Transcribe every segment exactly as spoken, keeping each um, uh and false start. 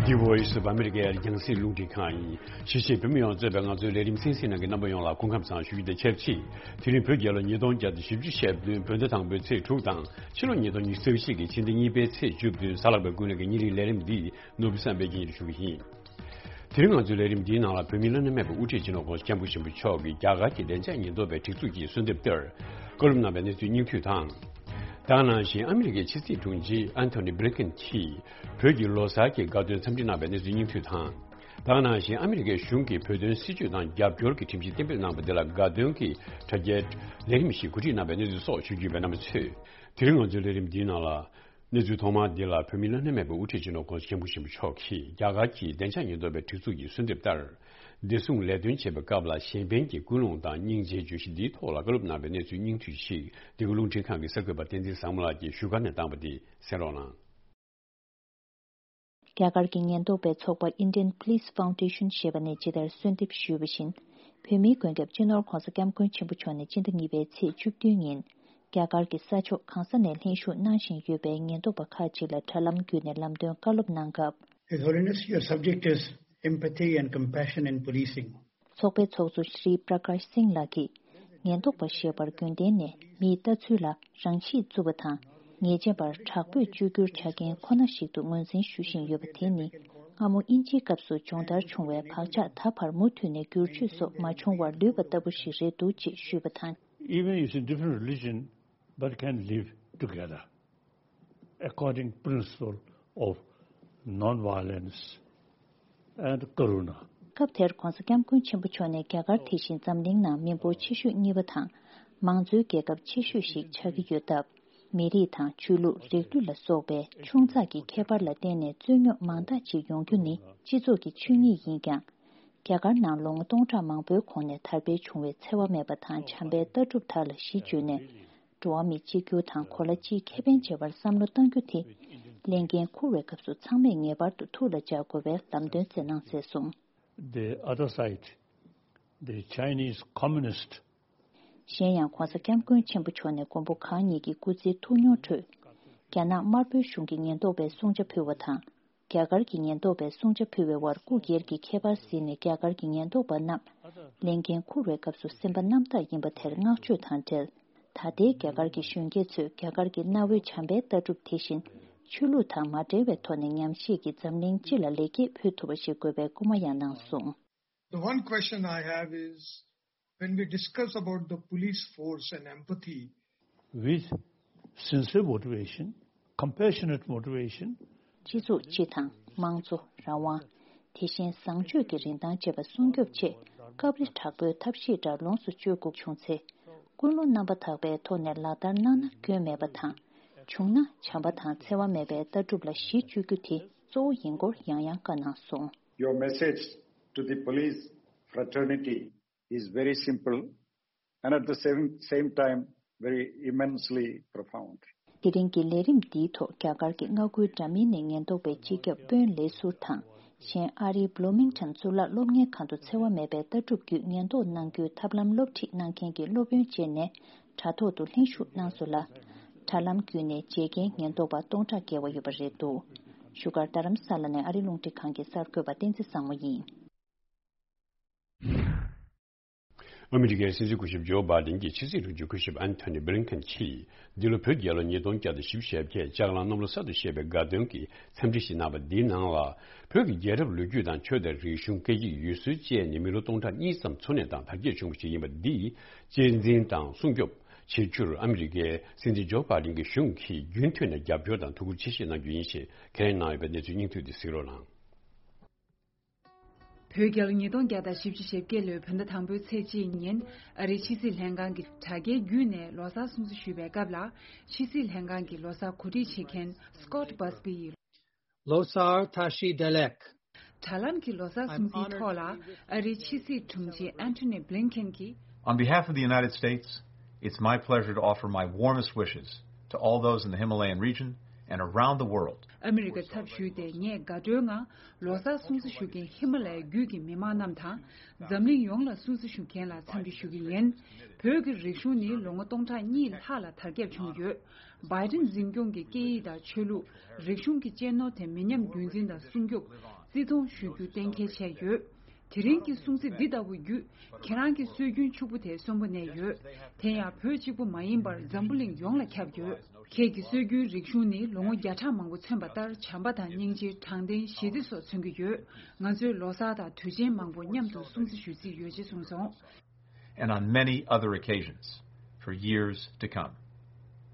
The Voice of America རྒྱང་སྲིང་རླུང་འཕྲིན་ཁང་ཡིན། གཞིས་བྱེས་བོད་མི་ཡོངས་གཙོས་པའི་ང་ཚོའི་ལས་རིམ་གསན་གཟིགས་གནང་མཁན་རྣམ་པ་ཡོངས་ལ་སྐུ་ཁམས་བཟང་ཞུ་རྒྱུ་དང་ཆབས་ཅིག་དེ་རིང་བོད་རྒྱལ་ལོ་ཉིས་སྟོང་བརྒྱ་དང་བཞི་བཅུ་ཞེ་བདུན་བོད་ཟླ་དང་པོའི་ཚེས་དྲུག་དང་ཕྱི་ལོ་ཉིས་སྟོང་ཉི་ཤུ་རྩ་བཞི་གི་ཕྱི་ཟླ་གཉིས་པའི་ཚེས་བཅུ་བདུན། གཟའ་ལྷག་པའི་དགུན་ལོ་གི་ཉིན་རེའི་ལས་རིམ་འདི་ནོར་བུ་བསམ་འཕེལ་གྱིས་སྙན་སྒྲོན་ཞུ་གི་ཡིན། དེ་རིང་ང་ཚོའི་ལས་རིམ་འདིའི་ནང་ལ་བོད་མིའི་བླ་ན་མེད་པའི་དབུ་ཁྲིད་སྤྱི་ནོར་༸གོང་ས་༸སྐྱབས་མགོན་ཆེན་པོ་མཆོག་གིས་རྒྱ་གར་གྱི་བདེ་འཇགས་ཉེན་རྟོག་པའི་སྒྲིག་འཛུགས་ཀྱི་གསོལ་འདེབས་ལྟར་བཀའ་སློབ་གནང་བའི་གནས་ཚུལ་སྙིང་བསྡུས་དང་། ད་ག་ནང་བཞིན་ཨ་མི་རི་ཀའི་ཕྱི་སྲིད་དྲུང་ཆེ་ཨན་ཐོ་ནི་བྷི་ལིན་ཀེན་གྱིས་བོད་ཀྱི་ལོ་གསར་གྱི་དགའ་སྟོན་འཚམས་འདྲི་གནང་བའི་གནས་ཚུལ་སྙིང་བསྡུས་དང་། ད་ག་ནང་བཞིན་ཨ་མི་རི་ཀའི་གཞུང་གིས་བོད་དོན་སྲིད་བྱུས་དང་རྒྱབ་སྐྱོར་གྱི་ཁྲིམས་གཞི་གཏན་འབེབས་གནང་བ་འདི་ལ་དགའ་སྟོན་གྱི་དྲ་རྒྱའི་ལས་རིམ་ཞིག་གོ་སྒྲིག་གནང་བའི་གནས་ཚུལ་སོགས་ཞུ་རྒྱུ་ཡོད་པས་རྣམ་པ་ཚོས་དེ་རིང་ང་ཚོའི་ལས་རིམ་འདིའི་ནང་ལ། གནས་ཚུལ་ཐོག་མ་འདི་ལ་བོད་མིའི་བླ་ན་མེད་པའི་དབུ་ཁྲིད་སྤྱི་ནོར་༸གོང་ས་༸སྐྱབས་མགོན་ཆེན་པོ་མཆོག་གིས་རྒྱ་གར་གྱི་བདེ་འཇགས་ཉེན་རྟོག་པའི་སྒྲིག་འཛུགས་ཀྱི་གསོལ་འདེབས་ལྟར། བདེ་སྲུང་ལས་དོན་བྱེད་པའི་སྐབས་ལ་གཞན་ཕན་གྱི་ཀུན་སློང་དང་སྙིང་རྗེའི་བརྗོད་གཞི་འདིའི་ཐོག་ལ་བཀའ་སློབ་གནང་བའི་གནས་ཚུལ་སྙིང་བསྡུས་ཤིག་འདི་ག་རླུང་འཕྲིན་ཁང་གི་གསར་འགོད་པ་བསྟན་འཛིན་བཟང་མོ་ལགས་ཀྱིས་བཞུགས་སྒར་ནས་བཏང་བ་འདི་གསན་རོགས་གནང་། རྒྱ་གར་གྱི་ཉེན་རྟོག་པའི་ཚོགས་པ་Indian Police Foundation ཞེས་པ་ནས་ཇི་ལྟར་གསོལ་འདེབས་ཞུས་པ་བཞིན། བོད་མིའི་མགོན་སྐྱབས་སྤྱི་ནོར་༸གོང་ས་༸སྐྱབས་མགོན་ཆེན་པོ་མཆོག་ནས་སྤྱི་ཟླ་གཉིས་པའི་ཚེས་བཅུ་བདུན་ཉིན། རྒྱ་གར་གྱི་ས་ཕྱོགས་གང་ས་ནས་ལྷན་ཞུགས་གནང་བཞིན་ཡོད་པའི་ཉེན་རྟོག་པ་ཁག་ཅིག་ལ་དྲ་ལམ་བརྒྱུད་ནས་ལམ་སྟོན་བཀའ་སློབ་གནང་སྐབས། His Holiness, your subject is empathy and compassion in policing. ཚོགས་པའི་ཚོགས་གཙོ་ཤྲི་པྲ་ཀཱཤ་སིང་ལགས་ཀྱིས། ཉེན་རྟོག་པ་ཞེས་པར་རྒྱུན་ལྡན་ནས་མིའི་ལྟ་ཚུལ་ལ་རང་གཤིས་གཙོ་བོ་དང་། ཉེས་ཅན་པར་དྲག་པོས་བཅོས་བསྒྱུར་བྱ་མཁན་ཁོ་ན་ཞིག་ཏུ་ངོས་འཛིན་ཞུ་བཞིན་ཡོད་པ་དེ་ནི། སྔ་མོ་དབྱིན་ཇིའི་སྐབས་སུ་སྦྱོང་བརྡར་བྱུང་བའི་བག་ཆགས་ད་བར་མུ་མཐུད་ནས་བསྒྱུར་བཅོས་སོགས་མ་བྱུང་བར་ལུས་པ་ལྟ་བུ་ཞིག་རེད་འདུག་ཅེས་ཞུས་པ་དང་། Even if it's a different religion, but can live together according principle of non-violence and karuna. སྐབས་དེར་༸གོང་ས་༸སྐྱབས་མགོན་ཆེན་པོ་མཆོག་ནས་རྒྱ་གར་དེ་བཞིན་འཛམ་གླིང་ནང་མི་འབོར་ཆེ་ཤོས་གཉིས་པ་དང་། མང་གཙོའི་རྒྱལ་ཁབ་ཆེ་ཤོས་ཤིག་ཆགས་ཀྱི་ཡོད་སྟབས། མི་རིགས་དང་ཆོས་ལུགས་རིགས་རུས་ལ་སོགས་པའི་ཆུང་ཙག་གི་ཁྱད་པར་ལ་བརྟེན་ནས་རྩོད་རྙོག་མང་དག་ཅིག་ཡོང་རྒྱུ་ནི་སྤྱི་ཚོགས་ཀྱི་ཆོས་ཉིད་ཡིན་ཀྱང་། རྒྱ་གར་ནང་ལོ་ངོ་སྟོང་ཕྲག་མང་པོའི་གོང་ནས་དར་སྤེལ་བྱུང་བའི་འཚེ་བ་མེད་པ་དང་བྱམས་པའི་ལྟ་གྲུབ་དག་ལ་གཞི་བཅོལ་ནས། འགྲོ་བ་མི་གཅིག་གྱུར་དང་གོ་ལ་གཅིག་ཁེ་ཕན་བྱེད་པར་བསམ་བློ་གཏང་རྒྱུ་དེ། ལས་འགན་འཁུར་བའི་སྐབས་སུ་ཚང་མས་ངེས་པར་དུ་ཐུགས་ལ་འཇགས་དགོས་པའི་ལམ་སྟོན་མཛད་གནང་མཛད་སོང་། The other side, the Chinese communist གཞན་ཡང་༸གོང་ས་༸སྐྱབས་མགོན་ཆེན་པོ་མཆོག་ནས་མགོན་པོ་གང་ཉིད་ཀྱི་སྐུ་ཚེའི་ཐུགས་མྱོང་ཁྲོད། རྒྱ་ནག་དམར་པོའི་གཞུང་གི་ཉེན་རྟོག་པའི་སྲུང་བྱ་ཕུལ་བ་དང་། རྒྱ་གར་གྱི་ཉེན་རྟོག་པའི་སྲུང་བྱ་ཕུལ་བའི་བར་སྐུ་སྒེར་གྱི་ཁྱད་པར་ཟིན་ནས་རྒྱ་གར་གྱི་ཉེན་རྟོག་པ་རྣམས་ལས་འགན་འཁུར་བའི་སྐབས་སུ་སེམས་པ་རྣམ་དག་ཡིན་པ་དེར་བསྔགས་བརྗོད་དང་འབྲེལ། ད་ལྟའི་རྒྱ་གར་གྱི་གཞོན་སྐྱེས་ཚོས་རྒྱ་གར་གྱི་གནའ་བོའི་བྱམས་པའི་ལྟ་གྲུབ་དེ་བཞིན་ཆོས་ལུགས་དང་མ་འབྲེལ་བའི་ཐོག་ནས་ཉམས་ཞིབ་ཀྱིས་འཛམ་གླིང་སྤྱི་ལ་ལེགས་སྐྱེས་ཕུལ་ཐུབ་པ་ཞིག་དགོས་པའི་སྐུལ་མ་ཡང་གནང་སོང་། The one question I have is, when we discuss about the police force and empathy, with sincere motivation, compassionate motivation, སྤྱི་ཚོགས་སྤྱི་དང་དམངས་གཙོ་རང་དབང་། དེ་བཞིན་བཟང་སྤྱོད་ཀྱི་རིན་ཐང་བཅས་པ་སྲུང་སྐྱོབ་ཆེད་སྐབས་རེ་དྲག་པོའི་ཐབས་ཤེས་འདྲ་ལོངས་སུ་སྤྱོད་དགོས་བྱུང་ཚེ། ཀུན་སློང་རྣམ་པ་དག་པའི་ཐོག་ནས་ལག་བསྟར་གནང་ན་སྐྱོན་མེད་པ་དང་། བྱུང་ན་བྱམས་པ་དང་འཚེ་བ་མེད་པའི་ལྟ་གྲུབ་ལ་གཞི་བཅོལ་རྒྱུ་དེ་གཙོ་བོ་ཡིན་སྐོར་ཡང་ཡང་བཀའ་གནང་སོང་། Your message to the police fraternity is very simple and at the same, same time very immensely profound. དེ་རིང་གི་ལས་རིམ་འདིའི་ཐོག་རྒྱ་གར་གྱི་མངའ་ཁུལ་འདྲ་མིན་ནས་ཉེན་རྟོག་པའི་སྤྱི་ཁྱབ་དཔོན་ལས་ཟུར་དང་། གཞན་ཨ་རིའི་བྷ་ལོ་མིང་ཊོན་གཙུག་ལག་སློབ་གཉེར་ཁང་དུ་འཚེ་བ་མེད་པའི་ལྟ་གྲུབ་བརྒྱུད་ཉེན་རྟོག་གནང་རྒྱུའི་ཐབས་ལམ་སློབ་ཁྲིད་གནང་མཁན་གྱི་སློབ་དཔོན་བཅས་ནས་དྲ་ཐོག་ཏུ་ལྷན་ཞུགས་གནང་སོང་ལ། དྲ་ལམ་བརྒྱུད་ནས་མཇལ་མཁན་ཉེན་རྟོག་པ་སྟོང་ཕྲག་བརྒལ་བ་ཡོད་པ་རེད་འདུག་བཞུགས་སྒར་རྡ་རམ་ས་ལ་ནས་ཨ་རི་རླུང་འཕྲིན་ཁང་གི་གསར་འགོད་པ་བསྟན་འཛིན་བཟང་མོ་ཡིན། ཨ་མི་རི་ཀའི་སྲིད་འཛིན་སྐུ་ཞབས་ཇོ་བྷའི་ཌེན་གྱི་ཕྱི་སྲིད་དྲུང་ཆེ་སྐུ་ཞབས་ཨན་ཐོ་ནི་བྷི་ལིན་ཀེན་གྱིས། འདི་ལོ་བོད་རྒྱལ་ལོ་ཉིས་སྟོང་བརྒྱ་དང་བཞི་བཅུ་ཞེ་བརྒྱད་ལྕགས་གླང་གནམ་ལོ་གསར་དུ་བཞད་པའི་དགའ་སྟོན་གྱི་འཚམས་འདྲི་ཞིག་གནང་བ་འདིའི་ནང་ལ། བོད་ཀྱི་རྒྱལ་རབས་ལོ་རྒྱུས་དང་ཆོས་དང་རིག་གཞུང་སྐད་ཡིག་ཡུལ་སྲོལ་བཅས་ནི་མི་ལོ་སྟོང་ཕྲག་གཉིས་ཙམ་འཚོ་གནས་དང་དར་རྒྱས་བྱུང་བ་ཞིག་ཡིན་པ་འདི་གཅེས་འཛིན་དང་སྲུང་སྐྱོབ་བྱེད་རྒྱུར་ཨ་མི་རི་ཀའི་སྲིད་འཛིན་ཇོ་བྷའི་ཌེན་གྱི་གཞུང་གིས་རྒྱུན་མཐུད་ནས་རྒྱབ་སྐྱོར་དང་ཐུགས་ཁུར་ཆེ་བཞེས་གནང་རྒྱུ་ཡིན་ཞེས་ཁས་ལེན་གནང་ཡོད་པའི་གནས་ཚུལ་སྙིང་བསྡུས་འདི་གཟིགས་རོགས་གནང་། བོད་རྒྱལ་ལོ་ཉིས་སྟོང་བརྒྱ་དང་བཞི་བཅུ་ཞེ་བརྒྱད་ལོའི་བོད་ཟླ་དང་པོའི་ཚེས་གཅིག་ཉིན། ཨ་རིའི་ཕྱི་སྲིད་ལྷན་ཁང་གི་དྲ་རྒྱའི་བརྒྱུད་ནས་ལོ་གསར་སྲུང་བརྩི་ཞུས་པའི་སྐབས་ལ། ཕྱི་སྲིད་ལྷན་ཁང་གི་ལོ་གསར་གོ་སྒྲིག་བྱེད་མཁན་Scott Busby ཡིས། Losar Tashi Delek. དྲ་ལམ་གྱི་ལོ་གསར་སྲུང་བརྩིའི་ཐོག་ལ། ཨ་རིའི་ཕྱི་སྲིད་དྲུང་ཆེ་Antony Blinken གྱིས། On behalf of the United States, it's my pleasure to offer my warmest wishes to all those in the Himalayan region and around the world. ཨ་མི་རི་ཀའི་ཚབ་ཞུས་ཏེ། ངས་དགའ་སྤྲོའི་ངང་ལོ་གསར་སྲུང་བརྩི་ཞུ་མཁན་ཧི་མ་ལ་ཡའི་རྒྱུད་ཀྱི་མི་མང་རྣམས་དང་། འཛམ་གླིང་ཡོངས་ལ་སྲུང་བརྩི་ཞུ་མཁན་ལ་འཚམས་འདྲི་ཞུ་གི་ཡིན། བོད་ཀྱི་རིག་གཞུང་ནི་ལོ་ངོ་སྟོང་ཕྲག་གཉིས་ལྷག་ལ་དར་ཁྱབ་བྱུང་ཡོད། བྷའི་ཏིན་འཛིན་སྐྱོང་གིས་སྐད་ཡིག་དང་ཆོས་ལུགས། རིག་གཞུང་གི་གཅེས་ནོར་དེ་མི་ཉམས་རྒྱུན་འཛིན་དང་སྲུང་སྐྱོབ། བརྩི་མཐོང་ཞུ་རྒྱུ་གཏན་འཁེལ་བྱས་ཡོད། དེ་རིང་གི་སྲུང་བརྩི་འདི་ལྟ་བུ་བརྒྱུད། ཁྱེད་རང་གི་སྲོལ་རྒྱུན་ཕྱུག་པོ་དེ་གསོན་པོ་གནས་ཡོད། དེ་ཡང་བོད་གཅིག་པུ་མ་ཡིན་པར་འཛམ་བུ་གླིང་ཡོངས་ལ་ཁྱབ་ཡོད། ཁྱེད་ཀྱི་སྲོལ་རྒྱུན་རིག་གཞུང་ནི་ལོ་ངོ་བརྒྱ་ཕྲག་མང་པོ་མཚོན་པ་ལྟར། བྱམས་པ་དང་སྙིང་རྗེ། དྲང་བདེན། ཞི་བདེ་སོགས་མཚོན་གྱི་ཡོད། ང་ཚོས་ལོ་གསར་དང་དུས་ཆེན་མང་པོ་མཉམ་དུ་སྲུང་བརྩི་ཞུ་རྩིས་ཡོད་ཅེས་གསུངས་སོང་། And on many other occasions for years to come.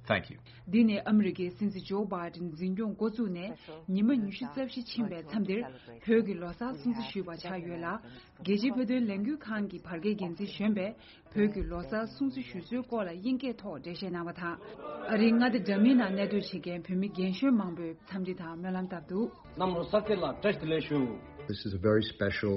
Thank you. འདི་ནི་ཨ་མི་རི་ཀའི་སྲིད་འཛིན་ཇོ་བྷའི་ཏིན་འཛིན་སྐྱོང་འགོ་བཙུགས་ནས་ཉི་མ་ཉི་ཤུ་རྩ་བཞི་ཕྱིན་པའི་མཚམས་འདིར། བོད་ཀྱི་ལོ་གསར་སྲུང་བརྩི་ཞུས་པ་ཆགས་ཡོད་ལ། རྒྱལ་སྤྱིའི་བོད་དོན་ལས་འགུལ་ཁང་གི་བར་བརྒལ་འགན་འཛིན་གཞོན་པས། བོད་ཀྱི་ལོ་གསར་སྲུང་བརྩི་ཞུ་སྲོལ་སྐོར་ལ་དབྱིན་སྐད་ཐོག་འགྲེལ་བཤད་གནང་བ་དང་། ཨ་རིའི་མངའ་སྡེ་འདྲ་མིན་ནང་གནས་སྡོད་བྱེད་མཁན་བོད་མི་རྒན་གཞོན་མང་པོས་འཚམས་འདྲི་དང་སྨོན་ལམ་བཏབ་འདུག། གནམ་ལོ་གསར་ཚེས་ལ་བཀྲ་ཤིས་བདེ་ལེགས་ཞུ། This is a very special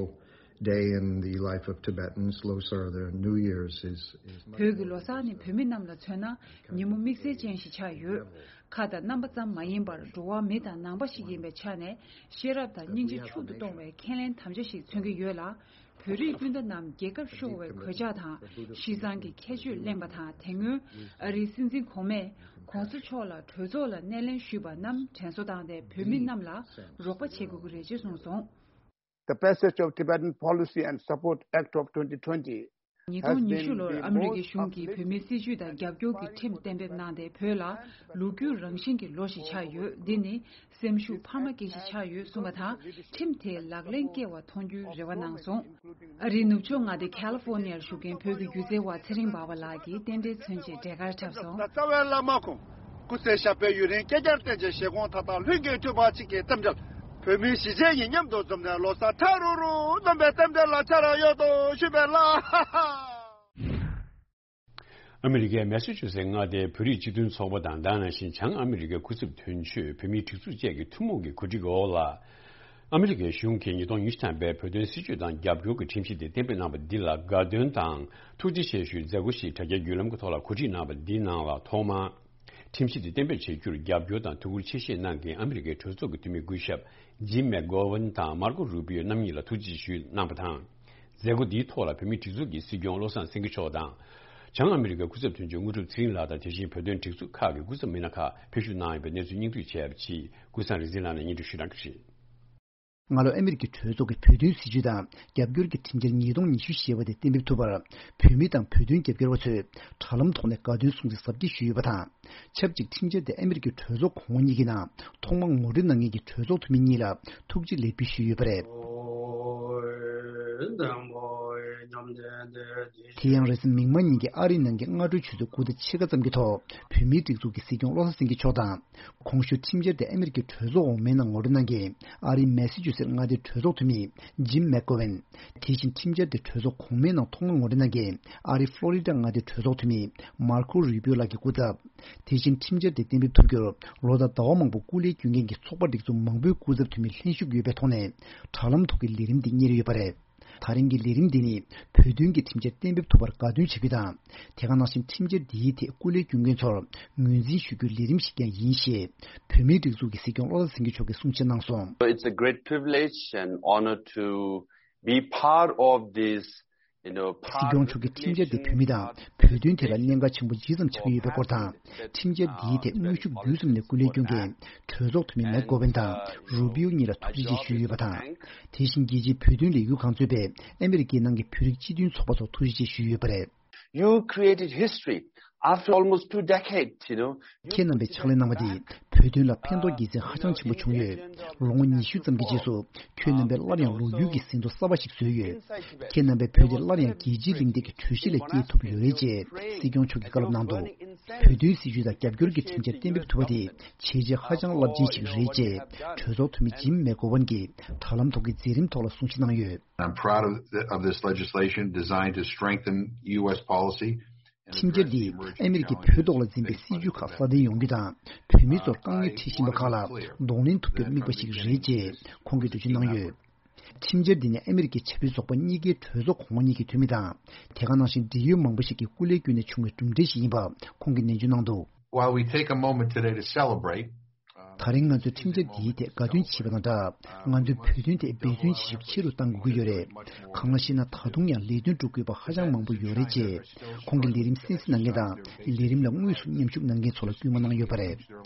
day in the life of Tibetans. Losar, their New Year's, is, is བོད་ཀྱི་ལོ་གསར་ནི་བོད་མི་རྣམས་ལ་མཚོན་ན་ཉིན་མོ་དམིགས་བསལ་ཅན་ཞིག་ཆགས་ཡོད། ཁ་དང་རྣམ་པ་ཙམ་མ་ཡིན་པར་འགྲོ་བ་མི་དང་ནང་པ་ཞིག་ཡིན་པའི་ཆ་ནས། ཤེས་རབ་དང་སྙིང་རྗེ་ཕྱུག་ཏུ་གཏོང་བའི་ཁས་ལེན་དམ་བཅའ་ཞིག་མཚོན་གྱི་ཡོད་ལ། བོད་རིགས་སྤུན་ཟླ་རྣམས་རྒྱལ་ཁབ་ཤོར་བའི་གོད་ཆག་དང་། ཤི་གསང་གི་ཁྱད་ཆོས་གླེང་བ་དང་། དེ་སྔོན་ཨ་རིའི་སྲིད་འཛིན་གོང་མས་༸གོང་ས་མཆོག་ལ་གྲོས་ཚོགས་ལ་སྣེ་ལེན་ཞུས་པ་རྣམས་དྲན་གསོ་བཏང་སྟེ། བོད་མི་རྣམས་ལ་རོགས་པ་བྱེད་དགོས་ཀྱི་རེད་ཅེས་གསུངས་སོང་། The passage of Tibetan Policy and Support Act of twenty twenty ཉིས་སྟོང་ཉི་ཤུ་ལོར་ཨ་མི་རི་ཀའི་གཞུང་གིས་བོད་མིའི་སྲིད་བྱུས་དང་རྒྱབ་སྐྱོར་གྱི་ཁྲིམས་གཏན་འབེབས་གནང་སྟེ། བོད་ལ་ལོ་རྒྱུས་རང་བཞིན་གྱི་ལོ་ཞིག་ཆགས་ཡོད། འདི་ནི་སེམས་ཤུགས་འཕར་མ་སྐྱེད་གཞི་ཆགས་ཡོད་གསུངས་པ་དང་། ཁྲིམས་དེ་ལག་ལེན་འཁེལ་བ་མཐོང་རྒྱུའི་རེ་བ་གནང་སོང་། ཨ་རིའི་ནུབ་ཕྱོགས་མངའ་སྡེ་ཁ་ལི་ཧྥོ་ནི་ཡར་བཞུགས་མཁན་བོད་ཀྱི་སྒྱུ་རྩལ་བ་ཚེ་རིང་འབར་བ་ལགས་ཀྱིས་རྟེན་འབྲེལ་མཚོན་ཆེད་འབྲས་དཀར་འཁྲབ་སོང་། རྩ་བའི་བླ་མ་ཁོང་། སྐུ་ཚེ་ཞབས་པད་ཡུན་རིང་བསྐལ་བརྒྱར་བརྟན་ཅིང་། བཞེད་དགོངས་མཐའ་དག་ལྷུན་གྱིས་གྲུབ་པ་ཅིག་གི་རྟེན་འབྲེལ། བོད་མིའི་གཞིས་བྱེས་གཉིས་མཉམ་དུ་འཛོམས་ནས་ལོ་གསར་ཁྲ་རུ་རུ་སྣོན་པའི་རྟེན་འབྲེལ་ལ་ཆ་ར་ཡོད་དོ་ཞུས་པས་ལ། ཨ་མི་རི་ཀའི་མེ་སི་ཆུ་སེ་མངའ་སྡེའི་བོད་རིགས་སྤྱི་མཐུན་ཚོགས་པ་དང་། ད་ནང་བཞིན་བྱང་ཨ་མི་རི་ཀའི་སྐུ་ཚབ་དོན་གཅོད་བོད་མིའི་སྒྲིག་འཛུགས་བཅས་ཀྱི་ཐུན་མོང་གི་གོ་སྒྲིག་འོག་ལ། ཨ་མི་རི་ཀའི་གཞུང་གིས་ཉིས་སྟོང་ཉི་ཤུ་ཐམ་པའི་བོད་དོན་སྲིད་བྱུས་དང་རྒྱབ་སྐྱོར་གྱི་ཁྲིམས་གཞི་དེ་གཏན་འབེབས་གནང་བ་འདི་ལ་དགའ་སྟོན་དང་ཐུགས་རྗེ་ཆེ་ཞུའི་མཛད་སྒོ་ཞིག་དྲ་རྒྱའི་བརྒྱུད་ལམ་གྱི་ཐོག་ལ་གོ་སྒྲིག་གནང་བ་འདིའི་ནང་ལ། ཐོག་མར་ཁྲིམས་གཞི་དེ་གཏན་འབེབས་བྱེད་རྒྱུར་རྒྱབ་སྐྱོར་དང་ཐུགས་ཁུར་ཆེ་བཞེས་གནང་མཁན་ཨ་མི་རི་ཀའི་གྲོས་ཚོགས་ཀྱི་འཐུས་མི་སྐུ་ཞབས་ཇིམ་མེག་གྷོ་ཝན་དང་མར་ཀོ་རུ་པིའོ་རྣམ་གཉིས་ལ་ཐུགས་རྗེ་ཆེ་ཞུས་གནང་བ་དང་། མཛད་སྒོ་འདིའི་ཐོག་ལ་བོད་མིའི་སྒྲིག་འཛུགས་ཀྱི་སྲིད་སྐྱོང་བློ་བཟང་སེང་གེ་མཆོག་དང་། བྱང་ཨ་མི་རི་ཀའི་སྐུ་ཚབ་དོན་གཅོད་དངོས་གྲུབ་ཚེ་རིང་ལགས་དང་། དེ་བཞིན་བོད་དོན་སྒྲིག་འཛུགས་ཁག་གི་སྐུ་ཚབ་མི་སྣ་ཁག་ཕེབས་ཞུགས་གནང་ཡོད་པའི་གནས་ཚུལ་སྙིང་བསྡུས་བྱས་པ་ཅིག་ཀུན་བཟང་རིག་འཛིན་ལགས་ནས་སྙན་སྒྲོན་ཞུས་གནང་གི་རེད། སྔ་ལོ་ཨ་མི་རི་ཀའི་གྲོས་ཚོགས་ཀྱི་བོད་དོན་སྲིད་བྱུས་དང་རྒྱབ་སྐྱོར་གྱི་ཁྲིམས་འཆར་ཉིས་སྟོང་ཉི་ཤུ་ཞེས་པ་དེ་གཏན་འབེབས་ཐུབ་པར། བོད་མི་དང་བོད་དོན་རྒྱབ་སྐྱོར་བ་ཚོས་དྲ་ལམ་ཐོག་ནས་དགའ་སྟོན་སྲུང་བརྩི་གཟབ་རྒྱས་ཞུས་ཡོད་པ་དང་། ཆབས་ཅིག་ཁྲིམས་འཆར་དེ་ཨ་མི་རི་ཀའི་གྲོས་ཚོགས་གོང་འོག་གཉིས་ཀྱི་ནང་ཐོག་མར་ངོ་སྤྲོད་གནང་མཁན་གྱི་གྲོས་ཚོགས་འཐུས་མི་གཉིས་ལ་ཐུགས་རྗེ་ལེགས་འབུལ་ཞུས་ཡོད་པ་རེད། དེ་ཡང་རེས་གཟའ་མིག་དམར་ཉིན་གྱི་ཨ་རིའི་ནང་གི་སྔ་དྲོའི་ཆུ་ཚོད་དགུ་དང་ཕྱེད་ཀ་ཙམ་གྱི་ཐོག་བོད་མིའི་སྒྲིག་འཛུགས་ཀྱི་སྲིད་སྐྱོང་བློ་བཟང་སེང་གེ་མཆོག་དང་། གོང་ཞུས་ཁྲིམས་འཆར་དེ་ཨ་མི་རི་ཀའི་གྲོས་ཚོགས་འོག་མའི་ནང་ངོ་སྤྲོད་གནང་མཁན་ཨ་རིའི་མེ་སི་ཆུ་སེ་མངའ་སྡེའི་གྲོས་ཚོགས་འཐུས་མི་ཇིམ་མེག་གྷོ་ཝན། དེ་བཞིན་ཁྲིམས་འཆར་དེ་གྲོས་ཚོགས་གོང་མའི་ནང་ཐོག་མར་ངོ་སྤྲོད་གནང་མཁན་ཨ་རིའི་ཕློ་རི་ཌ་མངའ་སྡེའི་གྲོས་ཚོགས་འཐུས་མི་མར་ཁོ་རུ་པིའོ་ལགས་ཀྱི་སྐུ་ཚབ། དེ་བཞིན་ཁྲིམས་འཆར་དེ་གཏན་འབེབས་ཐུབ་རྒྱུར་ལོ་དང་ཟླ་བ་མང་པོ་སྐུ་ལས་བསྐྱོན་མཁན་གྱི་ཚོགས་པ་སྒྲིག་འཛུགས་མང་པོའི་སྐུ་ཚབ་འཐུས་མི་ལྷན་ཞུགས་ཡོད་པའི་ཐོག་ནས་དྲ་ལམ་ཐོག་གི་ལས་རིམ་འདི་གཉེར་ཡོད་པ་རེད། ད་རིང་གི་ལས་རིམ་འདི་ནི་བོད་དོན་གྱི་ཁྲིམས་འཆར་གཏན་འབེབས་ཐུབ་པར་དགའ་སྟོན་བྱ་རྒྱུ་དང་། དེ་ག་ནང་བཞིན་ཁྲིམས་འཆར་འདིའི་ཐད་སྐུ་ལས་བསྐྱོན་མཁན་ཚོར་ངོས་འཛིན་ཞུ་རྒྱུའི་ལས་རིམ་ཞིག་ཀྱང་ཡིན་ཞེས་བོད་མིའི་སྒྲིག་འཛུགས་ཀྱི་སྲིད་སྐྱོང་བློ་བཟང་སེང་གེ་མཆོག་གིས་གསུང་བཤད་གནང་སོང་། It's a great privilege and honor to be part of this, you know, part of the session. སྲིད་སྐྱོང་མཆོག་གིས་ཁྲིམས་འཆར་འདི་བོད་མི་དང་བོད་དོན་ཐད་ལ་གནད་འགག་ཆེན་པོ་ཇི་ཙམ་ཆགས་ཀྱི་ཡོད་པའི་སྐོར་དང་། ཁྲིམས་འཆར་འདིའི་ཐད་དངོས་ཤུགས་བརྒྱུད་གསུམ་ནས་སྐུ་ལས་བསྐྱོན་མཁན་གྲོས་ཚོགས་འཐུས་མི་མེག་གྷོ་ཝན་དང་རུ་པིའོ་གཉིས་ལ་ཐུགས་རྗེ་ཆེ་ཞུས་ཡོད་པ་དང་། དེ་བཞིན་རྒྱལ་སྤྱིའི་བོད་དོན་ལས་འགུལ་ཁང་གཙོས་པའི་ཨ་མི་རི་ཀའི་ནང་གི་བོད་རིགས་སྤྱི་མཐུན་ཚོགས་པ་ཚོར་ཐུགས་རྗེ་ཆེ་ཞུས་ཡོད་པ་རེད། You created history after almost two decades, you know. ཁྱེད་རྣམ་པས་ཕྱག་ལས་གནང་བ་འདིས་བོད་དོན་ལ་ཕན་ཐོགས་དགེ་མཚན་ཧ་ཅང་ཆེན་པོ་བྱུང་ཡོད། ལོ་ངོ་ཉི་ཤུ་ཙམ་གྱི་རྗེས་སུ་ཁྱོད་རྣམ་པས་སླར་ཡང་ལོ་རྒྱུས་ཀྱི་ཟིན་ཐོ་གསར་པ་ཞིག་བཟོས་ཡོད། ཁྱེད་རྣམ་པས་བོད་དེ་སླར་ཡང་རྒྱལ་སྤྱིའི་གླེང་སྟེགས་ཀྱི་གྲོས་གཞི་ལ་སྐྱེལ་ཐུབ་ཡོད་རེད་ཅེས་སྲིད་སྐྱོང་མཆོག་གིས་བཀའ་སློབ་གནང་འདུག་བོད་དོན་སྲིད་བྱུས་དང་རྒྱབ་སྐྱོར་གྱི་ཁྲིམས་འཆར་གཏན་འབེབས་ཐུབ་པ་དེ་བྱས་རྗེས་ཧ་ཅང་རླབས་ཆེན་ཞིག་རེད་ཅེས་གྲོས་ཚོགས་འཐུས་མི་ཇིམ་མེག་གྷོ་ཝན་གྱིས་དྲ་ལམ་ཐོག་གི་མཛད་རིམ་ཐོག་ལ་གསུང་བཤད་གནང་ཡོད། I'm proud of, the, of this legislation designed to strengthen U S policy. ཁྲིམས་འཆར་འདིས་ཨ་མི་རི་ཀས་བོད་ཐོག་ལ་འཛིན་པའི་སྲིད་བྱུས་ཁག་སྲ་བརྟན་ཡོང་རྒྱུ་དང་། བོད་མི་ཚོར་དཀའ་ངལ་འཕྲད་བཞིན་པ་ཁག་ལ་གདོང་ལེན་ཐུབ་རྒྱུར་དམིགས་པ་ཞིག་རེད་ཅེས་ཁོང་གིས་འགྲེལ་བརྗོད་གནང་ཡོད། ཁྲིམས་འཆར་འདི་ནི་ཨ་མི་རི་ཀའི་ཆབ་སྲིད་ཚོགས་པ་གཉིས་ཀའི་གྲོས་ཚོགས་གོང་མ་གཉིས་ཀྱི་འཐུས་མི་དང་། དེ་ག་ནང་བཞིན་འབྲེལ་ཡོད་མང་པོ་ཞིག་གིས་སྐུ་ལས་བསྐྱོན་ནས་བྱུང་བའི་གྲུབ་འབྲས་ཤིག་ཡིན་པ་ཁོང་གིས་ནན་བརྗོད་གནང་འདུག While we take a moment today to celebrate, ད་རིང་ང་ཚོས་ཁྲིམས་འཆར་འདིའི་ཐད་དགའ་སྟོན་བྱས་པ་དང་སྦྲགས། ང་ཚོའི་བོད་དོན་ཐད་འབད་བརྩོན་བྱེད་ཤུགས་ཆེ་རུ་གཏང་དགོས་ཀྱི་ཡོད་རེད། གང་ལགས་ཤེ་ན། ད་དུང་ཡང་ལས་དོན་སྒྲུབ་དགོས་པ་ཧ་ཅང་མང་པོ་ཡོད་རེད། ཅེས་ཁོང་གིས་ལས་རིམ་གསན་གཟིགས་གནང་མཁན་དང་། ལས་རིམ་ལ་དངོས་སུ་མཉམ་ཞུགས་གནང་མཁན་ཚོ་ལ་སྐུལ་མ་གནང་ཡོད་པ་རེད།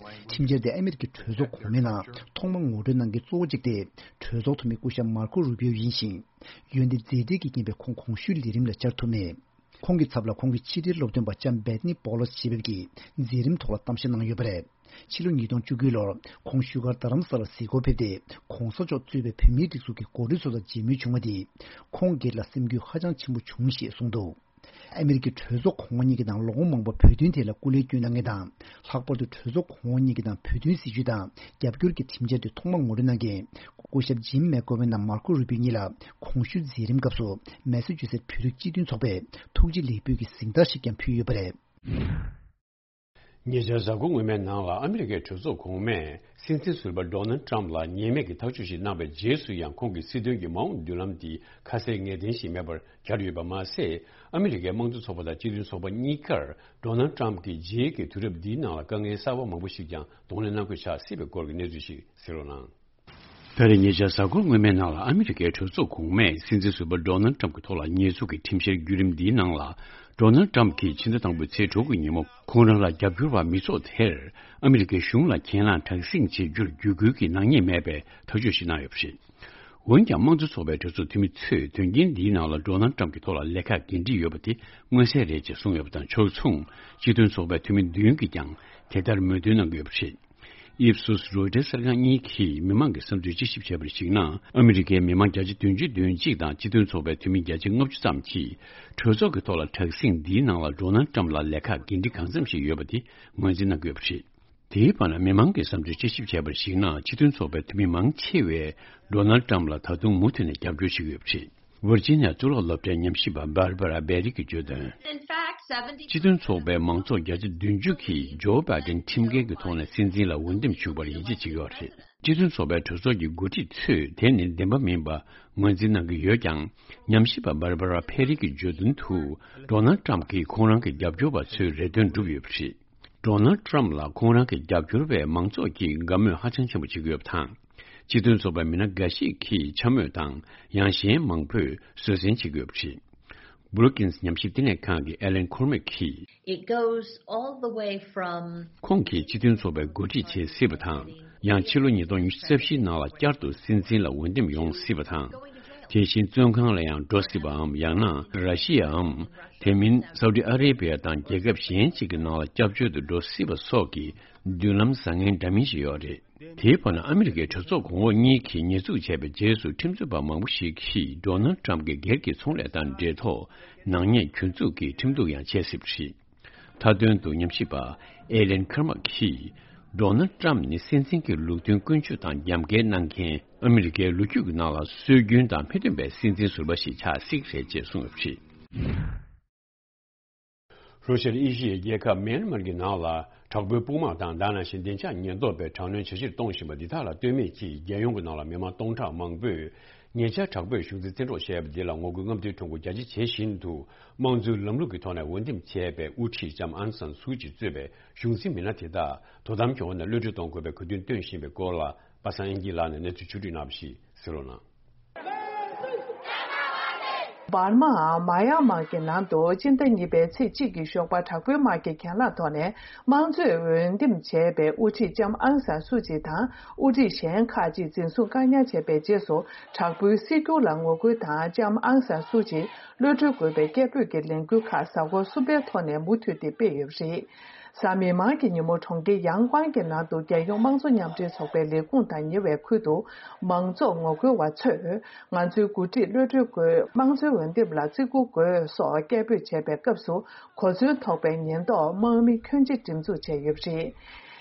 ཁྲིམས་འཆར་དེ་ཨ་མེ་རི་ཀའི་གྲོས་ཚོགས་གོང་མའི་ནང་ཐོག་མར་ངོ་སྤྲོད་གནང་མཁན་གཙོ་བོ་གཅིག་དེ། གྲོས་ཚོགས་འཐུས་མི་སྐུ་ཞབས་མར་ཁོ་རུ་པིའོ་ཡིན་ཞིང་། འོན་ཏེ་མཛད་བྲེལ་གྱི་རྐྱེན་པས་ཁོང་གོང་ཞུས་ལས་རིམ་ལ་བཅར་ཐུབ་མེད། ཁོང་གི་ཚབ་ལ་ཁོང་གི་ཕྱི་དྲིལ་སློབ་སྟོན་པ་ལྕམ་བེ་ཐ་ནི་པོ་ལོ་སི་ཞེས་པ་གིས་མཛད་རིམ་ཐོག་ལ་གཏམ་བཤད་གནང་ཡོད་པ་རེད། ཕྱི་ལོ་ཉིས་སྟོང་བཅུ་དགུ་ལོར་ཁོང་བཞུགས་སྒར་རྡ་རམ་ས་ལར་གཟིགས་སྐོར་ཕེབས་ཏེ། གོང་ས་མཆོག་གཙོས་པའི་བོད་མིའི་སྒྲིག་འཛུགས་ཀྱི་འགོ་ཁྲིད་ཚོ་དང་མཇལ་མོལ་བྱུང་བ་དེས། ཁོང་སྒེར་ལ་སེམས་འགུལ་ཧ་ཅང་ཆེན་པོ་བྱུང་ཞེས་གསུངས་འདུག་ཨ་མེ་རི་ཀའི་གྲོས་ཚོགས་གོང་འོག་གཉིས་ཀྱི་ནང་ལོ་ངོ་མང་པོར་བོད་དོན་ཐད་ལ་སྐུ་ལས་བསྐྱོན་གནང་མཁན་དང་། ལྷག་པར་དུ་གྲོས་ཚོགས་གོང་འོག་གཉིས་ཀྱི་ནང་བོད་དོན་སྲིད་བྱུས་དང་རྒྱབ་སྐྱོར་གྱི་ཁྲིམས་འཆར་དེ་ཐོག་མར་ངོ་སྤྲོད་གནང་མཁན་སྐུ་ཞབས་ཇིམ་མེག་གོ་ཝེན་དང་མར་ཁོ་རུ་པིའོ་གཉིས་ལ་གོང་ཞུས་མཛད་རིམ་སྐབས་སུ་མེ་ས་ཅུ་སེ་བོད་རིགས་སྤྱི་མཐུན་ཚོགས་པས་ཐུགས་རྗེ་ལེགས་འབུལ་གྱི་གཟེངས་རྟགས་ཤིག་ཀྱང་ཕུལ་ཡོད་པ་རེད། ཉེ་ཆར་གཟའ་འཁོར་སྔོན་མའི་ནང་ལ་ཨ་མི་རི་ཀའི་གྲོས་ཚོགས་གོང་མས་སྲིད་འཛིན་ཟུར་པ་ཌོ་ནལ་ཊམ་ལ་ཉེས་མེད་ཀྱི་ཐག་གཅོད་ཞིག་གནང་བའི་རྗེས་སུ་ཡང་ཁོང་གི་སྲིད་དོན་གྱི་མ་འོངས་མདུན་ལམ་དེ་ཁ་གསལ་ངེས་གཏན་ཞིག་མེད་པར་གྱུར་ཡོད་པ་མ་ཟད། ཨ་མི་རི་ཀའི་དམངས་གཙོ་ཚོགས་པ་དང་སྤྱི་མཐུན་ཚོགས་པ་གཉིས་ཀར་ཌོ་ནལ་ཊམ་གྱི་རྗེས་ཀྱི་དུས་རབས་འདིའི་ནང་ལ་དཀའ་ངལ་གསར་པ་མང་པོ་ཞིག་ཀྱང་གདོང་ལེན་གནང་དགོས་ཆགས་སྲིད་པའི་སྐོར་གྱི་གནས་ཚུལ་ཞིག་གསན་རོགས་གནང་། ད་རེས་ཉེ་ཆར་གཟའ་འཁོར་སྔོན་མའི་ནང་ལ་ཨ་མི་རི་ཀའི་གྲོས་ཚོགས་གོང་མས་སྲིད་འཛིན་ཟུར་པ་ཌོ་ནལ་ཊམ་གྱི་ཐོག་ལ་ཉེས་འཛུགས་ཀྱི་ཁྲིམས་བཤེར་བརྒྱུད་རིམ་འདིའི་ནང་ལ། ཌོ་ནལ་ཊམ་གྱིས་ཕྱི་ཟླ་དང་པོའི་ཚེས་དྲུག་གི་ཉིན་མོ་ཁོང་རང་ལ་རྒྱབ་སྐྱོར་བ་མི་ཚོགས་དེར་ཨ་མི་རི་ཀའི་གཞུང་ལ་གྱེན་ལངས་དྲག་ཟིང་བྱེད་རྒྱུར་བརྒྱུད་སྐུལ་གྱི་ནག་ཉེས་མེད་པའི་ཐག་གཅོད་ཞིག་གནང་ཡོད་པ་རེད། འོན་ཀྱང་། དམངས་གཙོ་ཚོགས་པའི་གྲོས་ཚོགས་འཐུས་མི་ཚོས་དོན་རྐྱེན་འདིའི་ནང་ལ་ཌོ་ནལ་ཊམ་གྱི་ཐོག་ལ་ལས་ཀ་འགན་འཁྲི་ཡོད་པ་དེ་མངོན་གསལ་རེད་ཅེས་གསུངས་ཡོད་པ་དང་ཕྱོགས་མཚུངས། སྤྱི་མཐུན་ཚོགས་པའི་འཐུས་མི་བདུན་གྱིས་ཀྱང་དེ་ལྟར་མོས་མཐུན་གནང་གི་ཡོད་པ་རེད། ཨིབ་སུས་རོའི་ཊར་གསར་ཁང་གཉིས་ཀྱིས་མི་མང་གི་བསམ་ཚུལ་དཔྱད་ཞིབ་བྱས་པར་གཞིགས་ན། ཨ་མི་རི་ཀའི་མི་མང་བརྒྱ་ཆ་བདུན་ཅུ་དོན་གཅིག་དང་སྤྱི་མཐུན་ཚོགས་པའི་འཐུས་མི་བརྒྱ་ཆ་ལྔ་བཅུ་ཙམ་གྱིས་གྲོས་ཚོགས་ཀྱི་ཐོག་ལ་དྲག་ཟིང་འདིའི་ནང་ལ་ཌོ་ནལ་ཊམ་ལ་ལས་ཀ་འགན་འཁྲི་གང་འཚམ་ཞིག་ཡོད་པ་དེ་ངོས་འཛིན་གནང་གི་ཡོད་པ་རེད། དེའི་བར་ན་མི་མང་གི་བསམ་ཚུལ་དཔྱད་ཞིབ་བྱས་པར་གཞིགས་ན། སྤྱི་མཐུན་ཚོགས་པའི་འཐུས་མི་མང་ཆེ་བས་ཌོ་ནལ་ཊམ་ལ་ད་དུང་མུ་མཐུད་ནས་རྒྱབ་སྐྱོར་བྱེད་ཀྱི་ཡོད་པ་རེད། ཝར་ཇི་ནི་ཡ་གཙུག་ལག་སློབ་གྲྭའི་ཉམས་ཞིབ་པ་Barbara Perry གིས་བརྗོད་དོན། སྤྱི་མཐུན་ཚོགས་པའི་མང་ཚོགས་བརྒྱ་ཆ་བདུན་ཅུ་གིས་ཇོ་བྷའི་ཌེན་ཁྲིམས་འགལ་གྱི་ཐོག་ནས་སྲིད་འཛིན་ལ་འོས་འདེམས་བྱུང་བར་ཡིད་ཆེས་བྱེད་ཀྱི་ཡོད་རེད། སྤྱི་མཐུན་ཚོགས་པའི་གྲོས་ཚོགས་ཀྱི་འགོ་ཁྲིད་ཚོས་དེ་ནི་བདེན་པ་མིན་པ་ངོས་འཛིན་གནང་གི་ཡོད་ཀྱང་། ཉམས་ཞིབ་པ་Barbara Perry གིས་བརྗོད་དོན་དུ། ཌོ་ནལ་ཊམ་གྱིས་ཁོང་རང་གི་རྒྱབ་སྐྱོར་བ་ཚོའི་རེ་འདུན་བསྒྲུབས་ཡོད་པ་རེད། ཌོ་ནལ་ཊམ་ལ་ཁོང་རང་གི་རྒྱབ་སྐྱོར་བས་མང་ཚོགས་ཀྱིས་དགའ་མོས་ཧ་ཅང་ཆེན་པོ་བྱེད་ཀྱི་ཡོད་པ་དང་། སྤྱི་མཐུན་ཚོགས་པའི་མི་སྣ་འགའ་ཞིག་གིས་འཕྱ་སྨོད་དང་ཡང་གཞན་མང་པོས་བཟོད་བསྲན་བྱེད་ཀྱི་ཡོད་པ་རེད། Brookings ཉམས་ཞིབ་བསྟི་གནས་ཁང་གི་Alan Cormack གིས། It goes all the way from ཁོང་གིས་སྤྱི་མཐུན་ཚོགས་པའི་འགོ་ཁྲིད་བྱེད་སྲིད་པ་དང་། ཡང་ཕྱི་ལོ་ཉིས་སྟོང་ཉི་ཤུ་རྩ་བཞིའི་ནང་ལ་བསྐྱར་དུ་སྲིད་འཛིན་ལ་འོས་འདེམས་ཡོང་སྲིད་པ་དང་། དེ་བཞིན་བཙོན་ཁང་ལ་ཡང་འགྲོ་སྲིད་པའམ། ཡང་ན་ར་ཤི་ཡའམ། དེ་མིན་སའུ་ཏི་ཨ་རེ་བྷི་ཡ་དང་རྒྱལ་ཁབ་གཞན་ཅིག་གི་ནང་ལ་སྐྱབས་བཅོལ་དུ་འགྲོ་སྲིད་པ་སོགས་ཀྱི་མདུན་ལམ་བཟང་ངན་འདྲ་མིན་ཞིག་ཡོད་རེད། དེའི་བར་ན་ཨ་མི་རི་ཀའི་གྲོས་ཚོགས་གོང་འོག་གཉིས་ཀྱིས་ཉེས་འཛུགས་བྱས་པའི་རྗེས་སུ་ཁྲིམས་རྩོད་པ་མང་པོ་ཞིག་གིས་ཌོ་ནལ་ཊམ་གྱི་སྒེར་གྱི་ཚོང་ལས་དང་འབྲེལ་ཐོག་ནག་ཉེས་གྱོད་འཛུགས་ཀྱིས་ཁྲིམས་གཏུག་ཡང་བྱས་སྲིད་པ་རེད། མཐའ་དོན་དུ་ཉམས་ཞིབ་པ་ཨེ་ལན་ཁར་མག་གིས། ཌོ་ནལ་ཊམ་ནི་སྲིད་འཛིན་གྱི་ལུགས་མཐུན་ཀུན་སྤྱོད་དང་རྒྱབ་འགལ་གནང་མཁན། ཨ་མི་རི་ཀའི་ལོ་རྒྱུས་ཀྱི་ནང་ལ་སྲོལ་རྒྱུན་དང་མི་མཐུན་པའི་སྲིད་འཛིན་ཟུར་པ་ཞིག་ཆགས་སྲིད་རེད་ཅེས་གསུངས་ཡོད་པ་རེད། རུ་ཤར་ཨེ་ཤི་ཡའི་རྒྱལ་ཁབ་མེན་མར་གྱི་ནང་ལ་དྲག་པོའི་དཔུང་དམག་དང་། ད་ནང་བཞིན་བདེ་འཇགས་ཉེན་རྟོག་པས་དྲག་གནོན་བྱ་གཞིར་གཏོང་བཞིན་པ་འདི་དག་ལ་ལྟོས་མེད་ཀྱིས། རྒྱལ་ཡོངས་ཀྱི་ནང་ལ་མི་མང་སྟོང་ཕྲག་མང་པོས། ཉེ་ཆར་དྲག་པོས་གཞུང་འཛིན་བཙན་འཕྲོག་བྱས་པ་འདི་ལ་ངོ་རྒོལ་རྔམ་སྟོན་ཁྲོམ་སྐོར་རྒྱ་ཆེ་བྱེད་བཞིན་དུ། དམངས་གཙོའི་ལམ་ལུགས་ཀྱི་ཐོག་ནས་འོས་འདེམས་བྱས་པའི་དབུ་ཁྲིད་ལྕམ་ཨང་སན་སུའུ་ཅི་གཙོས་པའི་གཞུང་འཛིན་མི་སྣ་དེ་དག་དོ་དམ་གྱི་འོག་ནས་གློད་གྲོལ་གཏོང་དགོས་པའི་གོ་སྐབས་སྟོན་བཞིན་པའི་སྐོར་ལ། པ་སངས་དབྱངས་སྐྱིད་ལགས་ནས་གནས་ཚུལ་ཕྱོགས་བསྒྲིགས་གནང་བ་ཞིག་གསན་རོགས་གནང་། འབར་མའམ་མ་ཡང་མར་གྱི་ནང་དུ་སྤྱི་ཟླ་གཉིས་པའི་ཚེས་གཅིག་གི་ཞོགས་པ་དྲག་པོའི་དམག་གིས་གྱེན་ལངས་ཐོག་ནས་དམངས་གཙོས་འོས་འདེམས་བྱས་པའི་དབུ་ཁྲིད་ལྕམ་ཨང་སན་སུའུ་ཅི་དང་དབུ་ཁྲིད་གཞན་ཁག་ཅིག་འཛིན་བཟུང་བཀག་ཉར་བྱས་པའི་རྗེས་སུ། དྲག་པོའི་སྲིད་སྒྱུར་ལ་ངོ་རྒོལ་དང་ལྕམ་ཨང་སན་སུའུ་ཅི་གློད་གྲོལ་དགོས་པའི་སྐད་འབོད་ཀྱི་ལས་འགུལ་ཁག་གཟའ་འཁོར་གསུམ་པའི་ཐོག་ནས་མུ་མཐུད་དེ་སྤེལ་ཡོད་པ་རེད། གཟའ་མིག་དམར་གྱི་ཉིན་མོ་གྲོང་ཁྱེར་ཡང་ཀོང་གི་ནང་དུ་རྒྱལ་ཡོངས་དམངས་གཙོ་མཉམ་འབྲེལ་ཚོགས་པའི་ལས་ཁུངས་དང་ཉེ་བའི་ཁུལ་དུ་མང་ཚོགས་ངོ་རྒོལ་བ་ཚོས་ང་ཚོའི་འགོ་ཁྲིད་གློད་གྲོལ་དགོས། དམངས་གཙོའི་འོས་འདེམས་ལ་བརྩི་བཀུར་དགོས་སོགས་སྐད་འབོད་བྱས་པའི་སྐབས་སུ་གོ་མཚོན་ཐོགས་པའི་ཉེན་རྟོག་དམག་མི་ཁྱོན་ཆེ་སྒྲིག་འཛུགས་བྱས་ཡོད་པ་རེད།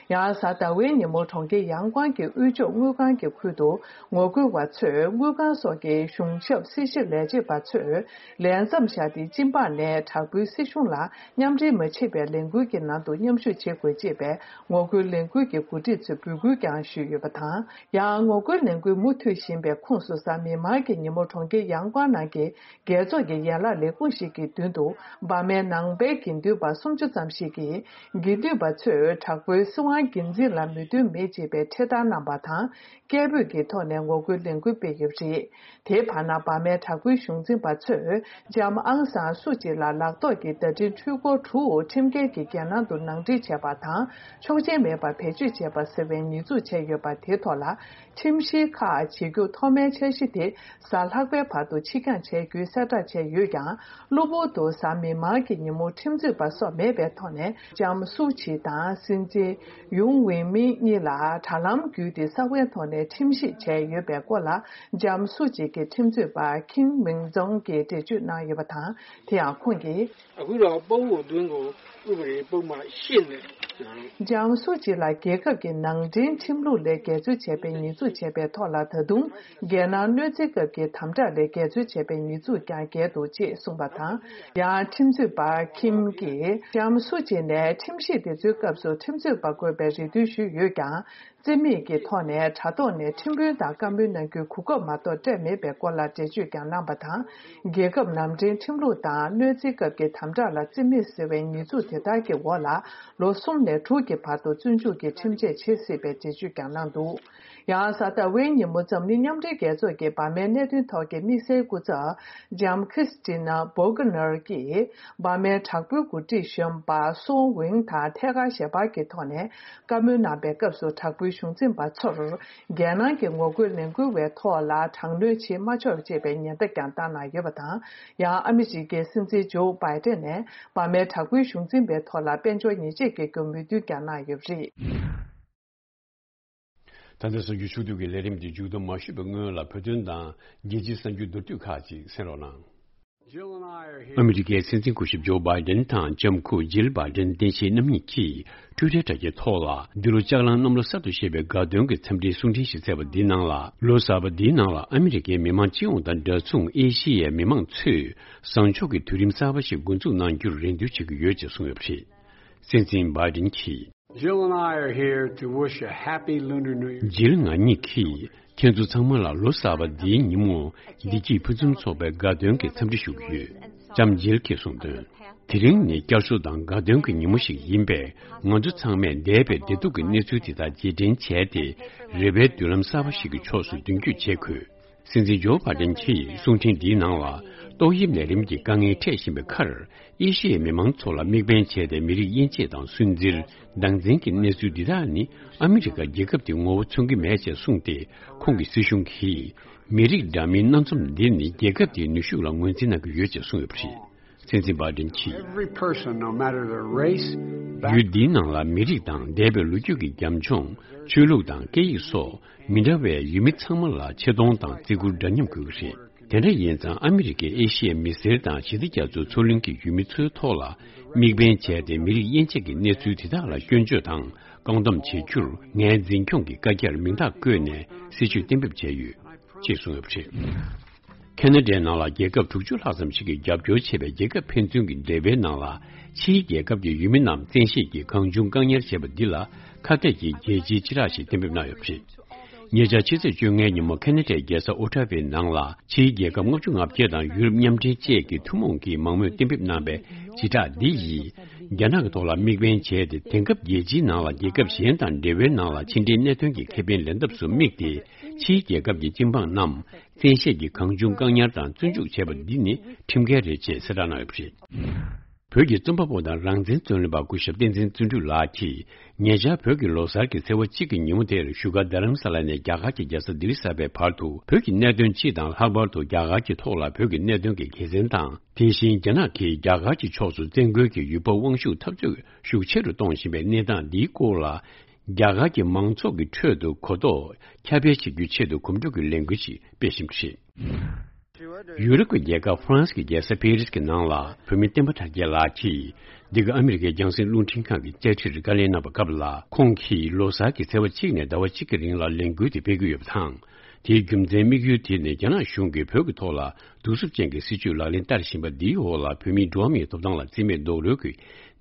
ཡང་གཟའ་ཟླ་བའི་ཉིན་མོ་གྲོང་ཁྱེར་ཡང་ཀོང་གི་དབུས་ཕྱོགས་དངུལ་ཁང་གི་ཁུལ་དུ་ངོ་རྒོལ་བ་ཚོས་དངུལ་ཁང་སོགས་ཀྱི་གཞུང་ཞབས་སྲི་ཞུ་ལས་བྱེད་པ་ཚོས་ལས་མཚམས་བཞག་སྟེ་སྤྱི་འབངས་ནས་དྲག་པོའི་སྲིད་གཞུང་ལ་མཉམ་འབྲེལ་མ་བྱེད་པའི་ལས་འགུལ་གྱི་ནང་དུ་མཉམ་ཞུགས་བྱེད་དགོས་ཅེས་པའི་ངོ་རྒོལ་ལས་འགུལ་གྱི་འགོ་ཁྲིད་ཚོས་འབོད་སྐུལ་ཀྱང་ཞུས་ཡོད་པ་དང་། ཡང་ངོ་རྒོལ་ལས་འགུལ་མུ་མཐུད་བཞིན་པའི་ཁོངས་སུ་གཟའ་མིག་དམར་གྱི་ཉིན་མོ་གྲོང་ཁྱེར་ཡང་ཀོང་ནང་གི་རྒྱལ་ཚོགས་ཀྱི་ཡན་ལག་ལས་ཁུངས་ཤིག་གི་མདུན་དུ་འབར་མའི་ནང་པའི་དགེ་འདུན་པ་སུམ་ཅུ་ཙམ་ཞིག་གིས་དགེ་འདུན་པ་ཚོས་དྲག་པོའི་སྲིད་ ཁང་འགན་འཛིན་ལ་མོས་མཐུན་མེད་ཅེས་པའི་འཕྲེད་དར་གནང་པ་དང་། སྐད་འབོད་ཀྱི་ཐོག་ནས་ངོ་རྒོལ་ལས་འགུལ་སྤེལ་ཡོད་པ་རེད། དེའི་བར་ན་འབར་མའི་དྲག་པོའི་གཞུང་འཛིན་པ་ཚོས་ལྕམ་ཨང་སང་སུ་ཅི་ལ་ལག་ཐོག་གི་བརྡ་འཕྲིན་འཕྲུལ་འཁོར་དྲུག་ཁྲིམས་འགལ་གྱིས་རྒྱལ་ནང་དུ་ནང་འདྲེན་བྱས་པ་དང་། ཆོག་མཆན་མེད་པར་བེད་སྤྱོད་བྱས་པ་ཟེར་བའི་ཉེས་འཛུགས་བྱས་ཡོད་པ་དེའི་ཐོག་ལ། ཁྲིམས་གཞི་ཁག་བྱེད་རྒྱུ་ཐོག་མའི་འཆར་གཞི་དེ་གཟའ་ལྷག་པའི་བར་དུ་ཕྱིར་འགྱངས་བྱ་རྒྱུའི་གསལ་བསྒྲགས་བྱས་ཡོད་ཀྱང་། གློ་བུར་དུ་གཟའ་མིག་དམར་གྱི་ཉིན་མོ་ཁྲིམས་རྩོད་པ་སོགས་མེད་པའི་ཐོག་ནས་ལྕམ་སུའུ་ཆི་དང་སྲིད་འཛིན་ཡུང་ཝིན་མིན་གཉིས་ལ་དྲ་ལམ་བརྒྱུད་དེ་གསང་བའི་ཐོག་ནས་ཁྲིམས་ཞིབ་བྱས་ཡོད་པའི་སྐོར་ལ། ལྕམ་སུའུ་ཆི་གི་ཁྲིམས་རྩོད་པ་ཁིམ་མིང་ཛོང་གིས་འགྲེལ་བརྗོད་གནང་ཡོད་པ་དང་། དེ་ཡང་ཁོང་གིས། အခုတော့ ပုပ်ကိုသွင်းကို ဥပဒေပုဒ်မရှစ်နဲ့ ལྕམ་སུ་ཅི་ལ་རྒྱལ་ཁབ་ཀྱི་ནང་འདྲེན་ཁྲིམས་ལུགས་ལས་འགལ་འཛོལ་བྱས་པའི་ཉེས་འཛུགས་བྱས་པའི་ཐོག་ལ། ད་དུང་རྒྱལ་ནང་གནོད་འཚེ་སྐབས་ཀྱི་དམ་དྲག་ལས་འགལ་འཛོལ་བྱས་པའི་ཉེས་འཛུགས་ཀྱང་འགེལ་འདུག་ཅེས་གསུངས་པ་དང་། ཡང་ཁྲིམས་རྩོད་པ་ཁིམ་གྱིས་ལྕམ་སུ་ཅི་ནས་ཁྲིམས་ཞིབ་དེ་ཚོའི་སྐབས་སུ་ཁྲིམས་རྩོད་པ་དགོས་པའི་རེ་འདུན་ཞུས་ཡོད་ཀྱང་། རྩིས་མེད་ཀྱི་ཐོག་ནས་དྲ་ཐོག་ནས་ཁྲིམས་དཔོན་དང་བཀའ་མོལ་གནང་རྒྱུའི་གོ་སྐབས་མ་གཏོགས་སྤྲད་མེད་པའི་སྐོར་ལ་འགྲེལ་བརྗོད་ཀྱང་གནང་པ་དང་། རྒྱལ་ཁབ་ནང་འདྲེན་ཁྲིམས་ལུགས་དང་གནོད་འཚེའི་སྐབས་ཀྱི་དམ་དྲག་ལ་རྩིས་མེད་ཟེར་བའི་ཉེས་འཛུགས་དེ་དག་གི་འོག་ལ་ལོ་གསུམ་ནས་དྲུག་གི་བར་དུ་བཙོན་འཇུག་གི་ཁྲིམས་ཆད་ཆད་སྲིད་པའི་འགྲེལ་བརྗོད་ཀྱང་གནང་འདུག། ཡང་གཟའ་ཟླ་བའི་ཉིན་མོ་འཛམ་གླིང་མཉམ་འབྲེལ་རྒྱལ་ཚོགས་ཀྱི་འབར་མའི་གནད་དོན་ཐོག་གི་དམིགས་བསལ་སྐུ་ཚབ་ལྕམ་ཁྲིས་ཏི་ན་བྷོ་གྷ་ནར་གྱིས། འབར་མའི་དྲག་པོའི་འགོ་ཁྲིད་གཞོན་པ་སོ་ཝིང་དང་ཐད་ཀར་ཞལ་པར་གྱི་ཐོག་ནས་བཀའ་མོལ་གནང་པའི་སྐབས་སུ། དྲག་པོའི་གཞུང་འཛིན་པ་ཚོར་རྒྱལ་ནང་གི་ངོ་རྒོལ་ལས་འགུལ་བའི་ཐོག་ལ་དྲག་གནོན་བྱེད་མ་ཆོག་ཅེས་པའི་ཉེན་བརྡ་ཀྱང་བཏང་གནང་ཡོད་པ་དང་། ཡང་ཨ་མི་རི་ཀའི་སྲིད་འཛིན་ཇོ་བྷའི་ཏན་ནས་འབར་མའི་དྲག་པོའི་གཞུང་འཛིན་པའི་ཐོག་ལ་དཔལ་འབྱོར་ཉེས་ཆད་བཀལ་རྒྱུ་མོས་མཐུན་ཀྱང་གནང་ཡོད་པ་རེད། ད་ལྟ་གསར་འགྱུར་ཕྱོགས་བསྡུས་ཀྱི་ལས་རིམ་དེ་མཇུག་བསྡོམས་མ་ཞུས་པའི་སྔོན་ལ་བོད་དོན་དང་རྒྱལ་སྤྱིའི་གསར་འགྱུར་མདོར་བསྡུས་ཁག་ཅིག་གསན་རོགས་གནང་། ཨ་མི་རི་ཀའི་སྲིད་འཛིན་སྐུ་ཞབས་ཇོ་བྷའི་ཌེན་དང་ལྕམ་སྐུ་ཇིལ་བྷའི་ཌེན་བསྟན་ཆེན་རྣམ་གཉིས་ཀྱིས་ཊུའི་ཊར་དྲ་རྒྱའི་ཐོག་ལ། འདི་ལོ་ལྕགས་གླང་གནམ་ལོ་གསར་དུ་བཞད་པའི་དགའ་སྟོན་གྱི་འཚམས་འདྲིའི་གསུང་འཕྲིན་ཞིག་བསྩལ་བ་འདིའི་ནང་ལ། ལོ་གསར་པ་འདིའི་ནང་ལ་ཨ་མི་རི་ཀའི་མི་མང་སྤྱི་ཡོངས་དང་འདྲ་མཚུངས་ཨེ་ཤི་ཡའི་མི་མང་ཚོས་བཟང་ཕྱོགས་ཀྱི་དུས་རིམ་གསར་པ་ཞིག་འགོ་འཛུགས་གནང་རྒྱུར་རེ་འདུན་བྱེད་ཀྱི་ཡོད་ཅེས་གསུངས་ཡོད་པ་རེད། སྲིད་འཛིན་བྷའི་ཌེན་གྱིས། Jill and I are here to wish a happy Lunar New Year. ཇིལ་ང་གཉིས་ཀྱིས་ཁྱེད་ཚོ་ཚང་མ་ལ་ལོ་གསར་པ་འདིའི་ཉིན་མོ་བདེ་སྐྱིད་ཕུན་སུམ་ཚོགས་པའི་དགའ་སྟོན་གྱི་འཚམས་འདྲི་ཞུ་གི་ཡོད། ལྕམ་ཇིལ་གྱིས་གསུངས་དོན། དེ་རིང་ནི་བསྐྱར་གསོ་དང་དགའ་སྟོན་གྱི་ཉིན་མོ་ཞིག་ཡིན་པས། ང་ཚོ་ཚང་མས་འདས་པའི་བདེ་སྡུག་གི་གནས་ཚུལ་དེ་དག་རྗེས་དྲན་བྱས་ཏེ། རེ་བའི་མདུན་ལམ་གསར་པ་ཞིག་གི་ཕྱོགས་སུ་མདུན་སྐྱོད་བྱེད་དགོས། སྲིད་འཛིན་ཇོ་བྷའི་ཌེན་གྱིས་གསུང་འཕྲིན་འདིའི་ནང་ལ། ཏོག་དབྱིབས་ནད་རིམས་ཀྱི་དཀའ་ངལ་འཕྲད་བཞིན་པའི་ཁར། ཨེ་ཤི་ཡའི་མི་མང་ཚོ་ལ་དམིགས་འབེན་བྱས་ཏེ། མི་རིགས་དབྱེ་འབྱེད་དང་སུན་གཙེར། སྡང་འཛིན་གྱི་གནས་ཚུལ་འདི་དག་ནི་ཨ་མི་རི་ཀ་རྒྱལ་ཁབ་དེ་ངོ་བོ་མཚོན་གྱི་མེད་ཅེས་གསུངས་ཏེ། ཁོང་གི་སྲིད་གཞུང་གིས། མི་རིགས་འདྲ་མིན་སྣ་འཛོམས་འདི་ནི་རྒྱལ་ཁབ་དེའི་ནུས་ཤུགས་ལ་ངོས་འཛིན་གནང་གི་ཡོད་ཅེས་གསུངས་ཡོད་པ་རེད། སྲིད་འཛིན་བྷའི་ཌེན་གྱིས། Every person, no matter their race, back- ཡུལ་འདིའི་ནང་ལ་མི་རིགས་དང་འདས་པའི་ལོ་རྒྱུས་ཀྱི་རྒྱབ་ལྗོངས། ཆོས་ལུགས་དང་སྐད་ཡིག་སོགས་མི་འདྲ་བའི་ཡུལ་མི་ཚང་མ་ལ་ཆེ་མཐོང་དང་བརྩི་བཀུར་འདྲ་མཉམ་དགོས་ཀྱི་རེད། དེ་འདྲ་ཡིན་ཙང་ཨ་མི་རི་ཀས་ཨེ་ཤི་ཡའི་མི་སེར་དང་ཞི་བདེ་རྒྱ་མཚོའི་མཚོ་གླིང་གི་ཡུལ་མི་ཚོའི་ཐོག་ལ་དམིགས་འབེན་བྱས་ཏེ། མི་རིགས་དབྱེ་འབྱེད་ཀྱི་གནས་ཚུལ་དེ་དག་ལ་སྐྱོན་བརྗོད་དང་བཀག་སྡོམ་བྱེད་རྒྱུར། ངའི་འཛིན་སྐྱོང་གི་བཀའ་རྒྱར་མིང་རྟགས་བཀོད་ནས་སྲིད་ཇུས་གཏན་འབེབས་བྱས་ཡོད། ཅེས་གསུངས་ཡོད་པ་རེད། ཁེ་ན་ཌའི་ནང་ལ་རྒྱལ་ཁབ་དྲུག་ཅུ་ལྷག་ཙམ་ཞིག་གིས་རྒྱབ་སྐྱོར་བྱས་པའི་རྒྱལ་ཁབ་ཕན་ཚུན་གྱི་འབྲེལ་བའི་ནང་ལ། ཕྱིའི་རྒྱལ་ཁབ་ཀྱི་ཡུལ་མི་རྣམས་བཙན་ཤེད་ཀྱིས་གང་བྱུང་བཀག་ཉར་བྱས་པ་འདི་ལ། ཁ་གཏད་ཀྱི་རྒྱལ་སྤྱིའི་བྱེ་བྲག་ཞིག་གཏན་འབེབས་གནང་ཡོད་པ་རེད། ཉེ་ཆར་ཕྱི་ཚེས་བཅོ་ལྔའི་ཉིན་མོ་ཁེ་ན་ཌའི་རྒྱལ་ས་ཨོ་ཊ་ཝའི་ནང་ལ། ཕྱིའི་རྒྱལ་ཁབ་ལྔ་བཅུ་ང་བརྒྱད་དང་ཡུ་རོབ་མཉམ་འབྲེལ་བཅས་ཀྱི་ཐུན་མོང་གིས་མང་མོས་གཏན་འབེབས་གནང་བའི་བྱེ་བྲག་འདི་ཡིས། རྒྱ་ནག་གི་ཐོག་ལ་དམིགས་འབེན་བྱས་ཏེ། དེང་སྐབས་རྒྱལ་སྤྱིའི་ནང་ལ་རྒྱལ་ཁབ་གཞན་དང་འབྲེལ་བའི་ནང་ལ་ཕྱི་འབྲེལ་གནད་དོན་གྱི་ཁེ་ཕན་ལེན་ཐབས་སུ་དམིགས་ཏེ། ཕྱིའི་རྒྱལ་ཁབ་ཀྱི་སྤྱི་འབངས་རྣམས་བཙན་ཤེད་ཀྱིས་གང་བྱུང་བཀག་ཉར་དང་བཙོན་འཇུག་བྱས་པ་འདི་ནི་ཁྲིམས་འགལ་རེད་ཅེས་གསལ་བསྒྲགས་གནང་ཡོད་པ་རེད། བོད་ཀྱི་རྩོམ་པ་པོ་དང་རང་བཙན་རྩོད་ལེན་པ་སྐུ་ཞབས་བསྟན་འཛིན་བརྩོན་འགྲུས་ལགས་ཀྱིས། ཉེ་ཆར་བོད་ཀྱི་ལོ་གསར་གྱི་ཚེས་པ་གཅིག་གི་ཉིན་མོ་དེར་བཞུགས་སྒར་རྡ་རམ་ས་ལ་ནས་རྒྱ་གར་གྱི་རྒྱལ་ས་ལྡི་ལི་གསར་པའི་བར་དུ། བོད་ཀྱི་གནད་དོན་སྤྱི་དང་། ལྷག་པར་དུ་རྒྱ་གར་གྱི་ཐོག་ལ་བོད་ཀྱི་གནད་དོན་གྱི་དགེ་མཚན་དང་། དེ་བཞིན་རྒྱ་ནག་གིས་རྒྱ་གར་གྱི་ཕྱོགས་སུ་བཙན་རྒོལ་གྱི་ཡུལ་པ་དབང་ཤུགས་འཐབ་རྩོད་ཤུགས་ཆེ་རུ་གཏོང་བཞིན་པའི་གནས་སྟངས་འདིའི་སྐོར་ལ། རྒྱ་གར་གྱི་མང་ཚོགས་ཀྱི་ཁྲོད་དུ་གོ་རྟོགས་ཁྱབ་སྤེལ་བྱེད་རྒྱུའི་ཆེད་དུ་གོམ་བགྲོད་ཀྱི་ལས་འགུལ་ཞིག་སྤེལ་བཞིན་པ་རེད། ཡུ་རོབ་ཀྱི་རྒྱལ་ཁབ་ཧྥ་རན་སི་གི་རྒྱལ་ས་པེ་རིས་ཀྱི་ནང་ལ་བོད་མི་བསྟན་པ་དར་རྒྱས་ལགས་ཀྱིས། འདི་ག་ཨ་མི་རི་ཀའི་རྒྱང་སྲིང་རླུང་འཕྲིན་ཁང་གི་དཔྱ་ཁྲིར་བཀའ་ལན་གནང་བའི་སྐབས་ལ། ཁོང་གིས་ལོ་གསར་གྱི་ཚེས་པ་གཅིག་ནས་ཟླ་བ་གཅིག་གི་རིང་ལ་ལས་འགུལ་དེ་སྤེལ་གྱི་ཡོད་པ་དང་། དེའི་རྒྱུ་མཚན་དམིགས་ཡུལ་དེ་ནི་རྒྱ་ནག་གཞུང་གིས་བོད་ཀྱི་ཐོག་ལ་གདུག་རྩུབ་ཅན་གྱི་སྲིད་བྱུས་ལག་ལེན་བསྟར་བཞིན་པ་འདིའི་འོག་ལ། བོད་མིའི་འགྲོ་བ་མིའི་ཐོབ་ཐང་ལ་བརྩི་མེད་རྡོག་རོལ་གྱི་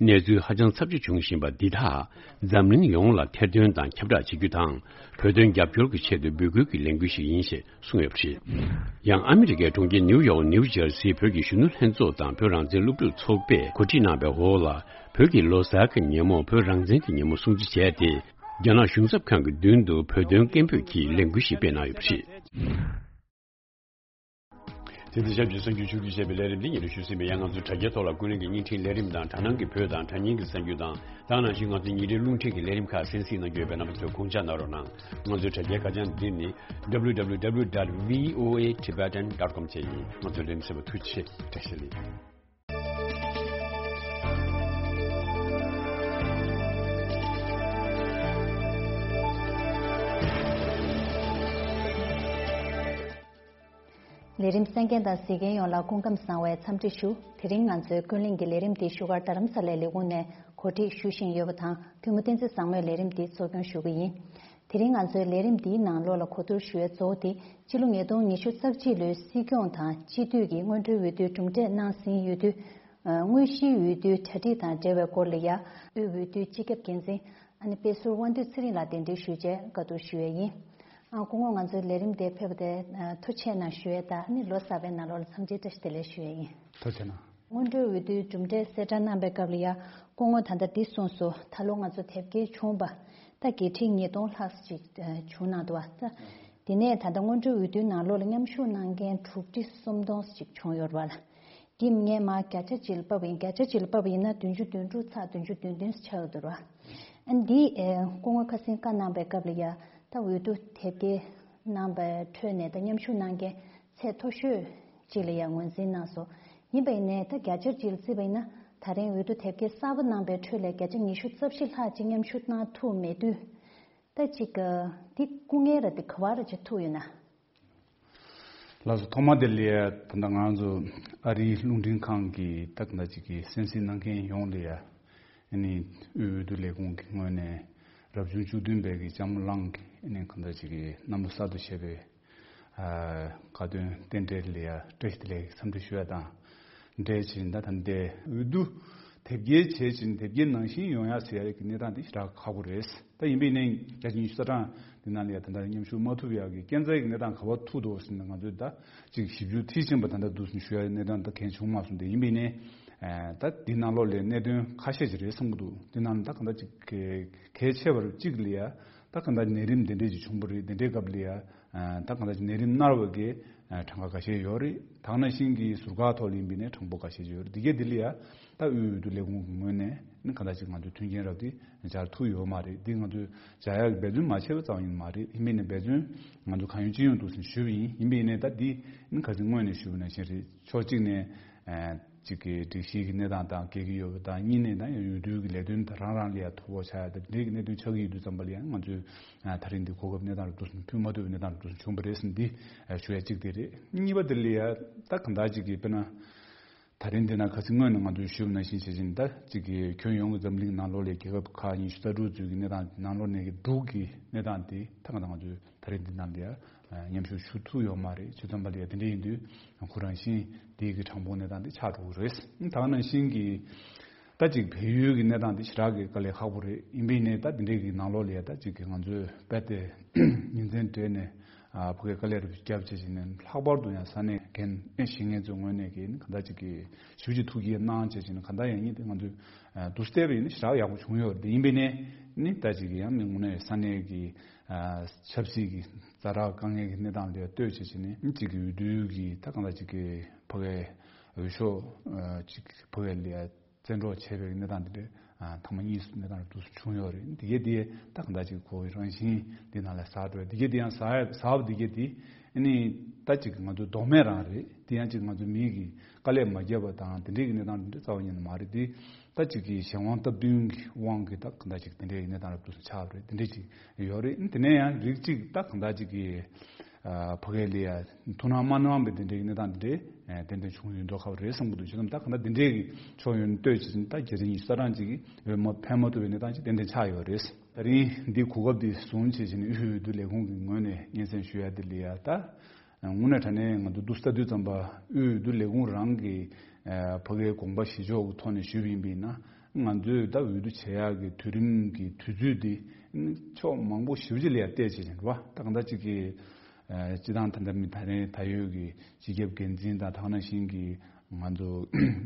གནས་ཚུལ་ཧ་ཅང་ཚབས་ཆེ་བྱུང་བཞིན་པ་འདི་དག་འཛམ་གླིང་ཡོངས་ལ་ཐེར་འདོན་དང་ཁྱབ་བསྒྲགས་བྱེད་རྒྱུ་དང་། བོད་དོན་རྒྱབ་སྐྱོར་གྱི་ཆེད་དུ་འབོད་སྐུལ་གྱི་ལས་འགུལ་ཞིག་ཡིན་ཞེས་གསུངས་ཡོད་པ་རེད། ཡང་ཨ་མི་རི་ཀའི་གྲོང་ཁྱེར་ནིའུ་ཡོག་ནིའུ་ཇར་སིའི་བོད་ཀྱི་གཞོན་ནུ་ལྷན་ཚོགས་དང་བོད་རང་བཙན་སློབ་ཕྲུག་ཚོགས་པས་གོ་སྒྲིག་གནང་བའི་འོག་ལ། བོད་ཀྱི་ལོ་གསར་གྱི་ཉིན་མོར་བོད་རང་བཙན་གྱི་ཉིན་མོ་སྲུང་བརྩི་བྱས་ཏེ། རྒྱ་ནག་གཞུང་ཚབ་ཁང་གི་མདུན་དུ་བོད་དོན་སྐད་འབོད་ཀྱི་ལས་འགུལ་ཞིག་སྤེལ་གནང་ཡོད་པ་རེད། དེ་དང་ཆབས་ཅིག་གསར་འགྱུར་ཕྱོགས་བསྒྲིགས་བྱས་པའི་ལས་རིམ་འདི་ཉིན་རེ་ཞུ་ཟིན་པའི་ཡང་། ང་ཚོའི་དྲ་རྒྱའི་ཐོག་ལ་ཀུན་གླེང་གི་བརྙན་འཕྲིན་ལས་རིམ་དང་། དྲ་སྣང་གི་བོད་དང་དྲ་བརྙན་གྱི་གསར་འགྱུར་དང་། དེ་ནང་བཞིན་ང་ཚོའི་ཉིན་རེའི་རླུང་འཕྲིན་གྱི་ལས་རིམ་ཁག་གསན་གཟིགས་གནང་རྒྱུ་ཡོད་པས། རྣམ་པ་ཚོས་དགོངས་འཇགས་གནང་རོགས་གནང་། ང་ཚོའི་དྲ་རྒྱའི་ཁ་བྱང་འདི་ནི་W W W dot V O A Tibetan dot com བཅས་ཡིན། ང་ཚོའི་ལས་རིམ་གསན་པར་ཐུགས་རྗེ་ཆེ། བཀྲ་ཤིས་བདེ་ལེགས། ལས་རིམ་གསན་མཁན་དང་གཟིགས་མཁན་ཡོངས་ལ་སྐུ་ཁམས་བཟང་བའི་འཚམས་འདྲི་ཞུ། དེ་རིང་ང་ཚོའི་ཀུན་གླེང་གི་ལས་རིམ་འདི་བཞུགས་སྒར་རྡ་རམ་ས་ལའི་ལས་ཁུངས་ནས་གོ་སྒྲིག་ཞུ་བཞིན་ཡོད་པ་དང་། ཐུན་མོང་བསྟན་འཛིན་བཟང་མོས་ལས་རིམ་འདི་གཙོ་སྐྱོང་ཞུ་གི་ཡིན། དེ་རིང་ང་ཚོའི་ལས་རིམ་འདིའི་ནང་ལོགས་ལ་གོ་བསྡུར་ཞུ་བའི་གཙོ་བོ་དེ། སྤྱི་ལོ་ཉིས་སྟོང་ཉི་ཤུ་རྩ་གཅིག་ལོའི་སྲིད་སྐྱོང་དང་སྤྱི་འཐུས་ཀྱི་སྔོན་འགྲོའི་འོས་བསྡུའི་གྲུབ་འབྲས་གནང་ཟིན་ཡོད་དུས། ཨ། དངོས་གཞིའི་འོས་བསྡུའི་གྲ་སྒྲིག་དང་འབྲེལ་བའི་སྐོར་ལ་ཡ། དབུས་འོས་བསྡུའི་སྤྱི་ཁྱབ་འགན་འཛིན། ཨ་ནི་དཔེ་ཟུར་དབང་འདུས་ཚེ་རིང་ལགས་གདན་འདྲེན་ཞུས་རྗེས་བཀའ་བསྡུར་ཞུ་ཡས་ཡིན། ཨ། སྐུ་ངོ་ང་ཚོའི་ལས་རིམ་དེ་ཕེབས་པ་དེ་ཐུགས་རྗེ་གནང་ཞུ་ཡས་དང་། ཨ་ནི་ལོ་གསར་པའི་ནང་ལོགས་ལ་འཚམས་འདྲི་བཀྲ་ཤིས་བདེ་ལེགས་ཞུ་ཡས་ཡིན། ཐུགས་རྗེ་གནང་། སྔོན་འགྲོའི་འོས་བསྡུའི་གྲུབ་འབྲས་གསལ་བསྒྲགས་གནང་པའི་སྐབས་ལ་ཡ། སྐུ་ངོ་ད་ལྟ་འདི་གསུངས་སོང་། ད་ལོ་ང་ཚོ་དེབ་སྐྱེལ་བྱུང་བ་ད་དགེ་ཕྲུག་ཉིས་སྟོང་ལྷག་ཅིག་བྱུང་གནང་འདུག་བ་ད། དེ་ནས་ད་ལྟ་སྔོན་འགྲོའི་འོས་བསྡུའི་ནང་ལོགས་ལ་མཉམ་ཞུགས་གནང་མཁན་དྲུག་ཁྲི་སུམ་སྟོང་ཅིག་བྱུང་ཡོད་རེད་བ་ལ། འདི་ངས་མར་བརྒྱ་ཆ་གཅིག་ལ་ཕབ་པ་ཡིན། བརྒྱ་ཆ་གཅིག་ལ་ཕབ་པ་ཡིན་ན་བདུན་ཅུ་དོན་དྲུག་ཚེག་བདུན་ཅུ་དོན་བདུན་ཆགས་ཡོད་འདུག་ར། ཨ་ནི་འདི་ཨེ་སྐུ་ངོ་ཁ་སང་བཀའ་གནང་པའི་སྐབས་ལ་ཡ། ད་འོས་བསྡུ་དེབ་སྐྱེལ་གནང་པའི་ཁྲོད་ནས་ད་མཉམ་ཞུགས་གནང་མཁན་ཚད་མཐོ་ཤོས་ཅིག་ལ་ཡ་ངོས་འཛིན་གནང་སོང་། ཡིན་པ་ཡིན་ནའི་ད་བརྒྱ་ཆ་གཅིག་ལ་བརྩིས་པ་ཡིན་ན། ད་རིང་འོས་བསྡུ་དེབ་སྐྱེལ་གསར་པ་གནང་པའི་ཁྲོད་ལས་བརྒྱ་ཆ་ཉི་ཤུ་རྩ་བཞི་ལྷག་ཅིག་མཉམ་ཞུགས་གནང་ཐུབ་མེད་དུས། ད་ཅིག་འདི་སྐུ་ངལ་ར་འདི་ག་བ་ར་ཅིག་ཐུག་ཡོད་ན། ལགས་སོ། ཐོག་མ་དེ་ལ་ཡ་ད་ལྟ་ང་ཚོ་ཨ་རིའི་རླུང་འཕྲིན་ཁང་གི་ད་ག་འདྲ་ཅིག་གི་གསན་གཟིགས་གནང་མཁན་ཡོངས་ལ་ཡ། ཨ་ནི་དབུས་འོས་བསྡུ་ལས་ཁུངས་ཀྱི་ངོས་ནས་རབ་བྱུང་བཅུ་བདུན་པའི་གི་ལྕམ་མོ་ལང་གི་ཨ་ནི་ག་འདྲ་ཅིག་གི་རྣམ་པ་གསར་དུ་བྱས་པའི་ཨ་དགའ་སྟོན་རྟེན་འབྲེལ་ལ་ཡ་བཀྲ་ཤིས་བདེ་ལེགས་འཚམས་འདྲི་ཞུ་ཡ་དང་། འབྲེལ་བྱས་ད་ལྟ་འདི་འོས་བསྡུ་དེབ་སྐྱེལ་བྱས་ཕྱིན་དེབ་སྐྱེལ་ནང་བཞིན་ཡོང་ཡ་ཟེར་ཡ་གི་གནས་སྟངས་འདི་ཞེ་དྲག་ཁག་པོ་རེད། ད་ཡིན་པའི་ནས་བརྒྱ་ཆ་ཉི་ཤུ་རྩ་གྲངས་འདི་ནང་ལ་ཡ་ད་ལྟ་མཉམ་ཞུགས་མ་ཐུབ་ཡ་གི་རྐྱེན་རྩ་ཡི་གནས་སྟངས་ག་པར་ཐུག་འདུག་ཟེར་ན། ང་ཚོས་ད་ཅིག་ཞིབ་འཇུག་མཐིལ་ཕྱིན་པ་ད་ལྟ་འདུག་ཟེར་ཞུ་ཡ་གནས་སྟངས་ད་གང་བྱུང་མ་སོང་སྟེ། ཡིན་པའི་ནས་ད་འདི་ནང་ལོགས་ལ་གནད་དོན་ཁ་ཤས་ཅིག་རེད་བསམ་གྱི་འདུག་འདི་ནང་ལ་ད་གང་ལྟར་ཅིག་གལ་ཆེ་བར་གཅིག་ལ་ཡ། ད་གང་ལྟར་ནད་རིམས་འདི་འདྲས་ཅིག་བྱུང་བ་རེད། འདི་འདྲའི་སྐབས་ལ་ཡ། ད་གང་ལྟར་ནད་རིམས་མནར་བ་གི་གྲངས་ཀ་ཁ་ཤས་ཡོད་རེད། ད་ག་ནང་བཞིན་གྱི་ཟུར་བཀག་ཐོག་ལ་ཡིན་པའི་ནས་གྲངས་འབོར་ཁ་ཤས་ཡོད་རེད། འདི་གའི་འདི་ལ་ཡ་ད་དབུས་འོས་བསྡུ་ལས་ཁུངས་ཀྱི་ངོས་ནས་ནི་གང་ལྟར་ཅིག་ང་ཚོས་མཐུན་རྐྱེན་རག་གི་སྦྱར་ཐུབ་ཡོད་མ་རེད། འདི་ང་ཚོས་སྦྱར་ཡག་གི་འབད་བརྩོན་མ་བྱས་པ་ཙམ་ཡིན་མ་རེད། ཡིན་པའི་ནས་འབད་བརྩོན་ང་ཚོ་གང་ཡོད་ཅི་ཡོང་འདུག་ཟེར་ཞུས་པ་ཡིན། ཡིན་པའི་ནས་ད་འདི་ནི་ག་ཚོད་སྔོན་ནས་ཞུས་པ་ནང་བཞིན་རེད། ཕྱོགས་གཅིག་ནས། གཅིག་གི་སྒྲིག་གཞི་གི་གནས་སྟངས་དང་འགལ་གྱི་ཡོད་པ་དང་། གཉིས་ནས་ད་ཡང་འོས་བསྡུ་གི་ལས་དོན་དང་རང་རང་ལ་ཡང་ཐོ་ཕོག་ཆགས་ཡ་དང་འདི་འདྲའི་གི་གནད་དོན་ཆགས་ཀྱི་ཡོད་དུས་ཙམ་པ་ལ་ཡང་ང་ཚོས་ད་རིང་འདི་གོ་སྐབས་གནས་སྟངས་རུ་འདུག་སེ་ཕུལ་མ་ཐུབ་པའི་གནས་སྟངས་རུ་འདུག་སེ་བྱུང་བ་རེད་ཟེར་འདི་ཞུ་ཡ་གཅིག་དེ་རེད། གཉིས་པ་དེ་ལ་ཡང་ད་གང་ལྟར་གཅིག་གི་དཔེར་ན་ད་རིང་འདི་ན་ཁ་སང་སྔོན་ནས་ང་ཚོས་ཞུས་པ་ནང་བཞིན་བྱེད་བཞིན་ད་གཅིག་གི་ཁྱོན་ཡོངས་ཀྱི་འཛམ་གླིང་ནང་ལོགས་ལ་རྒྱལ་ཁབ་ཁག་ཉི་ཤུ་རྩ་དྲུག་ཚོའི་གི་གནས་སྟངས་ནང་ལོགས་ནས་གི་འབྲུག་གི་གནས་སྟངས་དེ་ད་གང་ལྟར་ང་ཚོས་ད་རེས་འདི་ནང་ལ་ཡ་མཉམ་ཞུགས་ཞུ་ཐུབ་ཡོད་མ་རེད། བྱས་ཙང་པ་ལ་ཡ་དེ་འདྲ་ཡིན་དུས་ཁོ་རང་བཞིན་དེའི་གི་གྲངས་འབོར་གནས་སྟངས་དེ་ཆགས་འགྲོ་གི་རེད། ད་ག་ནང་བཞིན་གྱི་ད་ཅིག་བལ་ཡུལ་གྱི་གནས་སྟངས་དེ་ཞེ་དྲག་གི་དཀའ་ལས་ཁག་པོ་རེད། ཡིན་པའི་ནས་ད་དེ་འདྲའི་གི་ནང་ལོགས་ལ་ཡ་ད་ཅིག་གི་ང་ཚོས་རྦད་དེ་ཉིན་མཚན་སྦྲེལ་ནས་ཕ་གིའི་དཀའ་ལས་རུ་བརྒྱབ་བྱས་བྱས་ནས་ལྷག་པར་དུ་ཡང་ས་གནས་འགན་ཨེ་བཞེས་མཁན་ཚོའི་ངོས་ནས་གི་གང་ལྟར་ཅིག་གི་ཞུ་ཅིག་ཐུགས་ཀྱི་གནང་བྱས་བྱས་ནས་གང་ལྟར་ཡང་ཉིད་དེ་ང་ཚོས་དུས་བལྟས་པ་ཡིན་ན་ཞེ་དྲག་ཡག་པོ་བྱུང་ཡོད་རེད། ཡིན་པའི་ནས་ནི་ད་ཅིག་གི་ཡང་མི་དངོས་གནས་ས་གནས་གི་ཆབ་སྲིད་ཀྱི་ཛ་དྲག་དཀའ་ངལ་གྱི་གནས་སྟངས་ལ་ལྟོས་བྱས་བྱས་ནས་གཅིག་གི་འོས་བསྡུ་གི་ད་གང་ལྟར་གཅིག་གི་ཕ་གའི་འོས་ཤོག་གཅིག་ཕ་གའི་ལ་བཙན་འཕྲོག་བྱས་པའི་གནས་སྟངས་དེ་འདྲ་ཐེངས་མ་གཉིས་སུ་གནས་སྟངས་རུ་འདུག་སེ་བྱུང་ཡོད་རེད། འདི་གའི་དེ་ད་གང་ལྟར་གཅིག་ཁོ་བོའི་རང་བཞིན་འདི་ནང་ལ་ཟག་འགྲོ་བའི་འདི་གའི་དེ་ཡང་ཟག་ཟག་པ་འདི་གའི་དེ་ཨ་ནི་ད་གཅིག་གི་ང་ཚོ་ལྡོག་མེད་རང་རེད། དེ་ཡང་གཅིག་ང་ཚོ་མི་གི་དཀའ་ལས་མ་བརྒྱབ་པ་དང་དེ་འདྲའི་གི་གནས་སྟངས་དེ་འདྲ་རྩ་བ་ཉིད་ནས་མ་རེད། དེ་ད་ཅིག་གི་གཞན་དབང་སྟབས་བསྟུན་གྱི་དབང་གིས་ད་གང་ལྟར་ཅིག་དེ་འདྲའི་གནས་སྟངས་རབ་ཏུ་ཆགས་པ་རེད། དེ་འདྲ་ཅིག་ཡོད་རེད། དེ་ནས་ཡང་རིགས་གཅིག་ད་གང་ལྟར་ཅིག་གི་ཕ་གའི་ལ་ཡ་ཐུགས་སྣང་མ་གནང་བའི་དེ་འདྲའི་གནས་སྟངས་དེ་འདྲའི་ཏན་ཏན་བྱུང་ཡོད་མདོག་ཁ་པོ་རེད་བསམ་གྱི་འདུག་བྱས་ཙང་ད་གང་ལྟར་དེ་འདྲའི་གི་ཕྱོགས་ཡོད་ནས་ལྟོས་བྱས་ཙང་ད་བརྒྱ་ཆ་ཉི་ཤུ་རྩ་གྲངས་ཅིག་གི་འོས་མ་ཕན་མ་ཐོགས་པའི་གནས་སྟངས་ཅིག་ཏན་ཏན་ཆགས་ཡོད་རེད། ད་རིང་འདི་གོ་སྐབས་འདི་བཟུང་བྱས་བྱས་ནས་དབུས་འོས་བསྡུ་ལས་ཁུངས་ཀྱི་ངོས་ནས་སྙན་སེང་ཞུ་ཡ་དེ་ལ་ཡ་ད། དངོས་གནས་དྲང་གནས་ང་ཚོ་འདུག་ལྟ་དུས་ཙམ་པ་དབུས་འོས་བསྡུ་ལས་ཁུངས་རང་གི་ཕ་གིའི་དགོངས་པ་བཞེས་ཕྱོགས་ཀྱི་ཐོག་ནས་ཞུས་པ་ཡིན་པས་ན། ང་ཚོས་ད་འོས་བསྡུ་བྱེད་ཡག་གི་དུས་རིམ་གྱི་དུས་ཚོད་འདི་ཕྱོགས་མང་པོ་ཞེ་པོ་ཅིག་ལ་ཡང་བལྟས་བྱས་ནས་རེད་བ། ད་གང་ལྟར་ཅིག་གི་སྤྱི་བཏང་ད་ལྟ་མི་ད་རེས་ད་ཡོད་ཀྱི་སྤྱི་ཁྱབ་འགན་འཛིན་དང་ད་ག་ནང་བཞིན་གྱི་ང་ཚོ་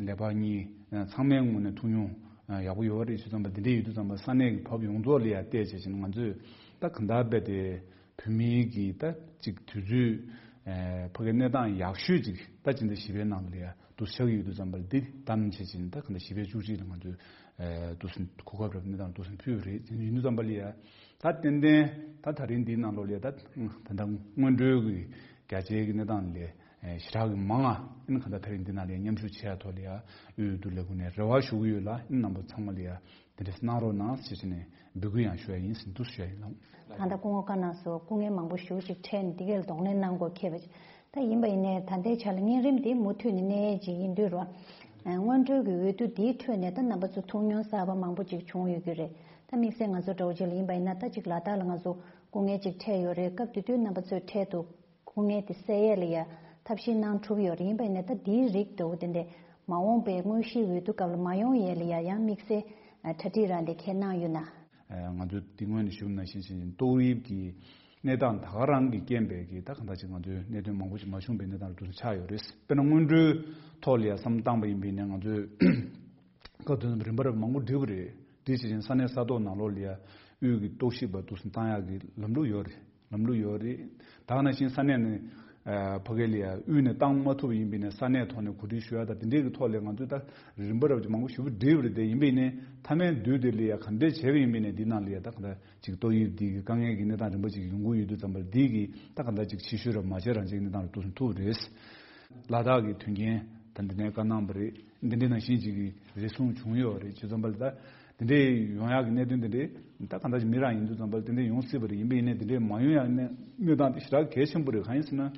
ལས་འཕགས་གཉིས་ཚང་མའི་ངོས་ནས་ཐུགས་མྱོང་ ཡག་པོ་ཡོད་རེད། བྱས་ཙང་འདི་འདྲ་ཡོད་དུས་ཙམ་པ་ས་གནས་ཀྱི་བབ་ཡོངས་རྫོགས་ལ་ཡ་བལྟས་བྱས་ཕྱིན་ང་ཚོས་ད་གང་ལྟར་རྦད་དེ་བོད་མིའི་གི་ད་ཅིག་དུས་ཚོད་ཕ་གི་གནས་སྟངས་ཡག་ཤོས་ཅིག་ད་ཕྱིན་ད་བཞི་པའི་ནང་ལ་ཡ་འདུག་ཆགས་ཀྱི་ཡོད་དུས་ཙམ་པ་འདི་བདམས་བྱས་ཕྱིན་ད་གང་ལྟར་བཞི་པའི་བཅུ་གཅིག་ལ་ང་ཚོས་འདུག་སེ་གོ་སྐབས་རབ་གནས་སྟངས་འདུག་སེ་ཕུལ་བ་རེད། དེ་ཡིན་དུས་ཙམ་པ་ལ་ཡ་ད་ཏན་ཏན་ད་ད་རིང་འདིའི་ནང་ལོགས་ལ་ཡ་ད་ད་ད་སྔོན་འགྲོའི་གི་རྒྱ་ཆེའི་གི་གནས་སྟངས་ལས་ཞེ་དྲག་གི་མང་ང་ཨིན། གང་ལྟར་ད་རིང་འདི་ནང་ལ་མཉམ་ཞུགས་བྱས་ཐོག་ལ་ཡ་འོས་བསྡུ་ལས་ཁུངས་ནས་རེ་བ་ཞུ་གི་ཡོད་ལ། ཨིན་རྣམ་པ་ཚང་མ་ལ་ཡ་དེ་འདྲ་གནང་རོགས་གནང་ཞེས་བྱས་ནས་འབོད་སྐུལ་ཡང་ཞུ་ཡ་ཡིན་ཟེར་འདུག་ཞུ་ཡ་ཡིན་ལགས། ད་ལྟ་སྐུ་ངོ་བཀའ་གནང་སོང་། སྐུ་ངལ་མང་པོ་ཞེ་པོ་ཅིག་འཕྲད་ནས་འདི་གའི་ལ་གདོང་ལེན་གནང་དགོས་ཁེལ་བ་ཅིག་ད་ཡིན་པ་ཡིན་ནའི་ད་ལྟའི་ཆ་ལ་གཉན་རིམས་འདི་མུ་མཐུད་ནས་གནས་ཡས་ཅིག་ཡིན་དུས་རོ། སྔོན་འགྲོའི་གི་འོས་བསྡུ་འདིའི་ཁྲོད་ནས་ད་རྣམ་པ་ཚོ་ཐུགས་སྨོན་གསར་པ་མང་པོ་ཅིག་བྱུང་ཡོད་ཀྱི་རེད། ད་དམིགས་བསལ་ང་ཚོ་འདྲ་བོ་ཅིག་ལ་ཡིན་པ་ཡིན་ན་ད་ཅིག་ལ་དྭགས་ལ་ང་ཚོ་སྐུ་ངལ་ཅིག་འཕྲད་ཡོད་རེད། སྐབས་དེ་དུས་རྣམ་པ་ཚོས་འཕྲལ་དུ་སྐུ་ངལ་དེ་སེལ་ཡས་ལ་ཡ་ཐབས་ཤེས་གནང་གྲུབ་ཡོད་རེད། ཡིན་པ་ཡིན་ན་ད་འདིའི་རིགས་འདྲ་བོ་དེ་འདྲས་མ་འོངས་པའི་དངོས་གཞིའི་འོས་བསྡུ་སྐབས་ལ་མ་ཡོང་ཡས་ལ་ཡ་ཡང་དམིགས་བསལ་གྲ་སྒྲིག་རང་དེ་ཁས་གནང་ཡོད་ན། ང་ཚོས་འདི་སྔོན་ནས་ཞུས་ནང་བཞིན་བྱས་ཏོག་དབྱིབས་ཀྱི་གནས་སྟངས་ད་ག་རང་གི་རྐྱེན་པས་ཀྱི་ད་གང་ལྟར་ཅིག་ང་ཚོའི་གནད་དོན་མང་པོ་ཅིག་མ་བྱུང་པའི་གནས་སྟངས་རུ་འདུག་ཆགས་ཡོད་རེད། དཔེར་ན་སྔོན་འགྲོའི་ཐོག་ལ་ཡ་བསམ་བཏང་པ་ཡིན་པས་ནས་ང་ཚོས་སྐབས་དོན་རིམ་པ་རབ་མང་པོ་བསྒྲིགས་པ་རེད། དེ་བྱས་ཙང་ས་གནས་ས་ཐོག་ནང་ལོགས་ལ་ཡ་དབུས་ཀྱི་རྟོག་ཞིབ་པ་འདུག་སེ་བཏང་ཡག་གི་ལམ་ལུགས་ཡོད་རེད། ལམ་ལུགས་ཡོད་རེད། ད་ག་ནང་བཞིན་ས་གནས་ནས་ཕ་གི་ལ་ཡ་དབུས་ནས་བཏང་མ་ཐུབ་པ་ཡིན་པས་ནས་ས་གནས་ཐོག་ནས་གོ་སྒྲིག་ཞུ་ཡ་དང་དེ་འདྲས་ཀྱི་ཐོག་ལ་ང་ཚོས་ད་རིམ་པ་རབ་ཅིག་མང་པོ་ཞེ་པོ་བསྒྲིགས་པ་རེད། དེ་ཡིན་པས་ནས་མཐའ་མའི་དུས་དེ་ལ་ཡ་ག་འདྲས་བྱས་པ་ཡིན་པས་ནས་འདི་ནང་ལ་ཡ་ད་ག་འདྲ་ཅིག་ཏོག་དབྱིབས་འདི་གི་དཀའ་ངལ་གྱི་གནས་སྟངས་རིམ་པ་ཅིག་ཡོང་གི་ཡོད་དུས་ཙམ་པར་འདི་གི་ད་ག་འདྲ་ཅིག་ཕྱི་བཤོལ་ར་མ་བྱས་རང་བྱས་གནས་སྟངས་ལ་འདུག་སེ་ཐུག་རེད། ལ་དྭགས་ཀྱི་དོན་རྐྱེན་ད་འདི་ནས་བཀའ་གནང་བ་རེད། འདི་འདྲའི་ནང་བཞིན་ཅིག་གི་རེ་ཟུང་བྱུང་ཡོད་རེད། བྱས་ཙམ་པ་ལ་ད་འདི་འདྲའི་ཡོང་ཡག་གི་གནད་དོན་འདི་འདྲའི་ད་ག་འདྲ་ཅིག་མི་རང་ཡིན་དུས་ཙམ་པ་ལ་འདི་འདྲའི་ཡོང་སྲིད་པ་རེད། ཡིན་པ་ཡིན་ནའི་འདི་འདྲའི་མ་ཡོང་ཡག་གནས་གནས་སྟངས་དེ་ཞེ་དྲག་གལ་ཆེན་པོ་རེད། གང་ཡིན་ཟེར་ན།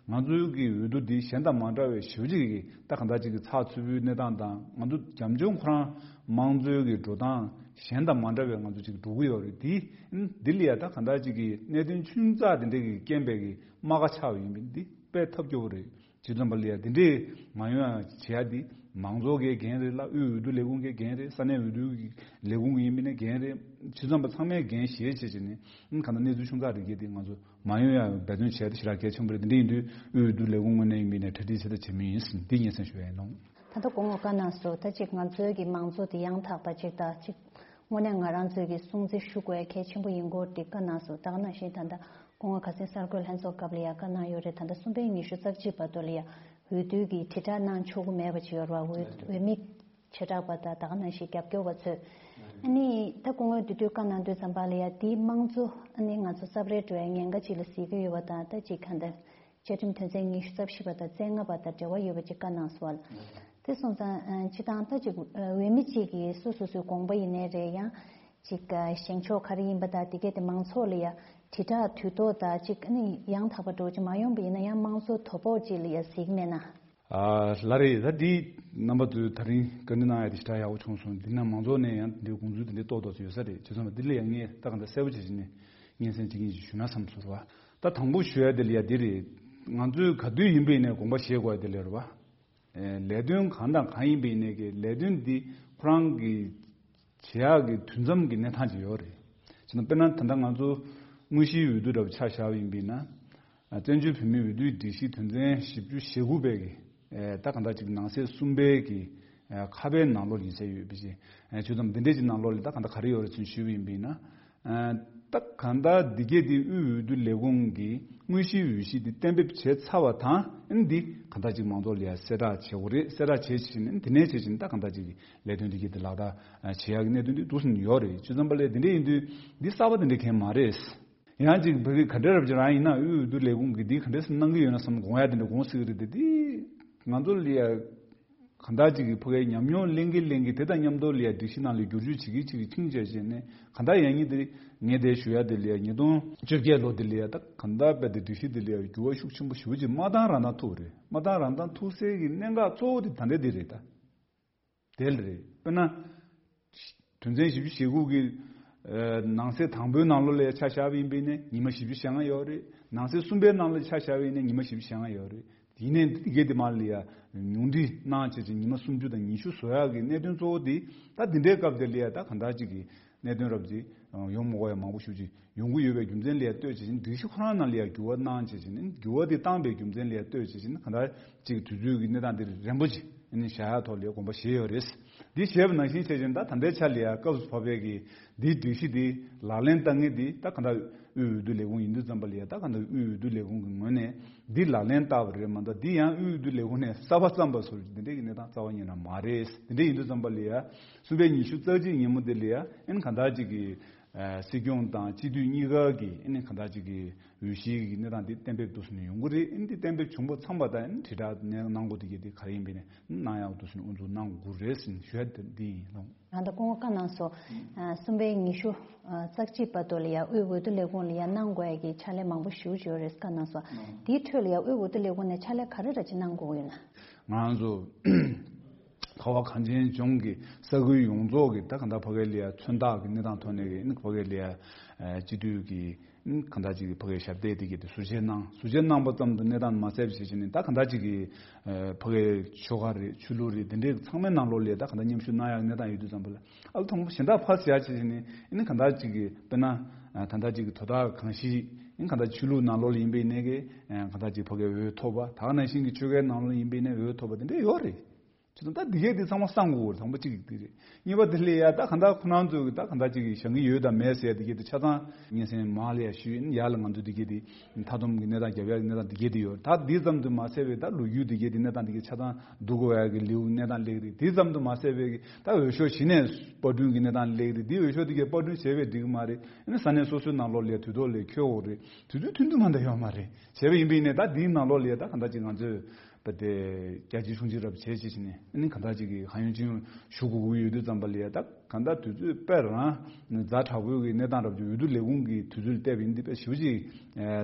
ང་ཚོའི་གི་འོས་བསྡུ་འདི་གཞན་དང་མ་འདྲ་བའི་ཞེ་པོ་ཅིག་གི་ད་ག་འདྲ་ཅིག་གི་ཚགས་ཚུད་པོའི་གནས་སྟངས་དང་ང་ཚོ་རྒྱབ་ལྗོངས་ཁོ་རང་དམངས་གཙོའི་གི་འགྲོ་སྟངས་གཞན་དང་མ་འདྲ་བའི་ང་ཚོ་ཅིག་འགྲོ་གི་ཡོད་རེད། འདི་འདི་ལ་ཡ་ད་ག་འདྲ་ཅིག་གི་གནད་དོན་ཆུང་ཙག་དེ་འདྲ་གི་རྐྱེན་པས་གི་རྨ་ཁ་ཆགས་པ་ཡིན་པས་འདི་དཔེ་ཐབས་སྐྱོ་པོ་རེད། བྱས་ཙམ་པ་ལ་ཡ་དེ་འདྲས་མ་ཡོང་ཡ་བྱེད་ཡ་དེ་མང་ཚོགས་ཀྱི་འགན་རེད་ལ། དབུས་འོས་བསྡུ་ལས་ཁུངས་ཀྱི་འགན་རེད། ས་གནས་འོས་བསྡུ་ལས་ཁུངས་ཀྱི་ཡིན་མིན་ནི་འགན་རེད། བྱས་ཙམ་པ་ཚང་མས་འགན་བཞེས་བྱས་བྱས་ནས་གང་ལྟར་གནས་ཚུལ་ཆུང་ཙག་རེ་གལ་ཏེ་ང་ཚོ་མ་ཡོང་ཡ་འབད་བརྩོན་བྱས་ཏེ་ཞེ་དྲག་གལ་ཆེན་པོ་རེད། དེ་འདྲ་ཡིན་དུས་དབུས་འོས་བསྡུ་ལས་ཁུངས་ངོས་ནས་ཡིན་མིན་ནས་གྲ་སྒྲིག་བྱེད་ཐབས་བྱེད་མུས་ཡིན་ཟིན་འདི་སྙན་སེང་ཞུ་བ་ཡིན་ནོ། ད་ལྟ་སྐུ་ངོ་བཀའ་གནང་སོང་། ད་ཅིག་ང་ཚོའི་གི་མང་ཚོགས་དེ་ཡང་དག་པ་ཅིག་ད་ཅིག་དངོས་གནས་ང་རང་ཚོའི་གི་སྲུང་བརྩི་ཞུ་དགོས་གལ་ཆེན་པོ་ཡིན་སྐོར་དེ་བཀའ་གནང་སོང་། ད་ག་ནང་བཞིན་ད་ལྟ་སྐུ་ངོ་ཁ་སང་གསར་འགོད་ལྷན་ཚོགས་སྐབས་ལ་ཡང་བཀའ་གནང་ཡོད་རེད། ད་ལྟ་གསུམ་པའི་ཉི་ཤུ་རྩ་གཅིག་བར་དུ་ལ་ཡང་འོས་བསྡུ་གི་དྲིལ་བསྒྲགས་གནང་ཆོག་གི་མེད་པ་ཅིག་ཡོད་རེད་བ། འོས་འོས་མི་བྱེ་བྲག་པ་དང་ད་ག་ནང་བཞིན་རྒྱབ་སྐྱོར་བ་ཚོས་ཨ་ནི་ད་སྐུ་ངོས་དེ་དུས་བཀའ་གནང་དུས་ཙམ་པ་ལ་ཡང་དེའི་དམངས་གཙོ་ཨ་ནི་ང་ཚོ་རྩབ་རལ་འགྲོ་བའི་ཉེན་ཁ་ཅིག་ལ་གཟིགས་ཀྱི་ཡོད་པ་དང་། ད་ཅིག་གང་ལྟར་བཅའ་ཁྲིམས་དོན་ཚན་ཉི་ཤུ་རྩ་བཞི་པ་དང་རྩ་ལྔ་པ་དང་འབྲེལ་བ་ཡོད་པ་ཅིག་བཀའ་གནང་སོང་བ། དེ་སོང་ཙང་སྤྱི་བཏང་ད་ཅིག་འོས་མི་གཅིག་གིས་སོ་སོ་སོའི་དགོངས་པ་ཡིན་ནའི་རེད། ཡང་ཅིག་བཞེངས་ཕྱོགས་ག་རེ་ཡིན་པ་དང་དེ་གས་དེ་མང་ཚོགས་ལ་ཡ་དྲིལ་བསྒྲགས་དུས་ཐོག་དང་ཅིག་ཨ་ནི་ཡང་དག་པ་འགྲོ་ཅིག་མ་ཡོང་པ་ཡིན་ན་ཡང་དམངས་གཙོ་དོ་ཕོག་ཅིག་ལ་ཡ་གཟིགས་མེད་ན། ཨ་ལ་རེད། ད་འདི་རྣམ་པ་ཚོས་ད་རིང་བཀའ་འདྲི་གནང་ཡ་དེ་ཞེ་དྲག་ཡག་པོ་བྱུང་སོང་། འདི་ན་མང་ཚོགས་ནས་ཡང་འདི་དགོངས་ཚུལ་དེ་འདྲའི་ཏོག་ཏོག་ཅིག་ཡོད་ས་རེད། བྱས་ཙང་འདི་ལ་ཡང་ངས་ད་ག་འདྲ་གསལ་པོ་བྱས་བྱས་ནས་སྙན་སེང་གཅིག་གཉིས་ཅིག་ཞུ་ན་བསམ་སོང་ར་བ། ད་དང་པོ་ཞུ་ཡ་དེ་ལ་ཡ་འདི་རེད། ང་ཚོས་ག་དུས་ཡིན་པ་ཡིན་ནའི་དགོངས་པ་བཞེས་དགོས་ཡ་དེ་ལ་རེད་བ། ལས་དོན་གང་དང་གང་ཡིན་པ་ཡིན་ནའི་གི་ལས་དོན་འདི་ཁོ་རང་གི་བྱེད་ཡག་གི་དུས་མཚམས་ཀྱི་གནས་སྟངས་ཅིག་ཡོད་རེད། བྱས་ན་དཔེར་ན་ད་ལྟ་ང་ཚོ་དངོས་གཞིའི་འོས་བསྡུ་འདྲ་པོ་ཆ་བཞག་པ་ཡིན་པ་ཡིན་ན། བཙན་བྱོལ་བོད་མིའི་འོས་བསྡུའི་སྒྲིག་གཞི་དོན་ཚན་བཞི་བཅུ་ཞེ་དགུ་པའི་གི་ད་གང་ལྟར་ཅིག་ནང་གསེས་གསུམ་པའི་གི་ཁ་པའི་ནང་ལོགས་ཡིན་ས་ཡོད་པ་ཅིག་བྱས་ཙང་འདི་འདྲའི་ཅིག་ནང་ལོགས་ལ་ད་གང་ལྟར་ག་རེ་ཡོད་རེད་ཚུལ་ཞུས་པ་ཡིན་པ་ཡིན་ན། ད་གང་ལྟར་འདི་གས་འདི་དབུས་འོས་བསྡུ་ལས་ཁུངས་ཀྱིས་དངོས་གཞིའི་འོས་གཞི་འདི་གཏན་འབེབས་བྱས་ཚར་བ་དང་ཨ་ནི་འདི་གང་ལྟར་ཅིག་མང་ཚོགས་ལ་ཡ་གསལ་བསྒྲགས་བྱེད་དགོས་རེད། གསལ་བསྒྲགས་བྱས་ཕྱིན་ཨ་ནི་དེ་ནས་བྱས་ཕྱིན་ད་གང་ལྟར་ཅིག་ལས་དོན་འདི་གས་འདི་ལག་བསྟར་བྱེད་ཡག་གི་གནད་དོན་འདི་འདུག་སེ་ཡོད་རེད། བྱས་ཙང་པ་ལས་འདི་འདྲ་ཡིན་དུས་འདི་གསར་པ་འདི་འདྲ་གང་ཡང་མ་རེད། ཡང་ཅིག་བོད་ཀྱི་ག་འདྲ་རབ་ཅིག་རང་ཡིན་ན་དབུས་འོས་བསྡུ་ལས་ཁུངས་ཀྱིས་འདི་ག་འདྲ་སེ་གནང་གི་ཡོད་ན་བསམ་དགོངས་ཡ་དེ་འདྲ་དགོངས་སྲིད་ཀྱི་རེད་དེ། འདི་ང་ཚོ་ལ་ཡ་གང་ལྟར་ཅིག་གི་ཕ་གིའི་ཉམས་མྱོང་ལེན་གྱི་ལེན་གྱི་དེ་དང་མཉམ་དུ་ལ་ཡ་སྒྲིག་གཞི་ནང་ལ་བསྒྱུར་བཅོས་བྱེད་ཀྱི་བྱེད་ཀྱི་ཆིང་བྱས་བྱས་ནས་གང་ལྟར་ཡང་ཉིད་དེ་ངས་དེ་ཞུ་ཡ་དེ་ལ་ཡ་ཉིས་སྟོང་བཅོ་བརྒྱད་ལོ་དེ་ལ་ཡ་ད་གང་ལྟར་རྦད་དེ་སྒྲིག་གཞི་དེ་ལ་ཡ་འགྱུར་བ་ཤུགས་ཆེན་པོ་ཞེ་པོ་ཅིག་མ་བཏང་རང་བཏང་ཐུབ་རེད། མ་བཏང་རང་བཏང་ཐུབ་སའི་གི་གནད་འགག་གཙོ་བོ་དེ་ད་ལྟ་དེ་རེད་ད། དེ་ལ་རེད། དཔེར་ན། དོན་ཚན་བཞི་བཅུ་ཞེ་དགུ་གི་ནང་གསེས་དང་པོའི་ནང་ལོགས་ལ་ཆ་བཞག་པ་ཡིན་པས་ནི་ཉི་མ་བཞི་བཅུ་ཞེ་ལྔ་ཡོད་རེད། ནང་གསེས་གསུམ་པའི་ནང་ལ་ཆ་བཞག་པ་ཡིན་ན་ཉི་མ་བཞི་བཅུ་ཞེ་ལྔ་ཡོད་རེད། ཡིན་ནའི་འདི་གའི་དེ་མ་ལ་ཡ་ཉུང་འཕྲི་གནང་བྱས་ཀྱི་ཉི་མ་སུམ་ཅུ་དང་ཉི་ཤུ་བཟོ་ཡག་གི་གནད་དོན་གཙོ་བོ་དེ་ད་འདི་འདྲའི་སྐབས་དེ་ལ་ཡ་ད་གང་ལྟར་ཅིག་གི་གནད་དོན་རབ་ཅིག་ཡོང་མི་དགོས་ཡ་མང་པོ་ཞེ་པོ་ཅིག་ཡོང་གི་ཡོད་པའི་རྒྱུ་མཚན་ལ་ཡ་ལྟོས་བྱས་ཀྱི་སྒྲིག་གཞི་ཁོ་རང་ནང་ལ་ཡ་འགྱུར་བ་གནང་བྱས་ཀྱི་འགྱུར་བ་དེ་བཏང་པའི་རྒྱུ་མཚན་ལ་ཡ་ལྟོས་བྱས་ཀྱི་གང་ལྟར་ཅིག་དུས་ཚོད་ཀྱི་གནས་སྟངས་དེ་རན་པོ་ཅིག་བཞག་ཡ་ཐོག་ལ་ཡ་དགོངས་པ་བཞེས་ཡོད་རེད། འདི་བྱས་པ་ནང་བཞིན་བྱས་བཞིན་ད་ད་ལྟའི་ཆ་ལ་ཡ་སྐབས་སུ་བབ་པའི་གི་འདིའི་སྒྲིག་གཞི་འདི་ལག་ལེན་བསྟར་མཁན་འདི་ད་ག་འདྲ་དབུས་འོས་བསྡུ་ལས་ཁུངས་ཡིན་དུས་ཙམ་པ་ལ་ཡ་ད་ག་འདྲ་དབུས་འོས་བསྡུ་ལས་ཁུངས་ཀྱི་ངོས་ནས་འདི་ལག་ལེན་བསྟར་བ་རེད་མ་གཏོགས་འདི་ཡང་དབུས་འོས་བསྡུ་ལས་ཁུངས་ནས་གསར་པ་བརྩམས་པ་བཟོ་འདི་འདྲའི་གི་གནས་སྟངས་རྩ་བ་ཉིད་ནས་མ་རེད། འདི་འདྲ་ཡིན་དུས་ཙམ་པ་ལ་ཡ་གསུམ་པའི་ཉི་ཤུ་རྩ་གཅིག་ཉིན་མོ་འདི་ལ་ཡ་ཨེ་ནི་ག་འདྲ་ཅིག་གི་ཨ་སྲིད་སྐྱོང་དང་སྤྱི་འཐུས་གཉིས་ཀ་གི་ཨེ་ནི་ག་འདྲ་ཅིག་གི་འོས་གཞིའི་གི་གནས་སྟངས་འདི་གཏན་འབེབས་འདུག་ཟེར་ནས་ཡོང་གི་རེད། ཨེ་ནི་འདི་གཏན་འབེབས་བྱུང་པ་ཚང་མ་དང་ཨེ་ནི་དྲིལ་བསྒྲགས་གནང་དགོས་འདི་གི་འདི་ག་རེ་ཡིན་པས་ནས་གནང་ཡག་འདུག་ཟེར་ནས་དབུ་འཛུགས་གནང་དགོས་རེད་ཟེར་ནས་ཞུ་ཡ་འདི་ཡིན་ལགས། ང་ད་སྐུ་ངོ་བཀའ་གནང་སོང་། ཨ་གསུམ་པའི་ཉི་ཤུ་ཨ་རྩ་གཅིག་བར་དུ་ལ་ཡ་དབུས་འོས་བསྡུ་ལས་ཁུངས་ལ་ཡ་གནང་དགོས་ཡ་གི་ཕྱག་ལས་མང་པོ་ཞེ་པོ་ཅིག་ཡོད་རེད་བཀའ་གནང་སོང་། དེའི་ཁྲོད་ལ་ཡ་དབུས་འོས་བསྡུ་ལས་ཁུངས་ནས་ཕྱག་ལས་ག་རེ་འདྲ་ཅིག་གནང་དགོས་ཡོད་ན། ང་ཚོ་ཁ་བ་གངས་ཅན་ལྗོངས་ཀྱི་ས་ཁུལ་ཡོངས་རྫོགས་ཀྱི་ད་ག་འདྲ་ཕ་གི་ལ་ཡ་མཚོན་རྟགས་ཀྱི་གནས་སྟངས་ཐོག་ནས་ཀྱི་ཨ་ནི་ཕ་གི་ལ་ཡ་ཨ་སྤྱི་འཐུས་ཀྱི་གང་ལྟར་ཅིག་གི་ཕ་གིའི་ཞབས་སྟེགས་དེ་གའི་དེ་ཟུར་བཅད་གནང་། ཟུར་བཅད་གནང་པ་ཙམ་དུ་གནས་སྟངས་མ་ཟད་པ་ཞིག་བྱས་ནས་ད་གང་ལྟར་ཅིག་གི་ཕ་གིའི་ཆོལ་ཁ་རེད། ཆོས་ལུགས་རེད། དེ་འདྲའི་ཚང་མའི་ནང་ལོགས་ལ་ད་གང་ལྟར་མཉམ་ཞུགས་གནང་ཡག་གནས་སྟངས་ཡོད་དུས་ཙམ་པ་ལ་ཨ་ལ་ཐོག་མ་གཞན་དག་ཕར་ཟེར་ཡག་བྱས་བྱས་ནས་ཨ་ནི་གང་ལྟར་ཅིག་གི་དཔེར་ན་ད་ལྟ་ཅིག་གི་དོ་བདག་གང་ཞིག་ཨ་ནི་གང་ལྟར་ཆོས་ལུགས་ནང་ལོགས་ལ་ཡིན་པའི་ནས་གི་གང་ལྟར་ཅིག་ཕ་གིའི་འོས་ཐོབ་པ། ད་ག་ནང་བཞིན་གྱི་ཆོལ་ཁའི་ནང་ལོགས་ཡིན་པའི་ནས་འོས་ཐོབ་པ་དེ་འདྲ་ཡོད་རེད། བྱས་ཙང་ད་འདི་གས་འདི་ཚང་མ་གསང་དགོས་རེད། དང་པོ་གཅིག་འདི་རེད། གཉིས་པ་དེ་ལས་ཡ་ད་གང་ལྟར་ཁོ་རང་ཚོས་ད་གང་ལྟར་ཅིག་གི་བཞེངས་ཀྱི་ཡོད་དམ་མེད་ཟེར་འདི་གས་འདི་ཆ་ཚང་སྙན་སེང་མར་ལ་ཡ་ཞུས་ཡིན། ཡར་ལ་ང་ཚོས་འདི་གས་འདི་མཐའ་སྡོམ་གྱི་གནས་སྟངས་རྒྱབ་ཡ་གི་གནས་སྟངས་འདི་གས་འདི་ཡོད། ད་འདི་ཙམ་དུ་མ་ཟད་པའི་ད་ལོ་རྒྱུས་འདི་གས་འདི་གནས་སྟངས་འདི་གས་ཆ་ཚང་བསྡུ་དགོས་ཡ་གི་ལེའུ་གནས་སྟངས་སླེབས་རེད། འདི་ཙམ་དུ་མ་ཟད་པའི་གི་ད་འོས་ཤོག་གཞི་ནས་པར་སྐྲུན་གྱི་གནས་སྟངས་སླེབས་རེད། འདི་འོས་ཤོག་འདི་གས་པར་སྐྲུན་བྱས་པས་འགྲིག་གི་མ་རེད། ཨ་ནི་ས་གནས་སོ་སོའི་ནང་ལོགས་ལ་ཡ་དུས་ཐོག་ལ་འཁྱོལ་དགོས་རེད། དུས་ཚོད་ཐུང་ཐུང་མ་གཏོགས་ཡོད་མ་རེད། བྱས་པ་ཡིན་པ་ཡིན་ནའི་ད་འདིའི་ནང་ལོགས་ལ་ཡ་ད་གང་ལྟར་ཅིག་ང་ཚོས་པ་དེ་རྒྱ་ཆེའི་གཞུང་ཆེན་རབ་བྱས་བྱས་བྱས་ནས་ཨ་ནི་གང་ལྟར་ཅིག་གི་ཧ་ཡོན་ཅིན་ཞུ་དགོས་ཀྱི་ཡོད་དུས་ཙམ་པ་ལ་ཡ་ད་གང་ལྟར་དུས་ཚོད་དཔེ་རང་ཛ་དྲག་པོའི་གི་གནས་སྟངས་རབ་ཅིག་འོས་བསྡུ་ལས་ཁུངས་ཀྱི་དུས་ཚོད་ལ་བལྟས་པ་ཡིན་དུས་དཔེ་ཞེ་པོ་ཅིག་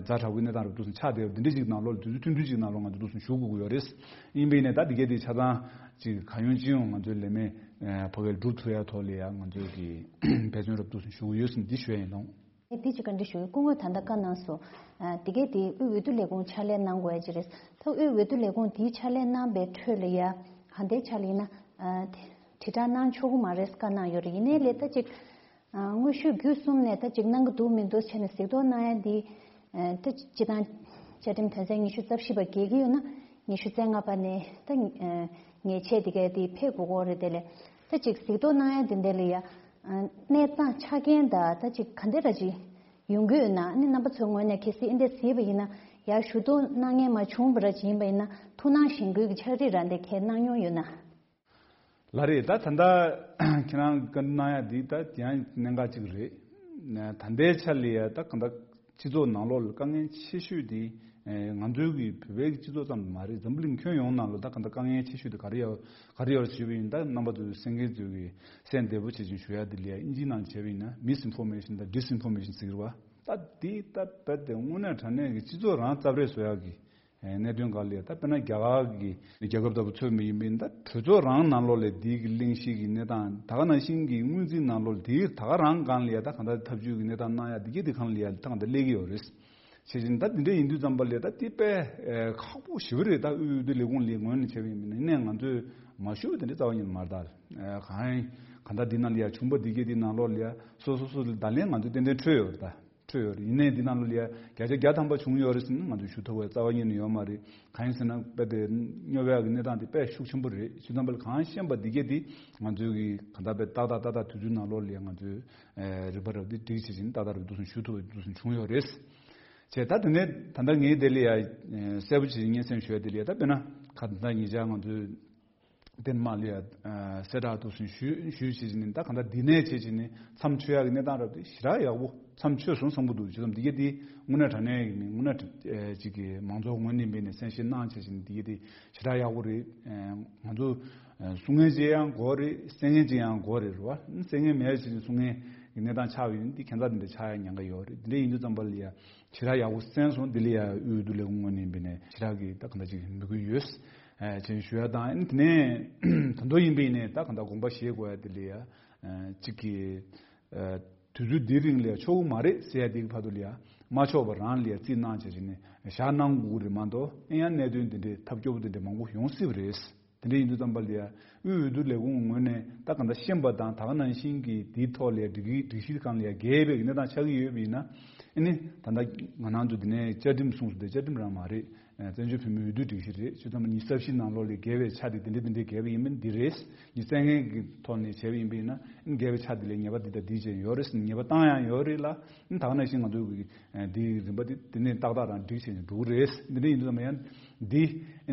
ཛ་དྲག་པོའི་གནས་སྟངས་རབ་འདུག་སེ་ཆགས་བསྡད་པ་འདི་འདྲ་ཅིག་ནང་ལོགས་ལ་དུས་ཚོད་ཐུང་ཐུང་ཅིག་ནང་ལོགས་ང་ཚོ་འདུག་སེ་ཞུ་དགོས་ཀྱི་ཡོད་རེད། ཡིན་པ་ཡིན་ནའི་ད་འདི་གས་དེ་ཆ་ཚང་ཅིག་ཧ་ཡོན་ཅིན་ཡང་ང་ཚོའི་ལས་མི་ཕ་གིར་སྒྲུབ་ཐུབ་ཡ་ཐོག་ལ་ཡ་ང་ཚོས་གི་འབད་བརྩོན་རབ་འདུག་སེ་ཞུ་གི་ཡོད་ཟེར་འདི་ཞུ་ཡ་ཡིན་ལགས། ཨེ་དེ་ཅིག་བཀའ་འདྲི་ཞུ་གི། སྐུ་ངོས་ད་ལྟ་བཀའ་གནང་སོང་། ཨ་དེ་གས་དེ་དབུས་འོས་བསྡུ་ལས་ཁུངས་ཕྱག་ལས་གནང་དགོས་ཡ་ཅིག་རེད། ད་དབུས་འོས་བསྡུ་ལས་ཁུངས་དེའི་ཕྱག་ལས་གནང་པའི་ཁྲོད་ལ་ཡ་ཧ་འདའི་ཆ་ལ་ཡིན་ན་ཨ་དེ་དྲིལ་བསྒྲགས་གནང་ཆོག་གི་མ་རེད་བཀའ་གནང་ཡོད་རེད། ཡིན་ནའི་ལས་ད་ཅིག་ཨ་དངོས་ཤུགས་བརྒྱུད་གསུམ་ནས་ད་ཅིག་གནང་གི་འདུག་མི་འདུག་བྱས་ནས་གཟིགས་རྟོག་གནང་ཡ་འདི་ཨ་ད་སྤྱི་བཏང་བཅའ་ཁྲིམས་དོན་ཚན་ཉི་ཤུ་རྩ་བཞི་པ་འགལ་གྱི་ཡོད་ན་ཉི་ཤུ་རྩ་ལྔ་པ་ནས་ད་ཨ་ཉེས་ཆད་དེ་གས་དེ་ཕེབས་དགོས་ཀྱི་རེད། དེ་ལས་ད་ཅིག་གཟིགས་རྟོག་གནང་ཡ་དེ་འདྲ་ལ་ཡ། གནས་སྟངས་ཆ་རྐྱེན་དང་ད་ཅིག་ག་འདྲ་ར་ཅིག་ཡོང་གི་ཡོད་ན་ཨ་ནི་རྣམ་པ་ཚོའི་ངོས་ནས་གལ་སྲིད་ཨེ་འདྲ་གཟིགས་པ་ཡིན་ན་ཡར་ཞུ་གཏུག་གནང་མཁན་མ་བྱུང་བ་ར་ཅིག་ཡིན་པ་ཡིན་ན་ཐུགས་སྣང་གཞེན་སྐུལ་གྱི་ཕྱག་བྲིས་ར་འདི་གས་གནང་མྱོང་ཡོད་ན། ལགས་རེད། ད་ད་ལྟ་ཁྱེད་རང་བཀའ་འདྲི་གནང་ཡ་འདི་ད་དེ་ཡང་གནད་འགག་ཅིག་རེད། ད་ལྟའི་ཆ་ལ་ཡ་ད་ག་འདྲ་སྤྱི་ཚོགས་ནང་ལོགས་ལ་དཀའ་ངལ་ཆེ་ཤོས་དེ་ང་ཚོའི་གི་བོད་པའི་སྤྱི་ཚོགས་ཙམ་དུ་མ་རེད། འཛམ་བུ་གླིང་ཁྱོན་ཡོངས་ནང་ལ་ད་ག་འདྲ་དཀའ་ངལ་ཆེ་ཤོས་དེ་ག་རེ་ཡོད་ག་རེ་ཡོད་ཞུས་པ་ཡིན་ན་ད་རྣམ་པ་ཚོས་གསན་མཁན་ཚོས་གི་གསན་བདེ་པོ་བྱེད་ཅིང་ཞུ་ཡ་དེ་ལ་ཡ་ཨིན་ཇིའི་ནང་བྱས་པ་ཡིན་ན་Misinformation་དང་Disinformation ཟེར་གི་རེད་བ། ད་དེ་ད་རྦད་དེ་དངོས་གནས་དྲང་གནས་ཀྱི་སྤྱི་ཚོགས་རང་རྩབ་རེས་བཟོ་ཡག་གི་གནད་དོན་སྒང་ལ་ཡ་ད་དཔེར་ན་རྒྱ་གར་གྱི་རྒྱལ་ཁབ་ལྟ་བུ་མཚོན་པ་ཡིན་པ་ཡིན་ན་ད་གྲོས་ཚོགས་རང་ནང་ལོགས་ལ་དེའི་གི་གླེང་གཞི་གི་གནས་སྟངས་ད་ག་ནང་བཞིན་གྱི་སྔོན་རྩིས་ནང་ལོགས་ལ་དེའི་ད་ག་རང་སྒང་ལ་ཡ་ད་གང་ལྟར་ཐབས་ཇུས་ཀྱི་གནས་སྟངས་གནང་ཡ་དེ་གའི་དེ་སྒང་ལ་ཡ་ད་གང་ལྟར་སླེབས་ཀྱི་ཡོད་རེད། བྱས་ཙང་ད་དེ་འདྲ་ཡིན་དུས་ཙམ་པ་ལ་ད་དེ་དཔེ་ཨེ་ཁག་པོ་ཞེ་པོ་རེད། ད་དབུས་འོས་བསྡུ་ལས་ཁུངས་ལ་ངོས་ནས་བྱས་པ་ཡིན་ན་ནས་ང་ཚོས་མ་ཞུ་བ་དེ་འདྲ་རྩ་བ་ཉིད་ནས་མ་རེད། ད་ཨེ་གང་གང་ལྟར་འདི་ནང་ལ་ཡ་བྱུང་བ་འདི་གའི་འདི་ནང་ལོགས་ལ་ཡ་སོ་སོ་སོ་ལ་བརྡ་ལན་ང་ཚོས་ཏན་ཏན་འཕྲོད་ཡོད་རེད། ད་འཕྲོད་ཡོད་རེད། ཡིན་ནའི་འདི་ནང་ལོགས་ལ་ཡ་བརྒྱ་ཆ་བརྒྱ་ཐམ་པ་བྱུང་ཡོད་རེད་ཟེར་ན་ང་ཚོས་ཞུ་ཐུབ་པ་རྩ་བ་ཉིད་ནས་ཡོད་མ་རེད། གང་ཡིན་ཟེར་ན་དཔེ་དེ་སྨྱོ་བའི་གནས་སྟངས་དེ་དཔེ་ཤུགས་ཆེན་པོ་རེད། བྱས་ཙང་པ་ལ་གང་ཤེས་པ་འདི་གའི་འདི་ང་ཚོས་གི་གང་ལྟར་དཔེ་ཏག་ཏག་ཏག་ཏག་དུས་ཚོད་ནང་ལོགས་ལ་ཡ་ང་ཚོས་ཨེ་རིག་པ་རབ་འདི་སྒྲིག་བྱེད་ཅིང་ཏག་ཏག་རུ་འདུག་སེ་ཞུ་ཐུབ་པ་འདུག་སེ་བྱུང་ཡོད་རེད། བྱས་ད་དེ་ནས་ད་ལྟ་ངའི་དེ་ལ་ཡ་གསལ་པོ་བྱེད་སྙན་སེང་ཞུ་ཡ་དེ་ལ་ཡ་ད་དཔེར་ན་ཁ་ད་ལྟ་ཉེ་ཆར་ང་ཚོས་དེ་མ་ལ་ཡ་གསལ་བསྒྲགས་འདུག་སེ་ཞུ་ཞུ་བྱེད་ཅིང་ནི་ད་གང་ལྟར་འདི་ནས་བྱེད་ཅིང་ནི་མཚམས་ཆོད་ཡ་གི་གནས་སྟངས་རབ་དེ་ཞེ་དྲག་ཡག་པོ་མཚམས་ཆོད་སོང་བསམ་གི་འདུག་བྱས་ཙང་འདི་ག་དེ་དངོས་གནས་དྲང་གནས་ཡིན་ནི་དངོས་གནས་ཅིག་གི་མང་ཚོགས་ངོས་ནས་འབད་ནས་གསན་བཞེས་གནང་བྱེད་ཅིང་འདི་ག་དེ་ཞེ་དྲག་ཡག་པོ་རེད། ང་ཚོ་གསུང་མཁན་ཅིག་ཡང་དགོས་རེད། གསན་མཁན་ཅིག་ཡང་དགོས་རེད་རེད་བ། གསན་མཁན་མེད་ཅིག་གསུང་མཁན་གྱི་གནས་སྟངས་ཆགས་ཡོད་ན་འདི་ཁྱད་མཚར་འདི་འདྲ་ཆགས་ཡ་ཉེན་ཁ་ཡོད་རེད། འདི་འདྲ་ཡིན་དུས་ཙམ་པ་ལ་ཡ་ཞེ་དྲག་ཡག་པོ་གསན་སོང་། འདི་ལ་ཡ་དབུས་འོས་བསྡུ་ལས་ཁུངས་ངོས་ནས་འབད་ནས་ཞེ་དྲག་གི་ད་གང་ལྟར་ཅིག་མོས་གུས་ཡོད། ཅེས་ཞུ་ཡ་དང་དེ་ནས་ད་དུང་ཡིན་པ་ཡིན་ནས་ད་གང་ལྟར་དགོངས་པ་བཞེས་དགོས་ཡ་དེ་ལ་ཡ་གཅིག་གི་དུས་ཚོད་འདིའི་རིང་ལ་ཡ་ཆོག་གི་མ་རེད་ཟེར་ཡ་དེ་གི་བར་དུ་ལ་ཡ་མ་ཆོག་པ་རང་ལ་ཡ་རྩིས་གནང་བྱས་བྱས་ནས་བཞག་གནང་དགོས་ཀྱི་རེད་མ་གཏོགས་ཨེ་ཡང་གནད་དོན་དེ་འདྲའི་ཐབས་སྐྱོ་པོ་དེ་འདྲ་མང་པོ་ཡོང་སྲིད་པ་རེད། དེ་འདྲ་ཡིན་དུས་ཙམ་པ་ལ་ཡ་དབུས་འོས་བསྡུ་ལས་ཁུངས་ངོས་ནས་ད་གང་ལྟར་ཤེས་པ་དང་ད་ག་ནང་བཞིན་གྱི་དེའི་ཐོག་ལ་ཡ་སྒྲིག་གཞི་སྒྲིག་གཞི་སྒང་ལ་ཡ་འགལ་བའི་གནས་སྟངས་ཆགས་ཀྱི་ཡོད་པ་ཡིན་ན་ཨེ་ནི་ད་ལྟ་ང་རང་ཚོ་འདི་ནས་བཅའ་ཁྲིམས་གསུངས་སོང་། དེ་བཅའ་ཁྲིམས་རང་མ་རེད། བཙན་བྱོལ་བོད་མིའི་འོས་བསྡུ་སྒྲིག་གཞི་རེད། ཆུ་ཚོད་ཉི་ཤུ་རྩ་བཞི་ནང་ལོགས་ལ་འགལ་བའི་ཆ་དེ་འདི་འདྲ་འདི་འདྲ་འགལ་བ་ཡིན་མིན་འདི་རེད། ཉི་ཤུ་རྩ་ལྔ་གི་ཐོག་ནས་བྱས་པ་ཡིན་པ་ཡིན་ན་འགལ་བའི་ཆ་དེ་ལ་ཉེས་པ་འདི་དང་འདི་བྱས་ཡོད་རེད། ཉེས་པ་བཏང་ཡང་ཡོད་རེད་ལ། ད་ག་ནང་བཞིན་ང་ཚོའི་འདི་རིམ་པ་འདི་དེ་ནས་ཏག་ཏག་རང་སྒྲིག་བྱས་ནས་འགྲོ་གི་རེད། འདི་འདྲ་ཡིན་དུས་ཙམ་པ་ཡང་འདི་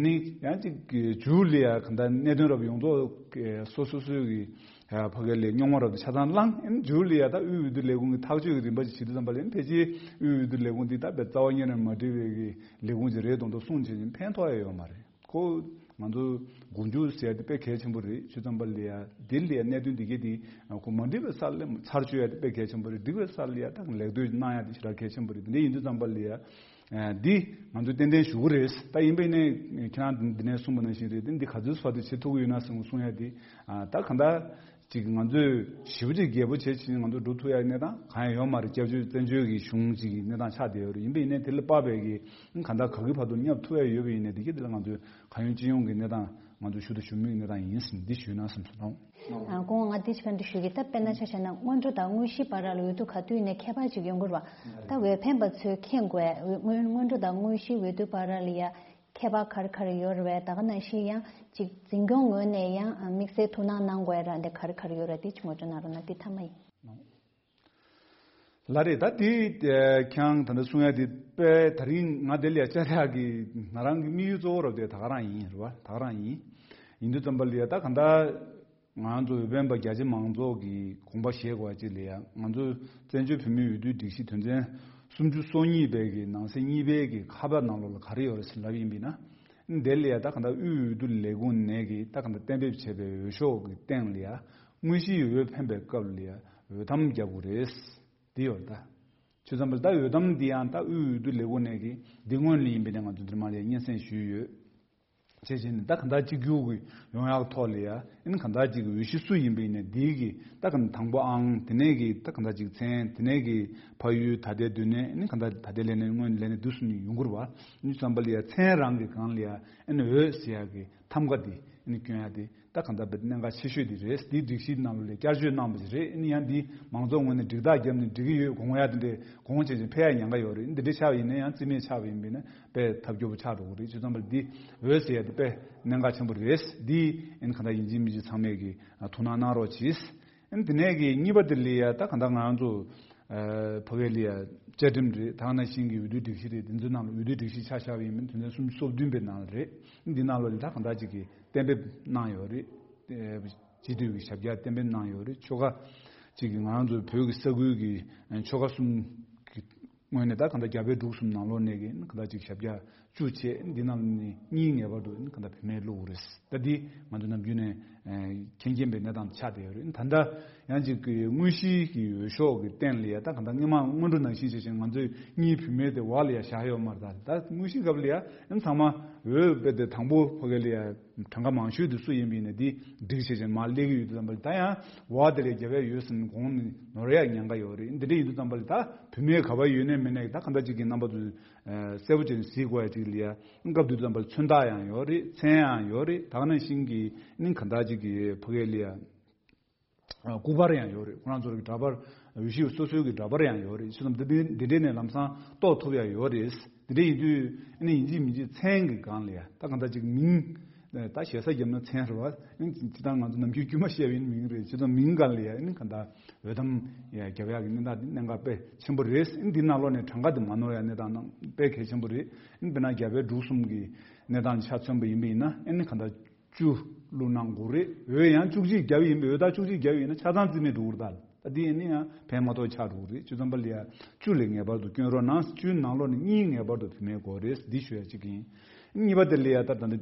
ནི་ཡང་ཅིག་མཇུག་ལ་ཡ་ག་འདྲ་གནད་དོན་རབ་ཡོངས་རྫོགས་སོ་སོ་སོའི་གི་ཕ་གི་ལས་རྙོག་མ་རབ་ཏུ་ཆ་ཚང་བླངས། ཨེམ་མཇུག་ལ་ཡ་ད་དབུས་འོས་བསྡུ་ལས་ཁུངས་ཀྱི་ཐག་གཅོད་ཀྱི་རིམ་པ་ཞིག་བྱེད་དུས་ཙམ་པ་ལ་ཨེམ་ཕལ་ཆེར་དབུས་འོས་བསྡུ་ལས་ཁུངས་འདི་ད་དཔེ་རྩ་བ་ཉིད་ནས་མ་འགྲིག་པའི་གི་ལས་ཁུངས་ཅིག་རེད་མདོག་མདོག་གསུངས་བྱས་ནས་ཕན་ཐོགས་ཡ་ཡོད་མ་རེད། ཁོ་ང་ཚོ་མགོ་མཇུག་ཟེར་ཡ་དེ་དཔེ་གལ་ཆེན་པོ་རེད། ཆུ་ཚོད་པ་ལ་ཡ་འདི་ལ་ཡ་གནད་དོན་འདི་གས་དེ་ཁོ་མ་འགྲིག་པའི་ས་ལ་ཚར་གཅོད་ཡ་དེ་དཔེ་གལ་ཆེན་པོ་རེད། འགྲིག་པའི་ས་ལ་ཡ་ད་ལེགས་བསྟོད་གནང་ཡ་དེ་ཞེ་དྲག་གལ་ཆེན་པོ་རེད། དེ་འདྲ་ཡིན་དུས་ཙམ་པ་ལ་ཡ། འདི་ང་ཚོས་ཏན་ཏན་ཞུ་གི་རེད། ད་ཡིན་པས་ནས་ཁྱེད་རང་འདི་ནས་གསུངས་པ་ནང་བཞིན་རེད་དེ། འདི་ག་ཚོད་སོགས་དེ་བྱེད་ཐུབ་ཀྱི་ཡོད་ན་ཟེར་གསུང་ཡ་དེ། ད་གང་ལྟར་ཅིག་ང་ཚོས་ཞེ་པོ་ཅིག་རྒྱས་པོ་བྱས་ཕྱིན་ང་ཚོ་འགྲོ་ཐུབ་ཡ་གནས་སྟངས་གང་ཡང་ཡོད་མ་རེད། སྐྱབས་བཅོལ་བཙན་བྱོལ་གྱི་གཞུང་ཅིག་གི་གནས་སྟངས་ཆགས་བསྡད་ཡོད་རེད། ཡིན་པས་ནས་དེ་ལ་དཔག་པའི་གི་གང་ལྟར་ག་གི་བར་དུ་བསྙབ་ཐུབ་ཡ་ཡོད་པ་ཡིན་ནས་དེ་གི་དེ་ལ་ང་ཚོས་གང་ཡོང་ཅི་ཡོང་གི་གནས་སྟངས་ང་ཚོས་ཞུ་དང་ཞུ་མུས་གནས་སྟངས་ཡིན་ཟིན་འདི་ཞུས་ན་བསམ་སོང་། ཨ། སྐུ་ངོ་ང་དེ་ཕན་དུ་ཞུ་གི། ད་དཔེར་ན་ཆ་བཞག་ན་སྔོན་འགྲོ་དང་དངོས་གཞིའི་བར་ལ་འོས་བསྡུ་ག་དུས་ནས་ཁྱད་པར་ཅིག་ཡོང་གི་རེད་བ། ད་འོས་འཕེན་པ་ཚོས་མཁྱེན་དགོས། སྔོན་སྔོན་འགྲོ་དང་དངོས་གཞིའི་འོས་བསྡུ་བར་ལ་ཡ་ཁྱད་པར་ག་རེ་ག་རེ་ཡོད་རེད་བས། ད་ག་ནང་བཞིན་ཡང་ཅིག་འཛིན་སྐྱོང་ངོས་ནས་ཡང་དམིགས་བསལ་ཐུགས་སྣང་གནང་དགོས་ར་འདི་ག་རེ་ག་རེ་ཡོད་རེད། དེ་ཅིག་ངོ་སྤྲོད་གནང་རོགས་གནང་། དེ་མཐའ་མ་ཡིན། ལགས་རེད། ད་དེ་ཁྱེད་རང་ད་ལྟ་གསུང་ཡ་དེ་དཔེ་ད་རིང་ང་དེ་ལ་ཡ་བཅར་ཡག་གི་ང་རང་གི་དམིགས་ཡུལ་གཙོ་བོ་རབ་དེ་ད་ག་རང་ཡིན་རེད་བ། ད་ག་རང་ཡིན། ཡིན་དུས་ཙམ་པ་ལ་ཡ་ད་ག་འདྲ་ང་ཚོ་འོས་འཕེན་པ་རྒྱ་ཆེ་མང་ཚོགས་ཀྱི་དགོངས་པ་བཞེས་དགོས་པ་ཅིག་ལ་ཡ། ང་ཚོ་བཙན་བྱོལ་བོད་མིའི་འོས་བསྡུའི་སྒྲིག་གཞི་དོན་ཚན་སུམ་ཅུ་སོ་གཉིས་པའི་གི་ནང་གསེས་གཉིས་པའི་གི་ཁ་པར་ནང་ལོགས་ལ་ག་རེ་ཡོད་རེད་ཟེར་ལབ་ཡིན་པས་ན། དེ་ལ་ཡ་ད་ག་འདྲ་དབུས་འོས་བསྡུ་ལས་ཁུངས་ནས་གི་ད་ག་འདྲ་གཏན་འབེབས་བྱས་པའི་འོས་ཤོག་གི་སྟེང་ལ་ཡ་དངོས་གཞིའི་འོས་འཕེན་པའི་སྐབས་ལ་ཡ་འོས་ཐམ་རྒྱག་དགོས་རེད། འདི་ཡོད་ད། ཆུ་ཚོད་པ་ལ་ད་འོས་ཐམ་འདི་ཡང་ད་དབུས་འོས་བསྡུ་ལས་ཁུངས་ནས་གི་འདི་སྔོན་ལ་ཡིན་པས་ན་ང་ཚོ་འདིར་མ་ལས་སྙན་སེང་ཞུས་ཡོད། བྱས་བྱས་ནས་ད་ག་འདྲ་གཅིག་གྱུར་གྱི་ཡོང་ཡག་ཐོག་ལ་ཡ། ཨ་ནི་ག་འདྲ་གཅིག་གི་འོས་གཞི་སུ་ཡིན་པ་ཡིན་ནའི་འདིའི་གི་ད་ག་དང་པོ་ཨང་། དེ་ནས་གི་ད་ག་འདྲ་གཅིག་མཚན། དེ་ནས་གི་ཕ་ཡུལ་ད་ལྟའི་སྡོད་གནས། ཨ་ནི་ག་འདྲ་ད་ལྟའི་ལས་གནས་སྔོན་ལས་གནས་འདི་སུ་ནས་ཡོང་གི་རེད་བ། ཨ་ནི་ཙམ་པ་ལ་ཡ་མཚན་རང་གི་སྒང་ལ་ཡ་ཨ་ནི་འོས་ཟེར་ཡག་གི་ཐམ་ག་འདི་ཨ་ནི་སྐྱོན་ཡག་དེ་ད་ག་འདྲ་བའི་གནད་འགག་ཆེ་ཤོས་འདི་རེད། འདི་སྒྲིག་གཞིའི་ནང་ལ་ལས་བསྐྱར་བཅོས་གནང་བ་ཞིག་རེད། ཨ་ནི་ཡང་འདི་མང་ཚོགས་ངོས་ནས་འགྲིག་རྟགས་བརྒྱབ་ནས་འགྲིག་གི་ཡོད་དགོངས་ཡག་དེ་འདྲས་དགོངས་བྱས་ཅིག་ཕེབས་ཡག་ཉེན་ཁ་ཡོད་རེད། འདི་འདྲས་ཆགས་པ་ཡིན་ན་ཡང་རྩིས་མེད་ཆགས་པ་ཡིན་པས་ན། དཔེ་ཐབས་སྐྱོ་པོ་ཆགས་འགྲོ་གི་རེད། བྱས་ཙང་པ་འདི་འོས་ཟེར་ཡ་དེ་དཔེ་གནད་འགག་ཆེན་པོ་རེད། འདི་ཨ་ནི་གང་ལྟར་ཡིན་གཅིག་མིན་གཅིག་ཚང་མས་ཀྱི་ཐུགས་སྣང་གནང་རོགས་གྱིས། ཨ་ནི་དེ་ནས་ཀྱི་གཉིས་པ་དེ་ལ་ཡ་ད་གང་ལྟར་ང་རང་ཚོ་ཕ་གི་ལ་ཡ་བཅའ་ཁྲིམས་རེད། ད་ག་ནང་བཞིན་གྱི་འོས་བསྡུའི་སྒྲིག་གཞི་རེད། དེ་ཚོའི་ནང་ལ་འོས་བསྡུའི་སྒྲིག་གཞི་ཆ་བཞག་པ་ཡིན་མིན་དོན་ཚན་སུམ་ཅུ་སོ་བདུན་པའི་ནང་ལ་རེད། འདི་ནང་ལོགས་ལ་ད་གང་ལྟར་ཅིག་གི་གཏན་འབེབས་གནང་ཡོད་རེད། སྤྱི་འཐུས་ཀྱི་ཞབས་བཀྱག་གཏན་འབེབས་གནང་ཡོད་རེད། ཆོལ་ཁ་གཅིག་གི་ང་རང་ཚོའི་བོད་ཀྱི་ས་ཁུལ་གྱི་ཆོལ་ཁ་གསུམ་གྱི་ངོས་ནས་ད་གང་ལྟར་རྒྱ་བལ་འབྲུག་གསུམ་ནང་ལོགས་ནས་ཀྱི་གང་ལྟར་ཅིག་ཞབས་བཀྱག་བཅུ་བྱས། འདི་ནང་ནས་གཉིས་ངེས་པར་དུ་གང་ལྟར་བུད་མེད་བླུགས་རེད། ད་འདི་ང་ཚོ་ནམ་རྒྱུན་ནས་མཁྱེན་མཁྱེན་པའི་གནས་སྟངས་ཆགས་བསྡད་ཡོད་རེད། ད་ལྟ་ཡང་ཅིག་གི་དངོས་གཞིའི་གི་འོས་ཤོག་གི་སྟེང་ལ་ཡ་ད་གང་ལྟར་སྔོན་མ་སྔོན་འགྲོ་ནང་བཞིན་བྱས་ཤིང་ང་ཚོའི་གཉིས་བུད་མེད་དེ་འོག་ལ་ཡ་བཞག་ཡོད་མ་རེད། ད་ད་དངོས་གཞིའི་སྐབས་ལ་ཡ་ཚང་མ་འོས་དཔེ་དེ་དང་པོ་ཕ་གི་ལ་ཡ་གྲངས་ཀ་མང་ཤོས་དེ་སུ་ཡིན་པ་ཡིན་ན་དེ་སྒྲིག་བྱས་ཅིག་མར་སླེབས་ཀྱི་ཡོད་དུས་ཙམ་པ་ལ། ད་ཡང་འོག་དེ་ལས་རྒྱ་བལ་ཡོད་ཟིན་གོང་ནས་ནོར་ཡག་ཉེན་ཁ་ཡོད་རེད། འདི་འདྲ་ཡིན་དུས་ཙམ་པ་ལ་ད་བུད་མེད་ག་པར་ཡོད་ནའི་མེད་ནའི་ད་གང་ལྟར་ཅིག་གི་རྣམ་པ་ཚོ་གསལ་པོ་བྱས་ནས་གཟིགས་དགོས་ཡ་ཅིག་ལ་ཡ། སྐབས་དེ་དུས་ཙམ་པ་ལ་མཚོན་རྟགས་ཡང་ཡོད་རེད། མཚན་ཡང་ཡོད་རེད། ད་ག་ནང་བཞིན་གྱི་ནི་གང་ལྟར་ཅིག་གི་ཕ་གི་ལ་ཡ་སྐུ་པར་ཡང་ཡོད་རེད། ཁོ་རང་ཚོ་གི་འདྲ་པར་འོས་གཞི་སོ་སོའི་གི་འདྲ་པར་ཡང་ཡོད་རེད། བྱས་ཙང་འདི་འདི་འདི་འདྲས་ནས་ལམ་སང་རྟོགས་ཐུབ་ཡ་ཡོད་རེད། འདི་འདྲས་ཡིན་དུས་ཨ་ནི་ཡིན་གཅིག་མིན་གཅིག་མཚན་གྱི་སྒང་ལ་ཡ་ད་གང་ལྟར་ཅིག་མིང་ད་ཞེ་ས་བརྒྱབ་ན་མཚན་རེད་བ། ཨ་ནི་སྤྱིར་བཏང་ང་ཚོ་ནམ་རྒྱུན་དཀྱུས་མ་བཤད་པའི་མིང་རེད། བྱས་ཙང་མིང་སྒང་ལ་ཡ་ཨ་ནི་གང་ལྟར་འོས་ཐམ་ཡ་རྒྱབ་ཡག་གི་གནས་སྟངས་འདི་གནད་འགག་དཔེ་ཆེན་པོ་རེད། ཨ་ནི་འདི་ནང་ལོགས་ནས་གྲངས་ཀ་འདི་མ་ནོར་ཡ་གནས་སྟངས་དཔེ་གལ་ཆེན་པོ་རེད། ཨ་ནི་དཔེར་ན་རྒྱ་བལ་འབྲུག་གསུམ་གྱི་གནས་སྟངས་ཆ་མཚོན་པ་ཡིན་པ་ཡིན་ན་ཨ་ནི་གང་ལྟར་བཅུ་བླུགས་གནང་དགོས་རེད། འོས་ཡང་བཅུ་གཅིག་བརྒྱབ་ཡིན་པས། འོས་རྟགས་བཅུ་གཅིག་བརྒྱབ་ཡིན་ན་ཆ་ཚང་རྩིས་མེད་འགྲོ་གི་རེད་ད། ད་འདི་ཡིན་ན་ཡང་ཕན་མ་ཐོགས་ཆགས་འགྲོ་གི་རེད། བྱས་ཙང་པ་ལ་ཡ་བཅུ་ལས་ངེས་པར་དུ་སྐྱོན་རོགས་གནང་། བཅུའི་ནང་ལོགས་ནས་གཉིས་ངེས་པར་དུ་བུད་མེད་དགོས་རེད། འདི་ཞུ་ཡ་གཅིག་ཡིན། གཉིས་པ་དེ་ལ་ཡ་ད་ད་འདི་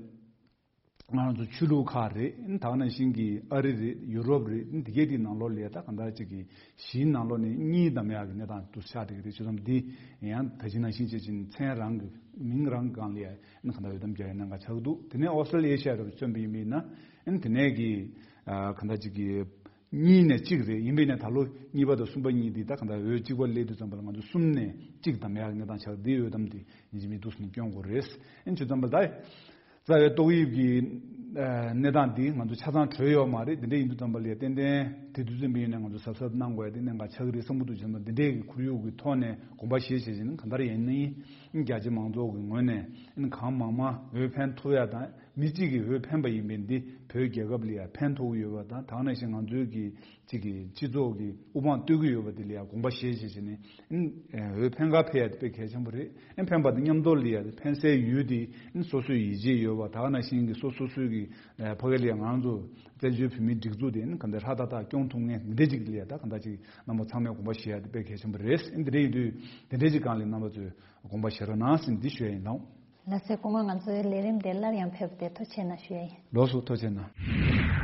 ང་རང་ཚོ་ཆོས་ལུགས་ཁག་རེད། ད་ག་ནང་བཞིན་གྱི་ཨ་རི་རེད། ཡུ་རོབ་རེད། འདི་གས་དེའི་ནང་ལོགས་ལ་ཡ་ད་གང་ལྟར་གཅིག་གི་གཞིའི་ནང་ལོགས་ནས་གཉིས་བདམས་ཡག་གི་གནས་སྟངས་དུ་ཆགས་བསྡད་ཀྱི་རེད། བྱས་ཙང་འདི་ཡང་ད་གིན་ནང་བཞིན་བྱས་ཅིག་མཚན་རང་གི་མིང་རང་གི་སྒང་ལ་ཡ་ཨ་ནི་གང་ལྟར་འོས་འདེམས་རྒྱག་ཡ་གནད་འགག་ཆགས་ཀྱི་འདུག་དེ་ནས་ཨོ་སི་ཀྲི་ལི་ཡ་ཤ་རུ་མཚོན་པ་ཡིན་པ་ཡིན་ན་ཨ་ནི་དེ་ནས་ཀྱི་ཨ་གང་ལྟར་གཅིག་གི་གཉིས་ནས་གཅིག་རེད། ཡིན་པ་ཡིན་ན་ད་ལོ་གཉིས་པ་དང་གསུམ་པ་གཉིས་འདི་ད་གང་ལྟར་འོས་གཅིག་པ་སླེབས་དུས་ཙམ་པ་ལ་ང་ཚོ་གསུམ་ནས་གཅིག་བདམས་ཡག་གི་གནས་སྟངས་ཆགས། འདི་འོས་འདེམས་འདི་ཡིན་གཅིག་མིན་འདུག་ཟེར་ནས་སྐྱོན་དགོས་རེད། ཨ་ནི་བྱས་ཙང་པ་ད་རྩ་བའི་ཏོག་དབྱིབས་ཀྱི་ གནས་སྟངས་འདི་ང་ཚོ་ཆ་ཚང་གྲོལ་ཡོད་མ་རེད། འདི་འདྲ་ཡིན་དུས་ཙམ་པ་ལ་ཏན་ཏན་དེ་དུས་ཙམ་པའི་ཡིན་ན་ང་ཚོ་གཟབ་གཟབ་གནང་དགོས་ཡ་དེ་གནད་འགག་ཆགས་ཀྱི་རེད་བསམ་གྱི་འདུག་བྱས་ན་འདི་འདྲའི་གི་ཁོར་ཡུག་གི་ཐོག་ནས་དགོངས་པ་བཞེས་བྱས་བྱས་ནས་གང་ལྟར་ཡིན་ནའི་རྒྱ་ཆེ་མང་ཚོགས་ཀྱི་ངོས་ནས་གང་མང་མང་འོས་འཕེན་ཐུབ་ཡ་དང་མི་གཅིག་གིས་འོས་འཕེན་པ་ཡིན་པས་འདི་བོད་རྒྱལ་ཁབ་ལ་ཡ་ཕན་ཐོགས་ཀྱི་ཡོད་པ་དང་དེ་ནང་བཞིན་ང་ཚོའི་གི་གཅིག་གི་སྤྱི་ཚོགས་ཀྱི་དབུ་འཕང་བསྟོད་ཀྱི་ཡོད་པ་དེ་ལ་ཡང་དགོངས་པ་བཞེས་བྱས་བྱས་ནས་ཨིན་འོས་འཕེན་ཁ་ཕེབས་ཡ་དེ་དཔེ་གལ་ཆེན་པོ་རེད། ཨིན་འཕེན་པ་དང་མཉམ་དུ་ལ་ཡ་འཕེན་སའི་ཡུལ་དེ་ཨིན་སོ་སོའི་ཡིད་ཆེས་ཡོད་པ་ད་ག་ནང་བཞིན་གྱི་སོ་སོ་སོའི་གི་ཕ་གི་ལ་ཡ་ང་རང་ཚོ་བཙན་བྱོལ་བོད་མིའི་སྒྲིག་འཛུགས་དེ་ཨིན་ག་འདྲ་ཧྲ་ཏག་ཏག་སྐྱོང་ཐུབ་མཁན་འདི་འདྲ་ཅིག་ལ་ཡ་ད་ག་འདྲ་ཅིག་རྣམ་པ་ཚང་མས་དགོངས་པ་བཞེས་ཡ་དེ་དཔེ་གལ་ཆེན་པོ་རེད། ཨིན་འདི་འདྲ་ཡིན་དུས་འདི་འདྲ་ཅིག་སྒང་ལ་རྣམ་པ་ཚོས་དགོངས་པ་བཞེས་རོགས་གནང་ཟེར་འདི་ཞུ་ཡ་ཡིན་ལགས། ལགས་སེ། སྐུ་ངོ་ང་ཚོའི་ལས་རིམ་དེ་སླར་ཡང་ཕེབས་ཏེ་ཐུགས་རྗེ་ཆེ་གནང་ཞུ་ཡ་ཡིན། ལགས་སོ། ཐུགས་རྗེ་ཆེ་གནང་།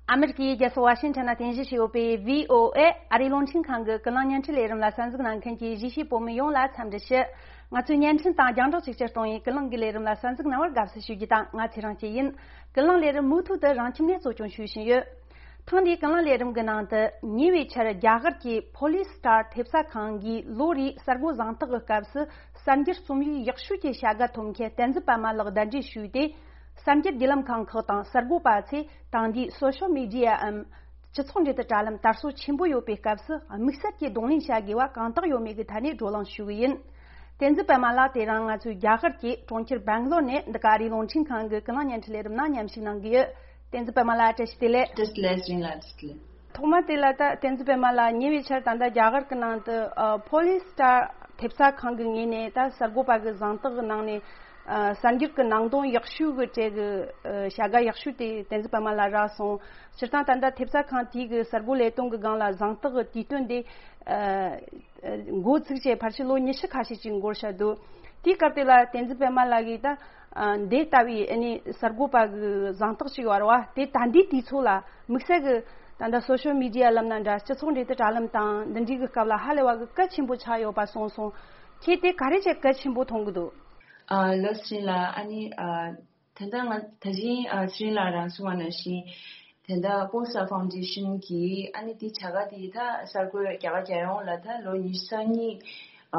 ཨ་མེ་རི་ཀའི་རྒྱལ་ས་ཝ་ཤིང་ཊོན་ནང་རྟེན་གཞི་བྱས་ཡོད་པའི་བྷི་ཨོ་ཨེ་ཨ་རིའི་རླུང་འཕྲིན་ཁང་གི་ཀུན་གླེང་བརྙན་འཕྲིན་ལས་རིམ་ལ་གསན་གཟིགས་གནང་མཁན་གྱི་གཞིས་བྱེས་བོད་མི་ཡོངས་ལ་འཚམས་འདྲི་ཞུ། ང་ཚོའི་བརྙན་འཕྲིན་དང་རྒྱང་བསྒྲགས་ཅིག་སྤྱི་གཏོང་བའི་ཀུན་གླེང་གི་ལས་རིམ་ལ་གསན་གཟིགས་གནང་བར་དགའ་བསུ་ཞུ་རྒྱུ་དང་ང་ཚེ་རིང་སྐྱིད་ཡིན། ཀུན་གླེང་ལས་རིམ་མུ་མཐུད་དུ་རང་ཁྱིམ་ནས་གཙོ་སྐྱོང་ཞུ་བཞིན་ཡོད། ཐེངས་འདིའི་ཀུན་གླེང་ལས་རིམ་གྱི་ནང་དུ་ཉེ་བའི་ཆར་རྒྱ་གར་གྱི་ཕོ་ལི་སི་ཊར་ཐེབས་རྩ་ཁང་གིས་ལོ་རེའི་གསར་འགོད་གཟེངས་རྟགས་ཀྱི་སྐབས་སུ་གསར་འགྱུར་རྩོམ་ཡིག་ཡག་ཤོས་ཀྱི་བྱ་དགའ་ཐོབ་མཁན་བསྟན་འཛིན་པད་མ་ལགས་གདན་འདྲེན་ཞུས་ཏེ། གསར་འགྱུར་བརྒྱུད་ལམ་ཁང་ཁག་དང་གསར་འགོད་པ་ཚོས་དེང་དུས་སོ་ཤལ་མི་ཌི་ཡའམ་སྤྱི་ཚོགས་འབྲེལ་མཐུད་དྲ་ལམ་དར་སྲོལ་ཆེན་པོ་ཡོད་པའི་སྐབས་སུ་དམིགས་བསལ་གྱིས་གདོང་ལེན་བྱ་དགོས་པ་གང་དག་ཡོད་མེད་ཀྱི་ཐད་ནས་བགྲོ་གླེང་ཞུ་གི་ཡིན། བསྟན་འཛིན་པད་མ་ལགས་དེ་རིང་ང་ཚོའི་རྒྱ་གར་གྱི་གྲོང་ཁྱེར་སྦེང་ལོར་ནས་འདི་ག་ཨ་རིའི་རླུང་འཕྲིན་ཁང་གི་ཀུན་གླེང་བརྙན་འཕྲིན་ལས་རིམ་ནང་མཉམ་ཞུགས་གནང་གི་ཡོད། བསྟན་འཛིན་པད་མ་ལགས་བཀྲ་ཤིས་བདེ་ལེགས། བཀྲ་ཤིས་བདེ་ལེགས། བཀྲ་ཤིས་བདེ་ལེགས། ཐོག་མ་དེ་ལ་ད་བསྟན་འཛིན་པད་མ་ལགས་ཉེ་བའི་ཆར་ད་ལྟ་རྒྱ་གར་གྱི་ནང་དུ་ཨ་ཕོ་ལི་སི་ཊར་ཐེབས་རྩ་ཁང་གི་ངོས་ནས་ད་གསར་འགོད་པ་གི་གཟེངས་རྟགས་གི་ནང་ནས་ཨ་གསར་འགྱུར་གི་ནང་དོན་ཡག་ཤོས་གི་གྲས་གི་ཨ་བྱ་དགའ་ཡག་ཤོས་དེ་བསྟན་འཛིན་པད་མ་ལགས་རག་སོང་། སྤྱིར་བཏང་ད་ལྟ་ཐེབས་རྩ་ཁང་དེའི་གི་གསར་འགོད་ལས་དོན་གི་སྒང་ལ་གཟེངས་རྟགས་གི་དུས་སྟོན་དེ་ཨ་འགོ་ཚུགས་བྱས་ཕལ་ཆེར་ལོ་ཉི་ཤུ་ཁ་ཤས་ཅིག་འགོར་བཞག་འདུག་དེའི་སྐབས་དེ་ལ་བསྟན་འཛིན་པད་མ་ལགས་ཀྱིས་ད་ཨ་འདི་ལྟ་བུའི་ཨ་ནི་གསར་འགོད་པ་གི་གཟེངས་རྟགས་ཤིག་ཡོད་རེད་བ། དེ་ད་ལྟའི་དུས་ཚོད་ལ་དམིགས་བསལ་གི་ད་ལྟ་སོ་ཤལ་མི་ཌི་ཡ་ལབ་ན་འདྲ་སྤྱི་ཚོགས་འབྲེལ་མཐུད་དྲ་ལམ་དང་འདི་འདྲའི་གི་སྐབས་ལ་ཧ་ལས་པ་གི་གལ་ཆེན་པོ་ཆགས་ཡོད་པ་གསུངས་སོང་། ཁྱེད་དེ་ག་རེ་བྱས་གལ་ཆེན་པོ་མཐོང་གི་འདུག་ཨ་ལགས་སོ། ལགས་ཨ་ནི་ཨ་ད་ལྟ་ང་ད་གིན་ཨ་ཚེ་རིང་ལགས་རང་གསུངས་པ་ནང་བཞིན་དེ་ལྟ་པོ་སི་ཊར་ཕའུན་ཌེ་ཤན་གྱིས་ཨ་ནི་དེ་བྱ་དགའ་དེ་ད་གསར་འགོད་རྒྱ་གར་རྒྱལ་ཡོངས་ལ་ད་ལོ་ཉི་ཤུ་རྩ་གཉིས་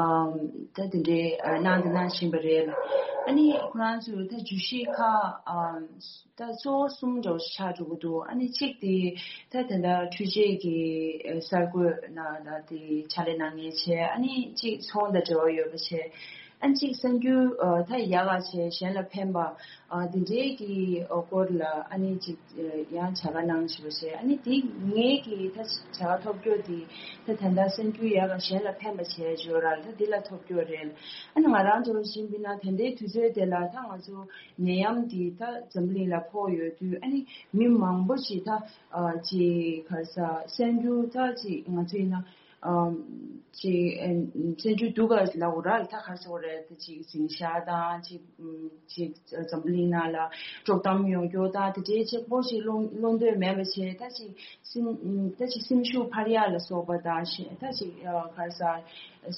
ཨམ་ད་དེ་འདྲའི་ཨ་གནང་དང་གནང་བཞིན་པ་རེད། ཨ་ནི་ཁོ་རང་ཚོས་ད་བརྗོད་གཞི་ཁག་ཨམ་ད་གཙོ་བོ་གསུམ་འདྲ་བོ་ཆགས་འགྲོ་གི་འདུག་ཨ་ནི་གཅིག་དེ་ད་དེ་འདྲ་འཕྲུལ་ཆས་ཀྱི་ཨ་གསར་འགོད་ནང་ལ་དེ་ཕྱག་ལས་གནང་མཁན་བྱས། ཨ་ནི་གཅིག་ཚོང་དང་འབྲེལ་བ་ཡོད་པ་བྱས། ཨ་ནི་གཅིག་གསར་འགྱུར་ཨ་ད་ཡག་ག་བྱས་གཞན་ལ་ཕན་པ་ཨ་དེ་འདྲའི་གི་ཨ་སྐོར་ལ་ཨ་ནི་གཅིག་ཨ་ཡང་བྱ་དགའ་གནང་བཞིན་པ་བྱས། ཨ་ནི་དེ་ངེད་ཀྱི་ད་བྱ་དགའ་ཐོབ་རྒྱུ་དེ་ད་ད་ལྟ་གསར་འགྱུར་ཡག་ག་གཞན་ལ་ཕན་པ་བྱས་བརྗོད་ར་ད་དེ་ལ་ཐོབ་རྒྱུ་རེད། ཨ་ནི་ང་རང་ཚོ་བཞིན་པའི་ན་ད་ལྟའི་དུས་ཚོད་དེ་ལ་ད་ང་ཚོ་ནད་ཡམས་འདི་ད་འཛམ་བུ་གླིང་ལ་ཕོག་ཡོད་དུས་ཨ་ནི་མི་མང་པོ་ཞིག་ད་ཨ་ཅིག་ག་རེ་ཟ་གསར་འགྱུར་ད་ཅིག་ང་ཚོ་ཡིན་ན་ཨམ་ཅིག་ཨ་གསར་འགྱུར་སྡུག་ག་ལབ་དགོས་ར་ད་ག་རེ་ཟ་དགོས་རེད། ད་ཅིག་འཛིང་ཤག་དང་ཅིག་ཨམ་ཅིག་འཛམ་བུ་གླིང་ནང་ལ་དཀྲོག་གཏམ་ཡོང་རྒྱུ་དང་དེ་འདྲའི་ཅིག་པོ་ཅིག་བློ་བློ་འདོད་མེད་པ་བྱས། ད་ཅིག་སེམས་ད་ཅིག་སེམས་ཤུགས་འཕར་ཡག་ལ་སོགས་པ་དང་ཞེ་ད་ཅིག་ཨ་ག་རེ་ཟ་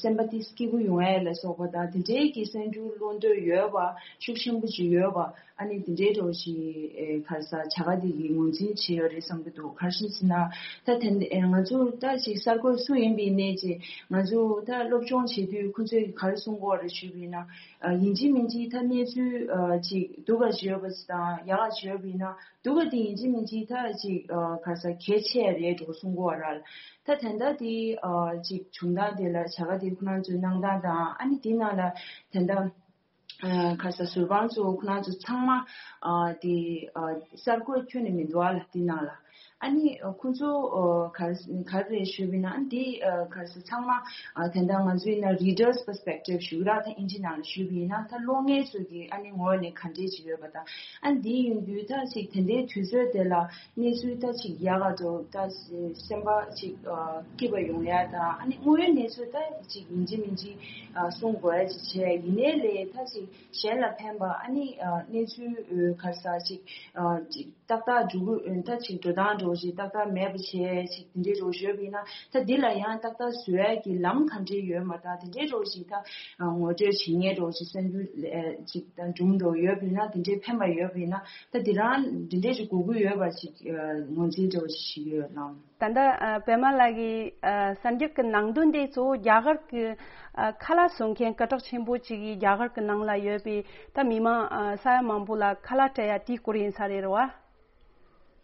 སེམས་པ་ཏིས་སྐྱིད་པོ་ཡོང་ཡས་ལ་སོགས་པ་དང་དེ་འདྲའི་གི་གསར་འགྱུར་བློ་འདོད་ཡོད་པ་ཤུགས་ཆེན་པོ་ཅིག་ཡོད་པ་ཨ་ནི་དེ་འདྲའི་འདྲ་བོ་ཞིག་ཨེ་ག་རེ་ཟ་བྱ་དགའ་དེ་གི་ངོས་འཛིན་བྱས་ཡོད་རེད་བསམ་གྱི་འདུག་ག་རེ་བྱས་ཟེར་ན་ད་དེ་ཨེ་ང་ཚོ་ད་ཅིག་གསར་འགོད་སུ་ཡིན་པའི་གནས་ཀྱི་ང་ཚོ་ད་སློབ་སྦྱོང་བྱེད་དུས་ཁོ་ཚོས་ག་རེ་གསུང་གི་ཡོད་རེད་ཞུས་པ་ཡིན་ན་ཨ་ཡིན་གཅིག་མིན་གཅིག་ད་གནས་ཚུལ་ཨ་ཅིག་སྡུག་ག་ཅིག་ཡོད་པ་ཅིག་དང་ཡག་ག་ཅིག་ཡོད་པ་ཡིན་ན། སྡུག་ག་དེ་ཡིན་གཅིག་མིན་གཅིག་ད་ཅིག་ཨ་ག་རེ་ཟ་གལ་ཆེ་རེད་འགྲོ་གསུང་གི་ཡོད་རེད། ད་དེ་འདྲ་དེ་ཨ་ཅིག་བྱུང་སྟངས་དེ་ལ་བྱ་དགའ་དེ་ཁོ་རང་ཚོའི་གནང་སྟངས་དང་ཨ་ནི་དེ་ནང་ལ་དེ་འདྲ་ཨ་ག་རེ་ཟ་ཟུར་དཔང་ཚོ་ཁོ་རང་ཚོ་ཚང་མ་ཨ་དེ་ཨ་གསར་འགོད་ཁྱོན་ནས་མི་འདུག་ཨ་ལ་དེ་ནང་ལ་ཨ་ནི་ཁོ་ཚོ་ཨ་ག་རེ་ག་རེ་རེད་ཞུས་པ་ཡིན་ན་ཨ་ནི་དེ་ཨ་ག་རེ་ཟ་ཚང་མ་ཨ་དེ་འདྲ་ང་ཚོ་ཡིན་ན་reader's perspective ཞུ་གི་ར་ད་ཨིན་ཇི་ནང་ལ་ཞུས་པ་ཡིན་ན་ད་གློག་བརྙན་ཚོ་གི་ཨ་ནི་ངོས་ནས་ག་འདྲས་ཅིག་ཡོད་པ་དང་། ཨ་འདི་ཡིན་དུས་ད་ཅིག་དེ་འདྲའི་དུས་ཚོད་དེ་ལ་གནས་ཚུལ་ད་ཅིག་ཡག་ག་འདུག་ད་སེམས་པ་ཅིག་ཨ་སྐྱིད་པ་ཡོང་ཡ་དང་ཨ་ནི་དངོས་ཡོད་གནས་ཚུལ་ད་ཅིག་ཡིན་གཅིག་མིན་གཅིག་ཨ་གསུང་དགོས་ཡ་ཅིག་བྱས་ཡིན་ནའི་ལས་ད་ཅིག་གཞན་ལ་ཕན་པ་ཨ་ནི་ཨ་གནས་ཚུལ་ཨ་ག་རེ་ཟ་ཅིག་ཨ་ཅིག་ཏག་ཏག་འགྲོ་གི་ད་ཅིག་འགྲོ་སྟངས། འགྲོ་ཞིག་ཏག་ཏག་མེད་པ་བྱས་ཞིག་དེ་འདྲའི་རོགས་ཞུས་པ་ཡིན་ན། ད་འདི་ལ་ཡང་ཏག་ཏག་བཟོ་ཡ་གི་ལམ་ག་འདྲའི་ཡོད་མ། ད་དེ་འདྲའི་རོགས་ཞིག་ད་ངོ་སྤྲོད་བྱེད་མཁན་རོགས་ཞིག་གསར་འགྱུར་ཅིག་དང་སྒྲུང་རོགས་ཡོད་པ་ཡིན་ན། དེ་འདྲའི་ཕན་པ་ཡོད་པ་ཡིན་ན། ད་དེ་རང་དེ་འདྲའི་ཞིག་དགོས་མཁོ་ཡོད་པ་ཞིག་ངོས་འཛིན་རོགས་ཞིག་ཡོད་ལགས། ད་ལྟ་ཨ་པད་མ་ལགས་ཀྱིས་ཨ་གསར་འགྱུར་གྱི་ནང་དོན་དེ་གཙོ་བོ་རྒྱ་གར་གྱི་ཨ་ཁ་ལག་བཟོ་མཁན་སྐད་གྲགས་ཆེན་པོ་ཅིག་གིས་རྒྱ་གར་གྱི་ནང་ལ་ཡོད་པའི་ད་མི་མང་ཨ་ས་ཡ་མང་པོ་ལ་ཁ་ལག་སྤྲད་ཡ་དེའི་སྐོར་ཡིན་ས་རེད་རེད་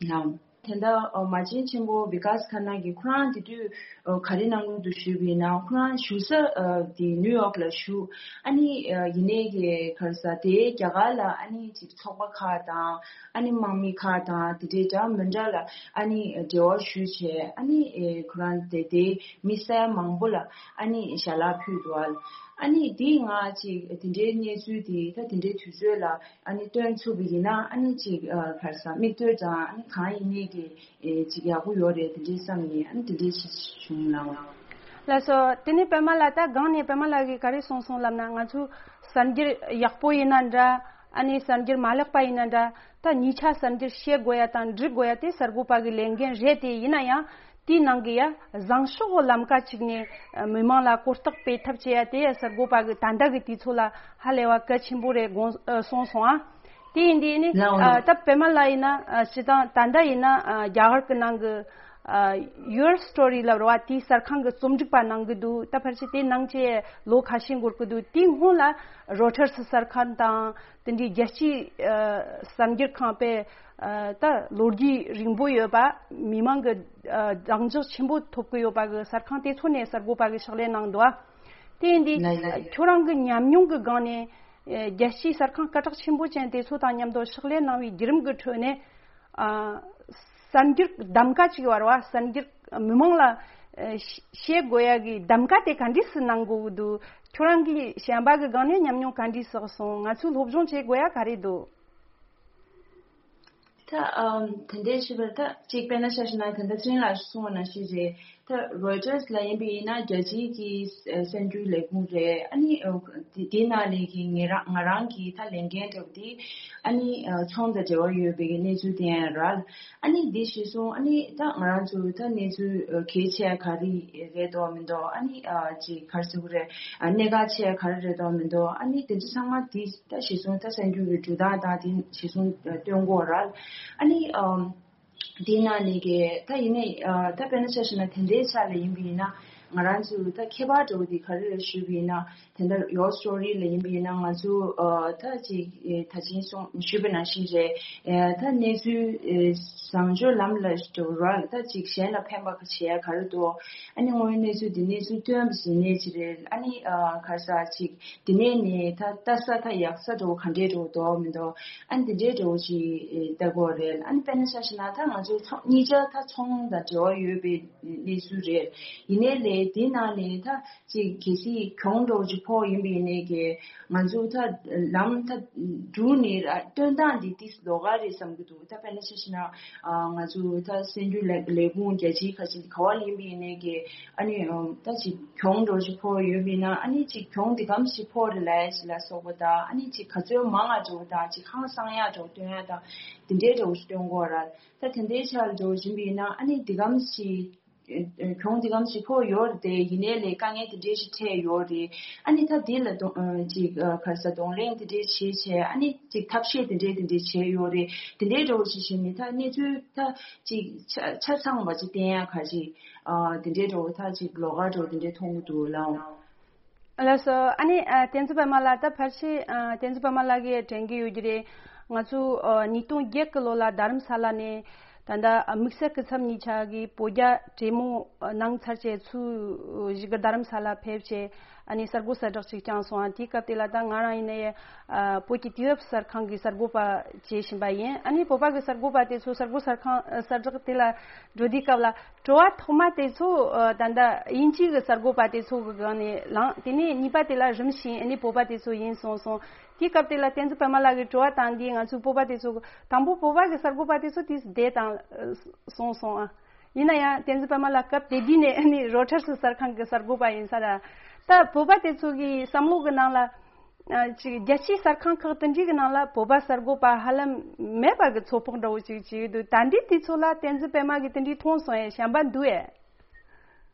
བ། ལགས། དེ་འདྲ་ཨ་མ་བྱན་ཆེན་པོ་བི་ཀཱས་ཁ་ན་གིས་ཁོ་རང་དེ་དུས་ཨ་ག་རེ་གནང་གི་འདུག་ཞུས་པ་ཡིན་ན། ཁོ་རང་བཞུགས་ས་ཨ་དེ་ནིའུ་ཡོག་ལ་བཞུགས། ཨ་ནི་ཨ་ཡིན་ནའི་གི་ག་རེ་ཟ་དེ་རྒྱ་གར་ལ་ཨ་ནི་ཅིག་ཚོགས་པ་ཁག་དང་། ཨ་ནི་དམག་མི་ཁག་དང་དེ་འདྲའི་འདྲ་མི་འདྲ་ལ་ཨ་ནི་འབྲེལ་བ་ཞུས་བྱས། ཨ་ནི་ཨེ་ཁོ་རང་དེ་དེ་མི་ས་ཡ་མང་པོ་ལ་ཨ་ནི་ཞལ་ལག་ཕུལ་འདུག་ཨ། ཨ་ནི་དེ་ང་ཅིག་དེ་འདྲའི་གནས་ཚུལ་དེ་ད་དེ་འདྲའི་དུས་ཚོད་ལ་ཨ་ནི་སྟོན་ཐུབ་པ་ཡིན་ན། ཨ་ནི་ཅིག་ཨ་ག་རེ་ཟ་མིག་ལྟོས་དང་ཨ་ནི་གང་ཡིན་ནའི་གི་ཨེ་ཅིག་ཡག་པོ་ཡོད་རེད། དེ་འདྲའི་བསམ་ནས་ཨ་ནི་དེ་འདྲའི་ཞིག་བྱུང་ལགས། ལགས་སོ། དེ་ནས་པད་མ་ལགས། ད་སྒང་ནས་པད་མ་ལགས་ཀྱིས་ག་རེ་གསུངས་སོང་ལབ་ན། ང་ཚོ་གསར་འགྱུར་ཡག་པོ་ཡིན་ན་འདྲ། ཨ་ནི་གསར་འགྱུར་མ་ལེགས་པ་ཡིན་ན་འདྲ། ད་གཉིས་ཆ་གསར་འགྱུར་བཤད་དགོས་ཡ་དང་འབྲི་དགོས་ཡ་དེ་གསར་འགོད་པ་གི་ལས་འགན་རེད་དེ། ཡིན་ན་ཡང་དེའི་ནང་གི་ཡ་བཟང་ཕྱོགས་ལམ་ཀ་གཅིག་ནས་མི་མང་ལ་གོ་རྟོགས་སྤེལ་ཐབས་བྱེད་ཡ་དེ་ཡ་གསར་འགོད་པ་གི་ད་ལྟ་གི་དུས་ཚོད་ལ་ཧ་ལས་པ་གལ་ཆེན་པོ་རེད་དགོངས་ཨ་གསུངས་སོང་ཨ། དེ་ཡིན་དུས་ནི་ལགས། ཨ་ད་པད་མ་ལགས་ཡིན་ན་ཨ་སྤྱིར་བཏང་ད་ལྟ་ཡིན་ན་ཨ་རྒྱ་གར་གྱི་ནང་གི་ཨ་Your Story ལབ་རེད་བ། དེའི་གསར་ཁང་གི་རྩོམ་སྒྲིག་པ་གནང་གི་འདུག་ད་ཕལ་ཆེར་དེ་གནང་བྱས་ལོ་ཁ་ཤས་འགོར་གི་འདུག་དེའི་སྔོན་ལ་རོ་ཊར་སི་གསར་ཁང་དང་། དེ་འདྲའི་རྒྱལ་སྤྱིའི་ཨ་གསར་འགྱུར་ཁང་པས་ཨ་ད་ལོ་རྒྱུས་རིང་པོ་ཡོད་པ། མི་མང་གི་ཨ་གདེང་འཇོག་ཆེན་པོ་ཐོབ་ཀྱི་ཡོད་པ་གི་གསར་ཁང་དེ་ཚོ་ནས་གསར་འགོད་པ་གི་ཕྱག་ལས་གནང་འདུག་ཨ། དེ་ཡིན་དུས་ལགས་ལགས། ཁྱོད་རང་གི་ཉམས་མྱོང་གི་སྒང་ནས་ཨ་རྒྱལ་སྤྱིའི་གསར་ཁང་སྐད་གྲགས་ཆེན་པོ་ཅན་དེ་ཚོ་དང་མཉམ་དུ་ཕྱག་ལས་གནང་བའི་བརྒྱུད་རིམ་གྱི་ཁྲོད་ནས་ཨ་གསར་འགྱུར་གདམ་ག་ཅིག་ཡོད་རེད་བ། གསར་འགྱུར་མི་མང་ལ་ཨ་བཤད་དགོས་ཡ་གི་གདམ་ག་དེ་ག་འདྲས་སེ་གནང་དགོས་ཀྱི་འདུག་ཁྱོད་རང་གི་གཞན་པ་གི་སྒང་ནས་ཉམས་མྱོང་ག་འདྲས་བསགས་སོང་། ང་ཚོས་སློབ་སྦྱོང་བྱེད་དགོས་ཡ་ག་རེ་འདུག་ད་ཨམ་དེ་འདྲའི་ཞུས་པ་ད་གཅིག་དཔེར་ན་ཆ་བཞག་ན། ད་ལྟ་ཚེ་རིང་ལགས་གསུངས་པ་ནང་བཞིན་རེད། ད་རོའི་ཊར་སི་ལ་ཡིན་པ་ཡིན་ན་རྒྱལ་སྤྱིའི་གི་གསར་འགྱུར་ལས་ཁུངས་རེད། ཨ་ནི་ཨ་དེ་དེའི་ནང་ལ་གི་ང་རང་ང་རང་གི་ད་ལས་འགན་འདྲ་པོ་དེ་ཨ་ནི་ཨ་ཚོང་དང་འབྲེལ་བ་ཡོད་པའི་གི་གནས་ཚུལ་དེ་ཡང་རེད། ཨ་ནི་འདི་གཞི་བཟུང་ཨ་ནི་ད་ང་རང་ཚོ་ད་གནས་ཚུལ་ཨ་གལ་ཆེ་ག་རེ་རེད་འདུག་མི་འདུག་ཨ་ནི་ཨ་ཅིག་ག་རེ་ཟེར་དགོས་རེད། ཨ་གནད་འགག་ཆེ་ག་རེ་རེད་འདུག་མི་འདུག་ཨ་ནི་དེ་ཚོ་ཚང་མ་དེ་ད་གཞི་བཟུང་ད་གསར་འགྱུར་གྱི་འགྲོ་སྟངས་དང་དེ་གཞི་བཟུང་ཨ་སྟོན་དགོས་རེད། ཨ་ནི་ཨ་དེའི་ནང་ནས་གི་ད་ཡིན་ནའི་ཨ་ད་དཔེར་ན་ཆ་བཞག་ན་དེ་འདྲའི་ཆ་ལ་ཡིན་པ་ཡིན་ན། ང་རང་ཚོ་ད་ཁྱད་པར་འདྲ་པོ་དེ་ག་རེ་རེད་ཞུས་པ་ཡིན་ན། དེ་འདྲ་Your Story ལ་ཡིན་པ་ཡིན་ན། ང་ཚོ་ཨ་ད་ཅིག་ཨེ་ད་ཅིང་གསུངས་ཞུས་པ་ནང་བཞིན་རེད། ཨེ་ད་གནས་ཚུལ་ཨེ་བཟང་སྤྱོད་ལམ་ལ་འགྲོ་ར། ད་ཅིག་གཞན་ལ་ཕན་པ་ག་བྱེད་ཡ་ག་རེ་འདུག་ཨ་ནི་དངོས་ཡོད་གནས་ཚུལ་འདི་གནས་ཚུལ་སྟོན་པ་ཟིན་ནས་ཅི་རེད། ཨ་ནི་ཨ་ག་རེ་ཟ་ཅིག་འདི་ནས་ནས་ད་ལྟ་ས་ད་ཡག་ས་འགྲོ་ག་འདྲས་འགྲོ་འདུག་མི་འདུག་ཨ་ནི་འདི་འདྲས་འགྲོ་ཅིག་ལྟ་དགོས་རེད། ཨ་ནི་དཔེར་ན་ཆ་བཞག་ན་ད་ང་ཚོ་ཚོང་གཉིས་ཆ་ད་ཚོང་དང་འབྲེལ་བ་ཡོད་པའི་གནས་ཚུལ་རེད། ཡིན་ནའི་ལས་དེ་ནང་ནས་ད་ཅིག་གལ་སྲིད་གྱོང་འདྲ་པོ་ཅིག་ཕོག་ཡིན་པ་ཡིན་ནའི་གི་ང་ཚོ་ད་ལམ་ད་འགྲུལ་ནས་ར་སྟོན་སྟངས་འདི་ཏིས་ལོགས་ཀ་རེད་བསམ་གྱི་འདུག་ད་དཔེར་ན་ཆ་བཞག་ན་ཨ་ང་ཚོ་ད་གསར་འགྱུར་ལས་ལས་ཁུངས་རྒྱལ་སྤྱིའི་ཁ་ཆེ་ག་བ་ལ་ཡིན་པ་ཡིན་ནའི་གི་ཨ་ནི་ཨ་ད་ཅིག་གྱོང་འདྲ་པོ་ཅིག་ཕོག་ཡོད་པ་ཡིན་ན། ཨ་ནི་ཅིག་གྱོང་འདི་གམ་ཞིག་ཕོག་རེད་ལབ་ཡ་ཅིག་ལ་སོགས་པ་དང་། ཨ་ནི་ཅིག་ག་ཚོད་མང་ང་འདྲ་པོ་དང་། ཅིག་ཧང་སང་ཡ་འདྲ་པོ་སྟོན་ཡ་དང་། འདི་འདྲའི་འདྲ་པོ་ཞིག་སྟོན་དགོས་ར། ད་དེ་འདྲའི་ཆ་ལ་འདྲ་པོ་ཡིན་པ་ཡིན་ན། ཨ་ནི་འདི་གམ་ཞིག་ཨེ་ཨེ་གྱོང་འདི་གམ་ཞིག་ཕོག་ཡོད་རེད་དེ། ཡིན་ནའི་ལས་དཀའ་ངལ་འདི་འདྲའི་ཞིག་འཕྲད་ཡོད་རེད། ཨ་ནི་ད་འདི་ལ་གདོང་ཨ་ཅིག་ཨ་ག་རེ་ཟ་གདོང་ལེན་འདི་འདྲའི་བྱས་བྱས། ཨ་ནི་ཅིག་ཐབས་ཤེས་འདི་འདྲའི་འདི་འདྲའི་བྱས་ཡོད་རེད། འདི་འདྲའི་འདྲ་པོ་ཞིག་བྱས་ནས་ད་གནས་ཚུལ་ད་ཅིག་ཆ་ཆ་ཚང་བ་ཅིག་བསྟན་ཡ་ག་ཅིག་ཨ་འདི་འདྲའི་འདྲ་པོ་ད་ཅིག་ལོགས་ཀ་འདྲ་པོ་འདི་འདྲའི་མཐོང་གི་འདུག་ལགས། ལགས་སོ། ཨ་ནི་ཨ་བསྟན་འཛིན་པད་མ་ལགས། ད་ཕལ་ཆེར་ཨ་བསྟན་འཛིན་པད་མ་ལགས་ཀྱིས་དྲན་གྱི་ཡོད་ཀྱི་རེད། ང་ཚོ་ཨ་ཉིས་སྟོང་བརྒྱད་ཀྱི་ལོ་ལ་རྡ་རམ་ས་ལ་ནས་ད་ལྟ་ཨ་དམིགས་བསལ་སྐུ་ཚབ་གཉིས་ཆ་གིས་བོད་རྒྱ་གྲོས་མོལ་ཨ་གནང་ཚར་བྱས་ཚུར་ཞིག་གི་རྡ་རམ་ས་ལ་ཕེབས་བྱས་ཨ་ནི་གསར་འགོད་གསལ་བསྒྲགས་ཅིག་བསྐྱངས་སོང་། ཨ་དེའི་སྐབས་དེ་ལ་ད་ང་རང་ཡིན་ནའི་ཨ་བོད་ཀྱི་དུས་བབ་གསར་ཁང་གི་གསར་འགོད་པ་བྱེད་བཞིན་པ་ཡིན། ཨ་ནི་བོད་པ་གི་གསར་འགོད་པ་དེ་ཚོ་གསར་འགོད་གསར་ཁང་ཨ་གསལ་བསྒྲགས་དེ་ལ་འགྲོ་དུས་སྐབས་ལ། དྲི་བ་ཐོག་མ་དེ་ཚོ་ཨ་ད་ལྟ་དབྱིན་ཇི་གི་གསར་འགོད་པ་དེ་ཚོ་གི་སྒང་ནས་ལངས། དེ་ནས་གཉིས་པ་དེ་ལ་རིམ་བཞིན་ཨ་ནི་བོད་པ་དེ་ཚོ་ཡིན་སོང་སོང་། དེའི་སྐབས་དེ་ལ་བསྟན་འཛིན་པད་མ་ལགས་ཀྱིས་དྲི་བ་བཏང་དུས། ང་ཚོའི་བོད་པ་དེ་ཚོ་གི་དང་པོ་བོད་པ་གི་གསར་འགོད་པ་དེ་ཚོ་དེ་བསྡད་བཏང་སོང་སོང་ཨ། ཡིན་ན་ཡང་བསྟན་འཛིན་པད་མ་ལགས་སྐབས་དེ་དུས་ནས་ཨ་ནི་རོ་ཊར་སི་གསར་ཁང་གི་གསར་འགོད་པ་ཡིན་ས་ར། ད་བོད་པ་དེ་ཚོ་གི་བསམ་བློ་གི་ནང་ལ། ཨ་ཅིག་རྒྱལ་སྤྱིའི་གསར་ཁང་ཁག་དེ་འདྲའི་གི་ནང་ལ་བོད་པ་གསར་འགོད་པ་ཧ་ལམ་མེད་པ་གི་ཚོད་དཔག་འདྲ་བོ་ཅིག་བྱས་ཡོད་འདུག་ད་འདི་དུས་ཚོད་ལ་བསྟན་འཛིན་པད་མ་གི་དེ་འདྲའི་མཐོང་སོང་ཡས་བྱམས་པ་འདུག་ཨེ།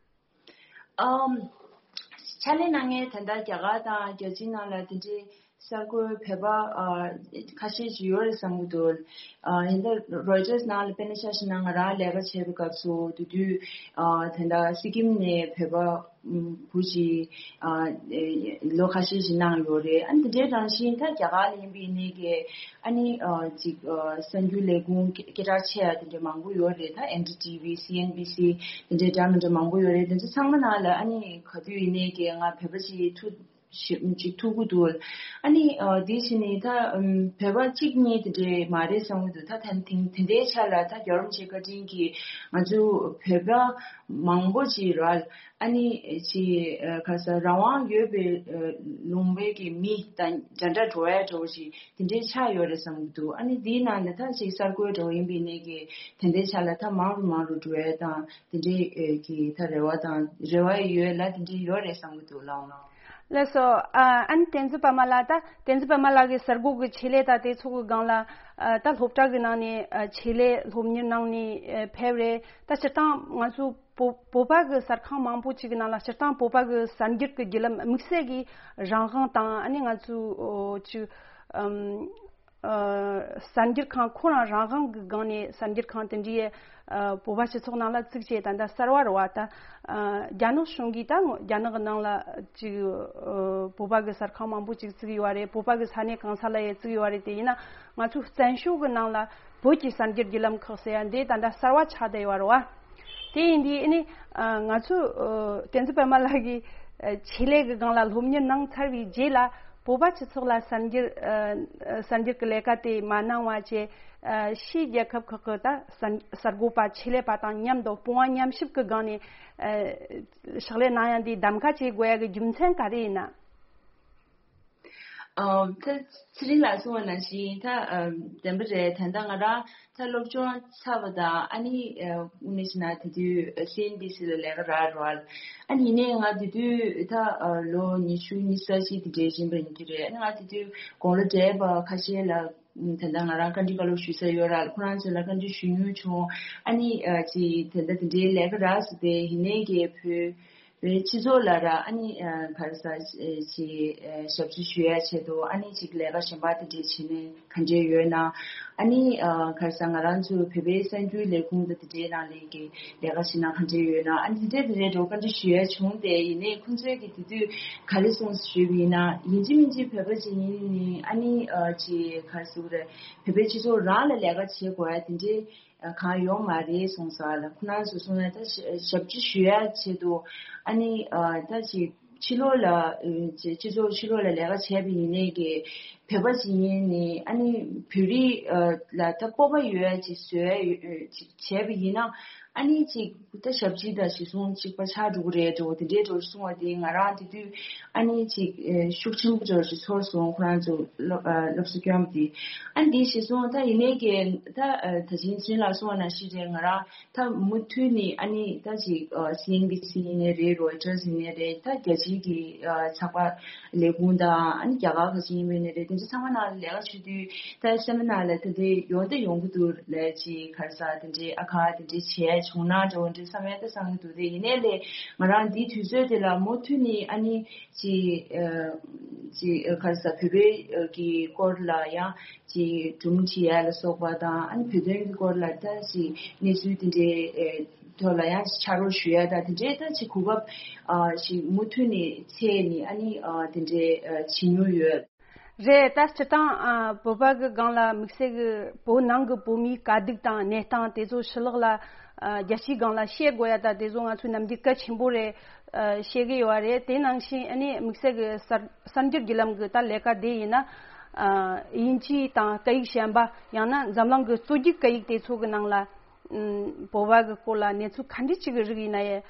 ཨམ། ཕྱག་ལས་གནང་མཁན་ད་ལྟ་རྒྱ་གར་དང་རྒྱལ་སྤྱིའི་ནང་ལ་དེ་འདྲའི་གསར་འགོད་བོད་པ་ཨ་ཁ་ཤས་ཤིག་ཡོད་རེད་བསམ་གྱི་འདུག་ཨ་ཡིན་ད་རོའི་ཊར་ནང་ལ་དཔེར་ན་ཆ་བཞག་ན་ང་རང་ལས་ཀ་བྱེད་པའི་སྐབས་སུ་དེ་དུས་ཨ་ད་ལྟ་སི་ཀིམ་ནས་བོད་པ་བུ་ཞིག་ཨ་ལོ་ཁ་ཤས་ཤིག་གནང་ཡོད་རེད། ཨ་ནི་དེ་འདྲའི་རང་བཞིན་ད་རྒྱ་གར་ལ་ཡིན་པའི་ནས་ཀྱི་ཨ་ནི་ཨ་ཅིག་ཨ་གསར་འགྱུར་ལས་ཁུངས་སྐད་སྐད་གྲགས་ཆེ་ཡ་དེ་འདྲ་མང་པོ་ཡོད་རེད། ད་ཨེན་ཌི་ཊི་ཝི། སི་ཨེན་བྷི་སི་དེ་འདྲའི་འདྲ་མི་འདྲ་མང་པོ་ཡོད་རེད། དེ་ཚོ་ཚང་མ་ནང་ལ་ཨ་ནི་ག་དུས་ཡིན་ནའི་གི་ང་བོད་པ་ཞིག་ཐུག་ཞིབ་ཅིག་ཐུག་གི་འདུག་ཨ་ནི་ཨ་དེ་བཞིན་ནི་ད་ཨམ་བོད་པ་གཅིག་གཉིས་དེ་འདྲའི་མ་རེད་བསམ་གི་འདུག་ད་ཐེངས་དེ་དེ་འདྲའི་ཆ་ལ་ད་རྒྱལ་བ་རིན་པོ་ཆེ་བཀའ་དྲིན་གྱིས་ང་ཚོ་བོད་པ་མང་པོ་ཅིག་ར་ཨ་ནི་ཅིག་ཨ་ག་ས་རང་དབང་ཡོད་པའི་ཨ་ལུང་པའི་གི་མི་དང་འདྲ་འདྲ་འགྲོ་ཡ་འགྲོ་ཞིག་དེ་འདྲའི་ཆགས་ཡོད་རེད་བསམ་གི་འདུག་ཨ་ནི་དེའི་ནང་ནས་ད་ཅིག་གསར་འགོད་འགྲོ་ཡིན་པའི་ནས་ཀྱི་དེ་འདྲའི་ཆ་ལ་ད་མང་རུ་མང་རུ་འགྲོ་ཡ་དང་དེ་འདྲའི་ཨ་གི་ད་རེ་བ་དང་རེ་བ་ཡོད་ལ་དེ་འདྲའི་ཡོད་རེད་བསམ་གི་འདུག་ལགས་ལགས། ལགས་སོ། ཨ་ཨ་ནི་བསྟན་འཛིན་པད་མ་ལགས། ད་བསྟན་འཛིན་པད་མ་ལགས་ཀྱི་གསར་འགོད་ཀྱི་ཆེད་ལས་ད་དེ་ཚོ་གི་སྒང་ལ་ཨ་ད་སློབ་གྲྭ་གི་ནང་ནས་ཨ་ཆེད་ལས་སློབ་གཉེར་གནང་ནས་ཨ་ཕེབས་རེད། ད་སྤྱིར་བཏང་ང་ཚོ་བོད་བོད་པ་གི་གསར་ཁང་མང་པོ་ཅིག་གི་ནང་ལ་སྤྱིར་བཏང་བོད་པ་གི་གསར་འགྱུར་གྱི་བརྒྱུད་ལམ་དམིགས་བསལ་གྱི་རང་དབང་དང་ཨ་ནི་ང་ཚོ་ཨོ་ཅིག་ཨམ་ཨ་གསར་འགྱུར་ཁང་ཁོ་རང་རང་དབང་གི་སྒང་ནས་གསར་འགྱུར་ཁང་དེ་འདྲའི་ཨ་བོད་པ་སྤྱི་ཚོགས་ནང་ལ་བཙུགས་བྱས་ད་ལྟ་གསར་བ་རེད་བ། ད་ཨ་རྒྱ་ནག་གཞུང་གིས་ད་རྒྱ་ནག་གི་ནང་ལ་ཅིག་ཨ་བོད་པ་གི་གསར་ཁང་མང་པོ་ཅིག་བཙུགས་ཡོད་རེད། བོད་པ་གི་ས་གནས་གང་ས་ལ་ཡང་བཙུགས་ཡོད་རེད། དེ་ཡིན་ན་ང་ཚོ་བཙན་བྱོལ་གི་ནང་ལ་བོད་ཀྱི་གསར་འགྱུར་བརྒྱུད་ལམ་ཁག་ཟེར་ཡ་འདི་ད་ལྟ་གསར་བ་ཆགས་བསྡད་ཡོད་རེད་བ། དེ་ཡིན་དུས་ཨ་ནི་ཨ་ང་ཚོ་ཨ་བསྟན་འཛིན་པད་མ་ལགས་ཀྱིས་ཨ་ཆེད་ལས་ཀྱི་སྒང་ལ་སློབ་གཉེར་གནང་ཚར་བའི་རྗེས་ལ་བོད་པ་སྤྱི་ཚོགས་ལ་གསར་འགྱུར་ཨ་གསར་འགྱུར་གྱི་ལས་ཀ་དེ་མ་གནང་བ་བྱས་ཨ་ཕྱིའི་རྒྱལ་ཁབ་ཁག་གི་ད་གསར་གསར་འགོད་པ་ཆེད་ལས་པ་དང་མཉམ་དུ་སྤོང་བ་མཉམ་གཤིབ་ཀྱི་སྒང་ནས་ཨ་ཕྱག་ལས་གནང་ཡ་འདི་གདམ་ག་བྱེད་དགོས་ཡ་གི་རྒྱུ་མཚན་ག་རེ་ཡིན་ན། ཨ་ད་ཚེ་རིང་ལགས་གསུངས་པ་ནང་བཞིན་ད་ཨ་བདེན་པ་རེད། ད་ལྟ་ང་རང་ད་སློབ་སྦྱོང་ཚར་བ་དང་ཨ་ནི་ཨ་དངོས་གནས་བྱས་ན་དེ་དུས་སི་ཨེན་བྷི་སི་ལ་ལས་ཀ་རག་རོགས། ཨ་ནི་ཡིན་ནའི་ང་དེ་དུས་ད་ཨ་ལོ་ཉི་ཤུ་ཉི་ཤུ་རྩ་གཅིག་དེ་འདྲའི་ཡིན་པ་ཡིན་གྱི་རེད། ཨ་ནི་ང་དེ་དུས་དགུང་ལོ་བགྲེས་པ་ཁ་ཤས་ལ་ད་ལྟ་ང་རང་བཀའ་འདྲི་བཀའ་སློབ་ཞུ་ས་ཡོད་ར། ཁོ་རང་ཚོ་ལ་བཀའ་འདྲི་ཞུ་མྱོང་བྱུང་། ཨ་ནི་ཨ་ཅི་ད་ལྟ་དེ་འདྲའི་ལས་ཀ་རག་སོང་སྟེ་ཡིན་ནའི་གི་བོད་བོད་སྤྱི་ཚོགས་ལ་ར་ཨ་ནི་ཨ་ག་རེ་ཟ་ཅིག་ཨ་ཞབས་ཕྱི་ཞུ་ཡ་ཆེད་དུ་ཨ་ནི་ཅིག་ལས་ཀ་གཞན་པ་དེ་འདྲས་བྱེད་ནས་ག་འདྲས་ཡོད་ན། ཨ་ནི་ཨ་ག་རེ་ཟ་ང་རང་ཚོ་བོད་པའི་གསར་འགྱུར་ལས་ཁུངས་དང་དེ་འདྲའི་ནང་ལས་ཀྱི་ལས་ཀ་བྱེད་ན་ག་འདྲས་ཡོད་ན། ཨ་ནི་དེ་འདྲས་དེ་འདྲས་འགྲོ་བཀའ་འདྲི་ཞུ་ཡ་བྱུང་སྟེ་ཡིན་ནའི་ཁོང་ཚོས་ཀྱི་དེ་དུས་ག་རེ་གསུངས་ཞུས་པ་ཡིན་ན་ཡིན་གཅིག་མིན་གཅིག་བོད་པ་ཅིག་ཡིན་ནི་ཨ་ནི་ཨ་ཅིག་ག་རེ་ཟེར་དགོས་རེད། བོད་པའི་སྤྱི་ཚོགས་རང་ལ་ལས་ཀ་བྱེད་དགོས་ཡ་དེ་འདྲས། གང་ཡོང་མ་རེད་གསུངས་ས་ལ། ཁོ་རང་ཚོ་གསུངས་ན་ད་ཞབས་ཕྱི་ཞུ་ཡ་ཆེད་དུ་ཨ་ནི་ད་ཅིག་ཕྱི་ལོགས་ལ་སྤྱི་ཚོགས་ཕྱི་ལོགས་ལ་ལས་ཀ་བྱས་པ་ཡིན་ནའི་གི་བོད་པ་ཞིག་ཡིན་ནི་ཨ་ནི་བོད་རིགས་ལ་ད་སྤོབས་པ་ཡོད་ཡ་ཅིག་བཟོ་ཡ་ཅིག་བྱས་པ་ཡིན་ན་ཨ་ནི་ཅིག་ད་ཞབས་ཕྱི་དང་གཞི་བཟུང་གཅིག་པ་ཆགས་འགྲོ་གི་རེད་འགྲོ་དེ་འདྲའི་འགྲོ་གསུངས་པ་དེ་ང་རང་དེ་དུས་ཨ་ནི་ཅིག་ཤུགས་ཆེན་པོ་འགྲོ་ཞིག་ཚོར་སོང་ཁོ་རང་ཚོ་སློབ་གསོ་སྐྱོན་པ་དེ། ཨ་ནི་དེ་གཞི་བཟུང་ད་ཡིན་ནའི་གི་ད་ད་ཅིང་ཅིན་ལ་གསུངས་པ་ནང་བཞིན་རེད། ང་རང་ད་མུ་མཐུད་ནས་ཨ་ནི་ད་ཅིག་སི་ཨེན་བྷི་སི་ཡིན་ནའི་རེད། རོའི་ཊར་སི་ཡིན་ནའི་རེད། ད་རྒྱལ་སྤྱིའི་གི་ཚགས་པར་ལས་ཁུངས་དང་ཨ་ནི་རྒྱ་གར་ག་ཅིག་ཡིན་པ་ཡིན་ནའི་རེད། དེ་ཚོ་ཚང་མ་ནང་ལ་ལས་ཀ་བྱེད་དུས་ད་སེམས་ནང་ལ་ད་དེ་ཡོང་དེ་ཡོང་གི་འདུག་ལས་ཅིག་ག་རེ་ཟ་དེ་འདྲའི་ཨ་ཁ་དེ་འདྲའི་བྱས་བྱུང་ན་འདྲ་བོ་འདྲའི་བསམ་ཡ་ད་བསམ་གི་འདུག་དེ་ཡིན་ནའི་ལས་ང་རང་འདིའི་དུས་ཚོད་དེ་ལ་མུ་མཐུད་ནས་ཨ་ནི་ཅིག་ཅིག་ག་རེ་ཟ་བོད་པའི་གི་སྐོར་ལ་ཡང་ཅིག་སྒྲུང་བྲིས་ཡ་ལ་སོགས་པ་དང་ཨ་ནི་བོད་དོན་གྱི་སྐོར་ལ་ད་ཅིག་གནས་ཚུལ་དེ་འདྲའི་ཐོག་ལ་ཡང་ཕྱག་རོགས་ཞུ་ཡ་དང་དེ་འདྲའི་ད་ཅིག་གོ་སྐབས་ཞིག་མུ་མཐུད་ནས་འཚོལ་ནས་ཨ་ནི་དེ་འདྲའི་བྱེད་མྱོང་ཡོད། རེད། ད་སྤྱིར་བཏང་ཨ་བོད་པ་གི་སྒང་ལ་དམིགས་བསལ་གི་བོད་ནང་གི་བོད་མིའི་དཀའ་སྡུག་དང་གནས་སྟངས་དེ་ཚོ་ཕྱི་ལོགས་ལ་ཨ་རྒྱལ་སྤྱིའི་སྒང་ལ་བཤད་དགོས་ཡ་ད་དེ་ཚོ་ང་ཚོའི་ནམ་རྒྱུན་གལ་ཆེན་པོ་རེད། ཨ་བཤད་གི་ཡོད་རེད། དེ་ནང་བཞིན་ཨ་ནི་དམིགས་བསལ་གི་གསར་གསར་འགྱུར་བརྒྱུད་ལམ་གི་ད་ལས་ཀ་དེ་ཡིན་ན་ཨ་དབྱིན་ཇི་དང་སྐད་ཡིག་གཞན་པ་ཡང་ན་འཛམ་གླིང་གི་གཙོ་རྒྱུག་སྐད་ཡིག་དེ་ཚོ་གི་ནང་ལ་ཨམ་བོད་པ་གི་སྐོར་ལ་གནས་ཚུལ་ག་འདྲ་ཅིག་གི་རིགས་ཡིན་ན་ཡང་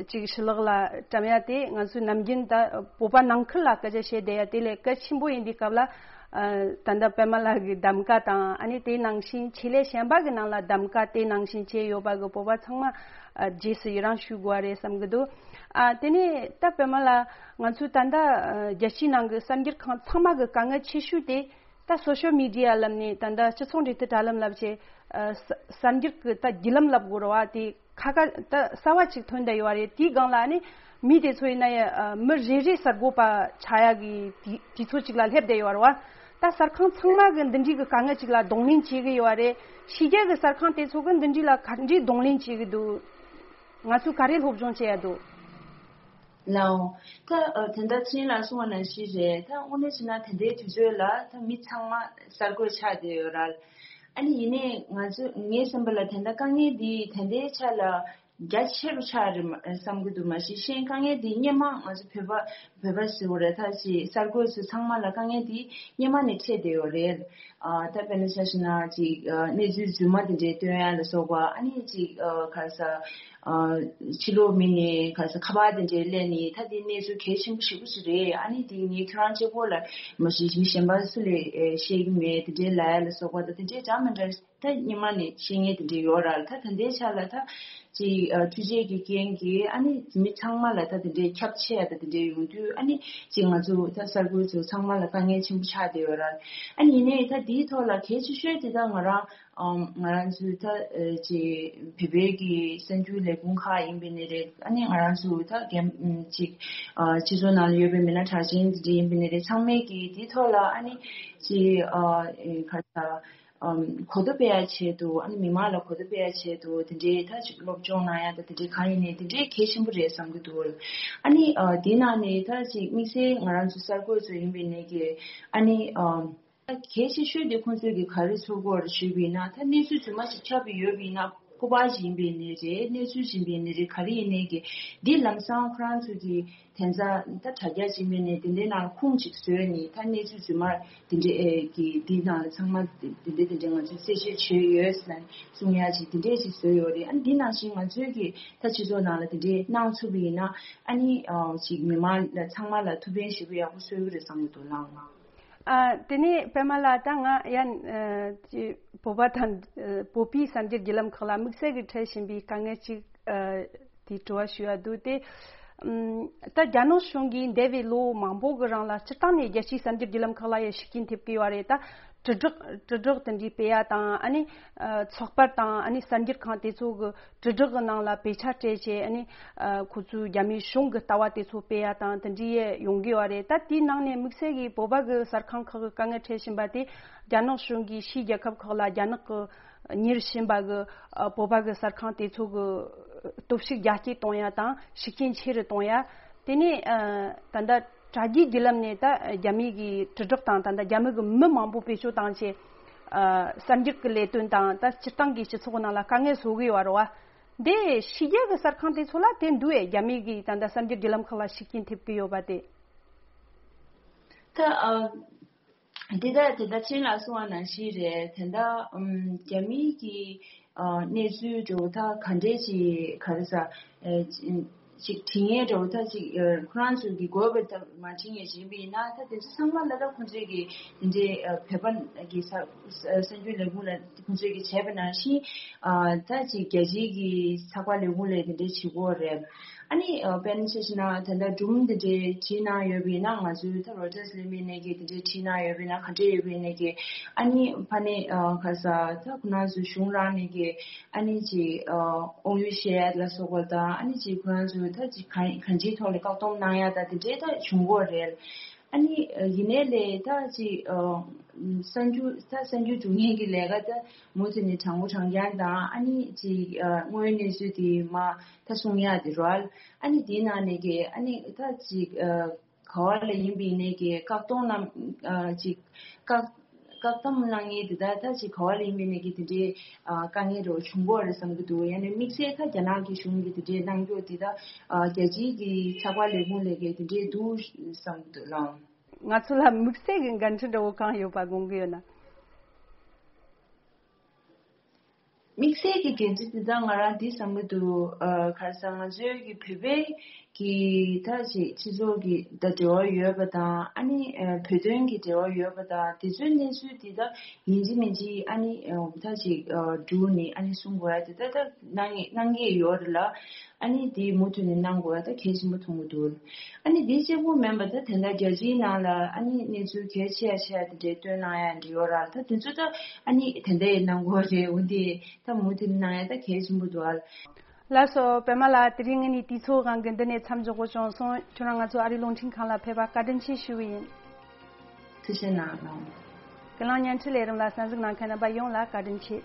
ཅིག་ཕྱི་ལོགས་ལ་བཀྲམ་ཡ་དེ་ང་ཚོའི་ནམ་རྒྱུན་ད་བོད་པ་ནང་ཁུལ་ལ་སྐད་ཆ་བཤད་བསྡད་ཡ་དེ་ལས་གལ་ཆེན་པོ་ཡིན་དུས་སྐབས་ལ་ ཨ་ད་ལྟ་པད་མ་ལགས་ཀྱི་གདམ་ག་དང་ཨ་ནི་དེ་ནང་བཞིན་ཆེད་ལས་གཞན་པ་གི་ནང་ལ་གདམ་ག་དེ་ནང་བཞིན་བྱས་ཡོད་པ་གི་བོད་པ་ཚང་མ་ཨ་རྗེས་སུ་ཡི་རང་ཞུ་དགོས་པ་རེད་བསམ་གི་འདུག་ཨ་དེ་ནས་ད་པད་མ་ལགས། ང་ཚོས་ད་ལྟ་ཨ་རྒྱལ་སྤྱིའི་ནང་གི་གསར་འགྱུར་ཁང་ཚང་མ་གི་དཀའ་ངལ་ཆེ་ཤོས་དེ་ད་སོ་ཤལ་མི་ཌི་ཡ་ལབ་ནས་ད་ལྟ་སྤྱི་ཚོགས་འབྲེལ་མཐུད་དྲ་ལམ་ལབ་བྱས་ཨ་གསར་གསར་འགྱུར་གི་ད་བརྒྱུད་ལམ་ལབ་དགོས་རེད་བ། དེ་ཁ་ཁ་ད་གསར་བ་ཅིག་ཐོན་བསྡད་ཡོད་རེད། དེའི་སྒང་ལ་ནི་མི་དེ་ཚོ་ཡིན་ན་ཡང་ཨ་མི་རེ་རེ་གསར་འགོད་པ་ཆགས་ཡག་གི་དུས་དུས་ཚོད་ཅིག་ལ་སླེབས་བསྡད་ཡོད་རེད་བ། ད་གསར་ཁང་ཚང་མ་གི་འདི་འདྲའི་གི་དཀའ་ངལ་ཅིག་ལ་གདོང་ལེན་བྱེད་གི་ཡོད་རེད། ཕྱི་རྒྱལ་གི་གསར་ཁང་དེ་ཚོ་གི་འདི་འདྲའི་ལ་ག་འདྲའི་གདོང་ལེན་བྱེད་གི་འདུག་ང་ཚོས་ག་རེ་སློབ་སྦྱོང་བྱེད་ཡ་འདུག་ལའོ། ད་ཨ་དེ་འདྲ་ཕྱིན་ལ་གསུང་བ་ནང་བཞིན་རེད། ད་དངོས་གནས་བྱས་ན་དེ་འདྲའི་དུས་ཚོད་ལ་ད་མི་ཚང་མ་གསར་འགོད་ཆགས་བསྡད་ཡོད་རེད། ཨ་ནི་ཡིན་ནའི་ང་ཚོ་ངའི་བསམ་པ་ལ་དེ་འདྲ་དཀའ་ངལ་འདི་དེ་འདྲའི་ཆ་ལ་རྒྱ་ཆེ་རུ་ཆགས་རེད་མ་བསམ་གི་འདུག་མ་གཞི་གཞན་དཀའ་ངལ་འདི་སྔོན་མ་ང་ཚོ་བོད་པ་བོད་པ་ཟེར་བ་རེད། ད་ཅི་གསར་འགོད་ཚོ་ཚང་མ་ལ་དཀའ་ངལ་འདི་སྔོན་མ་ནས་འཕྲད་བསྡད་ཡོད་རེད། ཨ་ད་དཔེར་ན་ཆ་བཞག་ན་ཅིག་ཨ་གནས་ཚུལ་རྫུན་མ་དེ་འདྲའི་སྟོན་ཡ་ལ་སོགས་པ། ཨ་ནི་ཅིག་ཨ་ག་རེ་ཟ། ཨ་ཕྱི་ལོགས་མི་ནས་ག་རེ་ཟ་ཁ་པར་དེ་འདྲའི་སླེབས་ནས་ད་དེ་གནས་ཚུལ་གལ་ཆེན་པོ་ཞེ་པོ་ཅིག་རེད། ཨ་ནི་དེ་ངས་ཁྱོད་རང་གཅིག་པོ་ལ་མ་གཞི་མི་གཞན་པ་སུ་ལ་ཨེ་བཤད་ཀྱི་མེད། དེ་འདྲའི་ལབ་ཡ་ལ་སོགས་པ་དང་དེ་འདྲའི་འདྲ་མི་འདྲ་ད་སྔོན་མ་ནས་བཤད་མཁན་དེ་འདྲའི་ཡོད་རེད། ད་ད་ལྟའི་ཆ་ལ་ད་ཅིག་ཨ་འཕྲུལ་ཆས་ཀྱི་རྐྱེན་གྱིས་ཨ་ནི་མི་ཚང་མ་ལ་ད་དེ་འདྲའི་ཁྱབ་ཆེ་ཡ་ད་དེ་འདྲའི་ཡོང་དུས། ཨ་ནི་ཅིག་ང་ཚོ་ད་གསར་འགོད་ཚོ་ཚང་མ་ལ་དཀའ་ངལ་ཆེན་པོ་ཆགས་བསྡད་ཡོད་རེད། ཨ་ནི་ཡིན་ནའི་ད་དེའི་ཐོག་ལ་གལ་ཆེ་ཤོས་དེ་ད་ང་རང་ཨམ་ང་རང་ཚོའི་ད་ཨ་ཅིག་བོད་པའི་གི་གསར་འགྱུར་ལས་ཁུངས་ཁག་ཡིན་པའི་ནི་རེད། ཨ་ནི་ང་རང་ཚོ་ད་རྒན་ཅིག་ཨ་སྤྱི་ཚོགས་ནང་ལ་ཡོད་པའི་མི་སྣ་གྲགས་ཅན་དེ་འདྲ་ཡིན་པའི་ནི་རེད། ཚང་མས་གི་དེའི་ཐོག་ལ་ཨ་ནི་ཅིག་ཨ་ཨེ་ག་རེ་ཟ། ཨམ་གོ་རྟོགས་སྤེལ་ཡ་ཆེད་དུ། ཨ་ནི་མི་མང་ལ་གོ་རྟོགས་སྤེལ་ཡ་ཆེད་དུ་དེ་འདྲའི་ད་ཅིག་སློབ་སྦྱོང་གནང་ཡ་ད་དེ་འདྲའི་གང་ཡིན་ནའི་དེ་འདྲའི་གལ་ཆེན་པོ་རེད་བསམ་གྱི་འདུག་ཨ་ནི་ཨ་དེའི་ནང་ནས་ད་ཅིག་དམིགས་བསལ་ང་རང་ཚོ་གསར་འགོད་ཚོ་ཡིན་པའི་ནས་ཀྱི་ཨ་ནི་ཨམ་ད་གལ་ཆེ་ཤོས་དེ་ཁོང་ཚོས་ཀྱི་ག་རེ་ཚོར་གྱི་ཡོད་རེད་ཞུས་པ་ཡིན་ན། ད་གནས་ཚུལ་རྫུན་མ་ཞིག་ཁྱབ་ཡོད་པ་ཡིན་ན། སྐུ་པར་ཞིག་ཡིན་པའི་ནས་རེད། གནས་ཚུལ་ཞིག་ཡིན་པའི་ནས་རེད། ག་རེ་ཡིན་ནའི་གི་འདི་ལམ་སང་ཁོ་རང་ཚོས་ཀྱི་དེ་ཚོ་ད་དྲ་རྒྱ་ཅིག་མིན་ནས་དེ་འདྲའི་ནང་ཁུངས་ཅིག་བཟོས་ནས། ད་གནས་ཚུལ་རྫུན་མ་དེ་འདྲའི་ཨེ་གི་འདི་ནང་ལ་ཚང་མ་དེ་འདྲའི་དེ་འདྲའི་ང་ཚོས་གསལ་བཤད་བྱས་ཡོད་ཟེར་ནས་གསུང་ཡ་ཅིག་དེ་འདྲའི་ཅིག་བཟོས་ཡོད་རེད། ཨ་ནི་འདི་ནང་བཞིན་ང་ཚོས་ཀྱི་ད་སྤྱི་ཚོགས་ནང་ལ་དེ་འདྲའི་གནང་ཐུབ་པ་ཡིན་ན། ཨ་ནི་ཨ་ཅིག་མི་མང་ལ་ཚང་མ་ལ་ཐུགས་ཕན་ཞེ་པོ་ཡག་པོ་གསོས་ཀྱི་རེད་བསམ་གྱི་འདུག་ལགས། ཨ་དེ་ནས་པད་མ་ལགས། ད་ང་ཡང་ཨ་ཅིག་བོད་པ་དང་ཨ་བོད་པའི་གསར་འགྱུར་བརྒྱུད་ལམ་ཁག་ལ་དམིགས་བསལ་གྱི་འཕྲད་བཞིན་པའི་དཀའ་ངལ་ཅིག་ཨ་དེའི་དྲི་བ་ཞུ་ཡ་འདུག་སྟེ། ཨམ་ད་རྒྱ་ནག་གཞུང་གིས་འདས་པའི་ལོ་མང་པོ་གི་རིང་ལ་སྤྱིར་བཏང་ནས་རྒྱལ་སྤྱིའི་གསར་འགྱུར་བརྒྱུད་ལམ་ཁག་ལ་ཡང་ཤུགས་རྐྱེན་ཐེབས་ཀྱི་ཡོད་རེད། ད་དྲིལ་བསྒྲགས་དྲིལ་བསྒྲགས་དེ་འདྲའི་སྤེལ་ཡ་དང་། ཨ་ནི་ཨ་ཚོགས་པ་དང་ཨ་ནི་གསར་འགྱུར་ཁང་དེ་ཚོ་གི་དྲིལ་བསྒྲགས་ཀྱི་ནང་ལ་དཔེ་ཆ་སྤྲད་བྱས། ཨ་ནི་ཨ་ཁོ་ཚོའི་རྒྱ་མིའི་གཞུང་གི་ལྟ་བ་དེ་ཚོ་སྤེལ་ཡ་དང་དེ་འདྲའི་ཡང་ཡོང་གི་ཡོད་རེད། ད་དེའི་ནང་ནས་དམིགས་བསལ་གྱིས་བོད་པ་གི་གསར་ཁང་ཁག་གི་དཀའ་ངལ་འཕྲད་བཞིན་པ་དེ། རྒྱ་ནག་གཞུང་གིས་ཕྱིའི་རྒྱལ་ཁབ་ཁག་ལ་རྒྱ་ནག་གི་གཉེར་བཞིན་པ་གི་ཨ་བོད་པ་གི་གསར་ཁང་དེ་ཚོ་གི་སྟོབས་ཤུགས་རྒྱ་སྐྱེད་གཏོང་ཡ་དང་ཤུགས་རྐྱེན་ཆེ་རུ་གཏོང་ཡ། དེ་ནས་ཨ་ད་ལྟ་དྲ་རྒྱའི་བརྒྱུད་ལམ་ནས་ད་རྒྱ་མི་གི་དྲིལ་བསྒྲགས་དང་། ད་ལྟ་རྒྱ་མི་གི་མི་མང་པོ་བེད་སྤྱོད་བཏང་བྱས་ཨ་གསར་འགྱུར་གི་ལས་དོན་དང་། ད་སྤྱིར་བཏང་གི་སྤྱི་ཚོགས་ནང་ལ་དཀའ་ངལ་བཟོ་གི་ཡོད་རེད་བ། འདི་ཕྱི་རྒྱལ་གི་གསར་ཁང་དེ་ཚོ་ལ་དེ་འདུག་ཨེ། རྒྱ་མི་གི་ད་ལྟ་གསར་འགྱུར་བརྒྱུད་ལམ་ཁག་ལ་ཤུགས་རྐྱེན་ཐེབས་ཀྱི་ཡོད་པ་དེ། ད་ཨ་དེ་ལྟར་དེ་ལྟར་ཕྱིན་ལ་གསུང་བ་ནང་བཞིན་རེད། དེ་འདྲ་ཨམ་རྒྱ་མིའི་གི་ཨ་གནས་ཚུལ་འདྲ་བོ་ད་ག་འདྲས་ཅིག་ག་རེ་ཟ་ཨེ་ཅིག་དྲི་ངན་འདྲ་བོ་ད་ཅིག་ཨ་ཁོ་རང་ཚོ་གི་དགོས་པ་ད་མ་དྲི་ངན་བྱིན་པ་ཡིན་ན། ད་དེ་ཚོ་ཚང་མ་ལ་ད་ཁོང་ཚོས་གི་དེ་འདྲའི་ཨ་བོད་པ་གི་ས་གསར་འགྱུར་ལས་ཁུངས་ལ་ཁོང་ཚོས་གི་བྱས་པ་ནང་བཞིན་ཨ་ད་ཅིག་རྒྱལ་སྤྱིའི་གི་ཚགས་པར་ལས་ཁུངས་ལ་དེ་འདྲས་བྱེད་དགོས་རེད། ཨ་ནི་ཨ་དཔེར་ན་ཆ་བཞག་ན་ད་ལྟ་སྒྲུང་འདི་འདྲའི་བྲིས་གནང་ཡོད་པ་ཡིན་ན། ང་ཚོའི་ད་རོ་ཊར་ལས་མི་ནས་ཀྱི་འདི་འདྲའི་བྲིས་གནང་ཡོད་པ་ཡིན་ན། ག་འདྲས་ཡོད་པ་ཡིན་ནས་ཀྱི་ཨ་ནི་ཕ་ནས་ཨ་ག་ས་ད་ཁོ་རང་ཚོའི་གཞུང་རང་ནས་ཀྱི་ཨ་ནི་ཅིག་ཨ་དབང་ཡོད་བཤད་ཡ་ལ་སོགས་པ་དང་། ཨ་ནི་ཅིག་ཁོ་རང་ཚོའི་ད་ཅིག་གང་གང་ཅིའི་ཐོག་ལ་བཀག་སྡོམ་གནང་ཡ་ད་འདི་འདྲའི་ད་བྱུང་གི་རེད། ཨ་ནི་ཡིན་ནའི་ལས་ད་ཅིག་ཨ་གསར་འགྱུར་ད་གསར་འགྱུར་སྒྲུག་མཁན་གྱི་ལས་ཀ་ད་མུ་མཐུད་ནས་དྲང་པོ་དྲང་རྐྱང་དང་། ཨ་ནི་ཅིག་ཨ་དངོས་ཡོད་གནས་ཚུལ་དེ་མ་ད་གསུང་ཡ་དེ་རོལ། ཨ་ནི་དེའི་ནང་ནས་ཀྱི་ཨ་ནི་ད་ཅིག་ཨ་ག་བ་ལ་ཡིན་པའི་ནས་ཀྱི་བཀག་སྡོམ་རྣམས་ཨ་ཅིག་བཀག་བཀག་སྡོམ་གནང་མཁན་དེ་ད་ད་ཅིག་ག་བ་ལ་ཡིན་པའི་ནས་ཀྱི་དེ་འདྲའི་ཨ་དཀའ་ངལ་འདྲ་བོ་བྱུང་གི་ཡོད་རེད་བསམ་གྱི་འདུག་ཡང་ན་དམིགས་བསལ་ད་རྒྱ་ནག་གི་གཞུང་གིས་དེ་འདྲའི་གནང་རྒྱུ་དེ་ད་ཨ་རྒྱལ་སྤྱིའི་གི་ཚགས་པར་ལས་ཁུངས་ལས་ཀྱི་དེ་འདྲའི་འདུག་བསམ་གྱི་འདུག་ལགས། ང་ཚོ་ལ་དམིགས་བསལ་གྱི་འགན་འཁྲི་འདྲ་བོ་གང་ཡོད་པ་དགོངས་ཀྱི་ཡོད་ན། དམིགས་བསལ་གྱི་འགན་འཁྲི་འདི་དག་ང་རང་འདི་བསམ་གྱི་འདུག་ཨ་ག་རེ་ཟེར། ང་ཚོའི་གི་བོད་པའི་གི་ད་ཅིག་སྤྱི་ཚོགས་ཀྱི་ད་འབྲེལ་བ་ཡོད་པ་དང་། ཨ་ནི་ཨ་བོད་དོན་གྱི་འབྲེལ་བ་ཡོད་པ་དང་། དེ་ཚོའི་གནས་ཚུལ་འདི་ད་ཡིན་གཅིག་མིན་གཅིག་ཨ་ནི་ཨ་ད་ཅིག་ཨ་བསྒྲུགས་ནས་ཨ་ནི་གསུང་དགོས་ཡ་དེ་ད་ད་གནང་གནང་གི་ཡོད་རེད་ལ། ཨ་ནི་དེ་མུ་མཐུད་ནས་གནང་དགོས་ཡ་ད་གལ་ཆེན་པོ་མཐོང་གི་འདུག་ཨ་ནི་དེ་གཅིག་པུ་མིན་པ་ད་དེ་འདྲ་རྒྱལ་སྤྱིའི་ནང་ལ་ཨ་ནི་གནས་ཚུལ་གལ་ཆེ་ཡ་ཆེ་ཡ་དེ་འདྲའི་བཏོན་གནང་ཡ་འདྲ་ཡོད་ར། ད་དེ་ཚོ་ད་ཨ་ནི་དེ་འདྲ་ཡི་གནང་དགོས་རེད། འོན་ཏེ། ད་མུ་མཐུད་གནང་ཡ་ད་གལ་ཆེན་པོ་འདུག་ཨ། ལགས་སོ། པད་མ་ལགས། དེ་རིང་ངས་ནི་དུས་ཚོད་དབང་གིས་འདི་ནས་མཚམས་འཇོག་དགོས་བྱུང་སོང་། ཁྱོད་རང་ང་ཚོ་ཨ་རིའི་རླུང་འཕྲིན་ཁང་ལ་ཕེབས་པར་བཀའ་དྲིན་ཆེ་ཞུ་བ་ཡིན། ཐུགས་རྗེ་གནང་། ལགས། ཀུན་གླེང་བརྙན་འཕྲིན་ལས་རིམ་ལ་གསན་གཟིགས་གནང་མཁན་རྣམ་པ་ཡོངས་ལ་བཀའ་དྲིན་ཆེ།